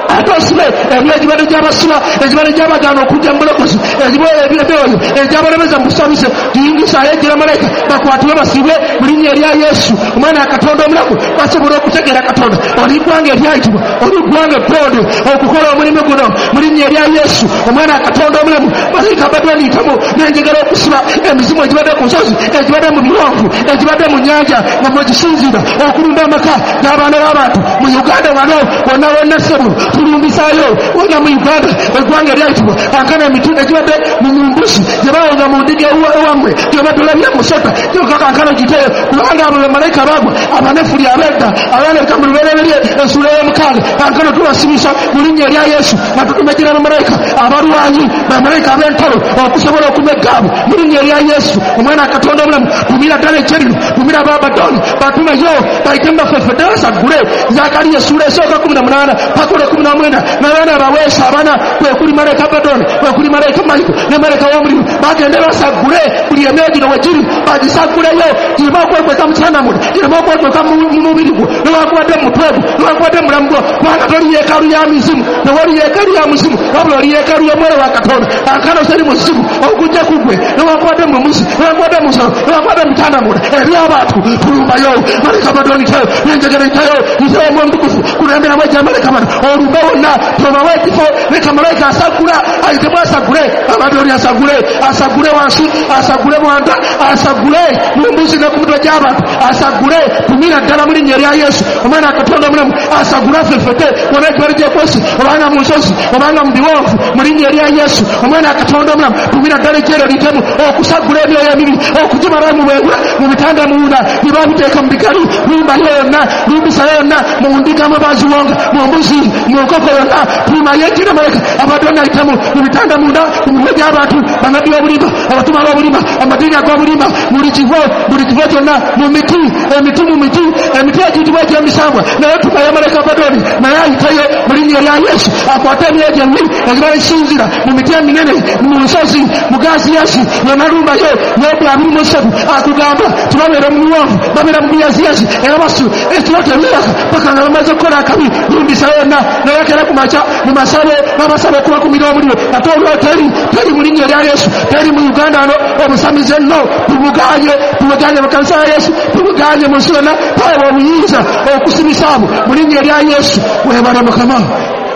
ate osibe emyoyo egibadde gy'abasiba, egibadde gy'abagaana okujja mu bulokozi, emyoyo egyabalemeza mu busabise, giyingisaayo ejjira malayika bakwatibwe basibwe mu linnya erya Yesu omwana wa Katonda omulamu, basobola okutegeera Katonda. Oli ggwanga eryayitibwa, oli ggwanga ettonde okukola omulimu guno mu linnya erya Yesu omwana wa Katonda omulamu. Malayika Abaddoni yitamu n'enjegere okusiba emizimu egibadde ku nsozi, egibadde mu biwonvu, egibadde mu nnyanja nga mwegisinziira okulumba amaka n'abaana b'abantu mu Uganda wano wonna wonna ssebo tulumbisayo wonna mu Uganda eggwanga eryayitibwa. Kaakano emiti egibadde mu mbuzi gye bawonga mu ndiga ewammwe gye badde olabye musota gyokka kaakano giteyo, kubanga abo bamalayika baagwa abanefuli ab'edda abalabika mu lubereberye ensuula y'omukaaga. Kaakano tubasibisa mu linnya erya Yesu nga tutumejjera bamalayika abalwanyi, bamalayika ab'entalo okusobola okumegga abo mu linnya erya Yesu omwana wa Katonda obulamu. Tumira ddala ekye lino, tumira Abaddoni batumeyo bayite mu bafefedde basaggule. Zakariya essuula esooka kumi na munaana paka olw'ekkumi na mwenda n'abaana abaweesa abana kwe kuli malayika Abaddoni, kwe kuli malayika Mayiko ne malayika w'omulimu, bagende basaggule buli emyoyo gino we giri, bagisagguleyo gireme okwekweka mu bitanda munda gireme okwekweka mu mubiri gwo newankubadde mu mutwe gwo newankubadde mu mulamu gwo, kubanga toli yeekaalu ya mizimu, tewali yeekaalu ya muzimu, wabula oli yeekaalu y'omwoyo wa Katonda. Kaakano teri muzimu ogujja ku ggwe newankubadde mu muzi, newankubadde mu nsolo, newankubadde mu bitanda munda eby'abantu. Tulumbayo malayika Abadoni yitayo n'enjegere yitayo, yitayo Omwoyo Omutukuvu kulemberamu ejja malayika bano olumbe wonna, tobawa ekifo. Leka malayika asagula ayitemu, asagule Abadoni, asagule, asagule wansi, asagule mwanda, asagule mu mbuzi ne ku mitwe gy'abantu, asagule. Tumira ddala mu linnya erya Yesu omwana wa Katonda omulamu, asagule afefete wonna gye bali gyekwesi, obanga mu nsozi obanga mu biwonvu, mu linnya erya Yesu omwana wa Katonda omulamu. Tumira ddala ejjeero liyitemu okusagula emyoyo emibi, okugimalayo mu bwengula, mu bitanda munda bye babiteeka mu bigali. Lumbayo yonna, lumbisayo yonna, mu ndiga mwe baziwonga, mu mbuzi, mu nkoko yonna, tumayo ejjira malayika Abadoni ayitemu mu bitanda munda, mu mitwe gy'abantu, bannabbi b'obulimba, abatuma b'obulimba, amadiini ag'obulimba, buli kifo, buli kifo kyonna, mu miti, emiti, mu miti, emiti egiyitibwa egy'emisambwa, naye tumayo malayika Abadoni naye ayitayo mu linnya erya Yesu, akwate emyoyo gyembi egiba esinzira mu miti eminene, mu nsozi, mu gaziyazi yonna. Lumbayo Yobu abiri mu ssatu akugamba tibabeera mu biwonvu, babeera mu biyaziyazi, era basu ekiro tebeeraka paka nga bamaze okukola akabi. Lumbisayo yonna, naye akera ku makya mu masabo babasaba okubakumira omuliro, ate olwo teri, teri mu linnya erya Yesu, teri mu Uganda ano. Obusamize nno tubuganye, tubuganye mu kanisa ya Yesu, tubuganye mu nsi yonna. Twaweebwa obuyinza okusimisa abo mu linnya erya Yesu. Weebale Mukama,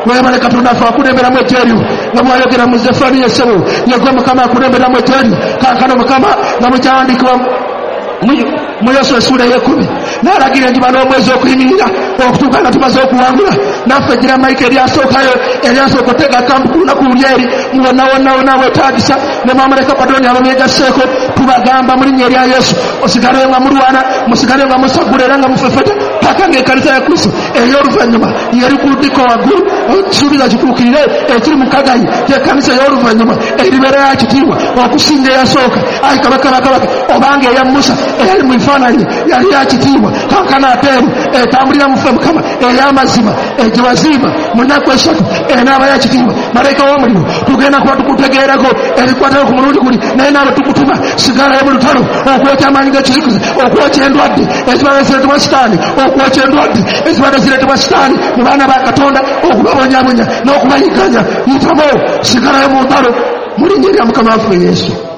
weebale Katonda ffe akulemberamu ejjeeryo nga bw'ayogera mu Zefaniya essebo, yegwe Mukama akulemberamu ejjeeryo. Kaakano Mukama, nga bwe kyawandiikibwa mu Yoswa essuula ey'ekkumi, n'alagira enjuba n'omwezi okuyimirira okutuuka nga tumaze okuwangula. Naffe gira malayika eryasookayo, eryasooka otega kampu ku lunaku luli eri wonna wonna wonna weetaagisa, ne bamalayika Abadoni abamwegasseeko, tubagamba mu linnya erya Yesu, osigale nga mulwana, musigale nga musagula era nga mufefeta paka ng'ekkanisa ya Kristo ey'oluvannyuma yeri ku lutikko waggulu. Ekisuubizo kituukirire ekiri mu Kagayi, gy'ekkanisa ey'oluvannyuma eribeera ya kitiibwa okusinga eyasooka. Ayi Kabaka bakabaka, obanga eya Musa eyali mu bifaananyi yali ya kitiibwa, kaakano ate eno etambulira mu ffe Mukama ey'amazima egye wazimba mu nnaku esatu enaaba ya kitiibwa. Malayika w'omuliro, tugenda kuba tukutegeerako ebikwatako ku mulundi guli, naye naawe tukutuma sigalayo mu lutalo okwokya amaanyi g'ekizikiza, okwokya endwadde ezibadde zireetebwa Sitaani, okwokya endwadde ezibadde zireetebwa Sitaani mu baana ba Katonda, okubabonyabonya n'okubayigganya. Yitamu, sigalayo mu ntalo mu linnya erya Mukama waffe Yesu.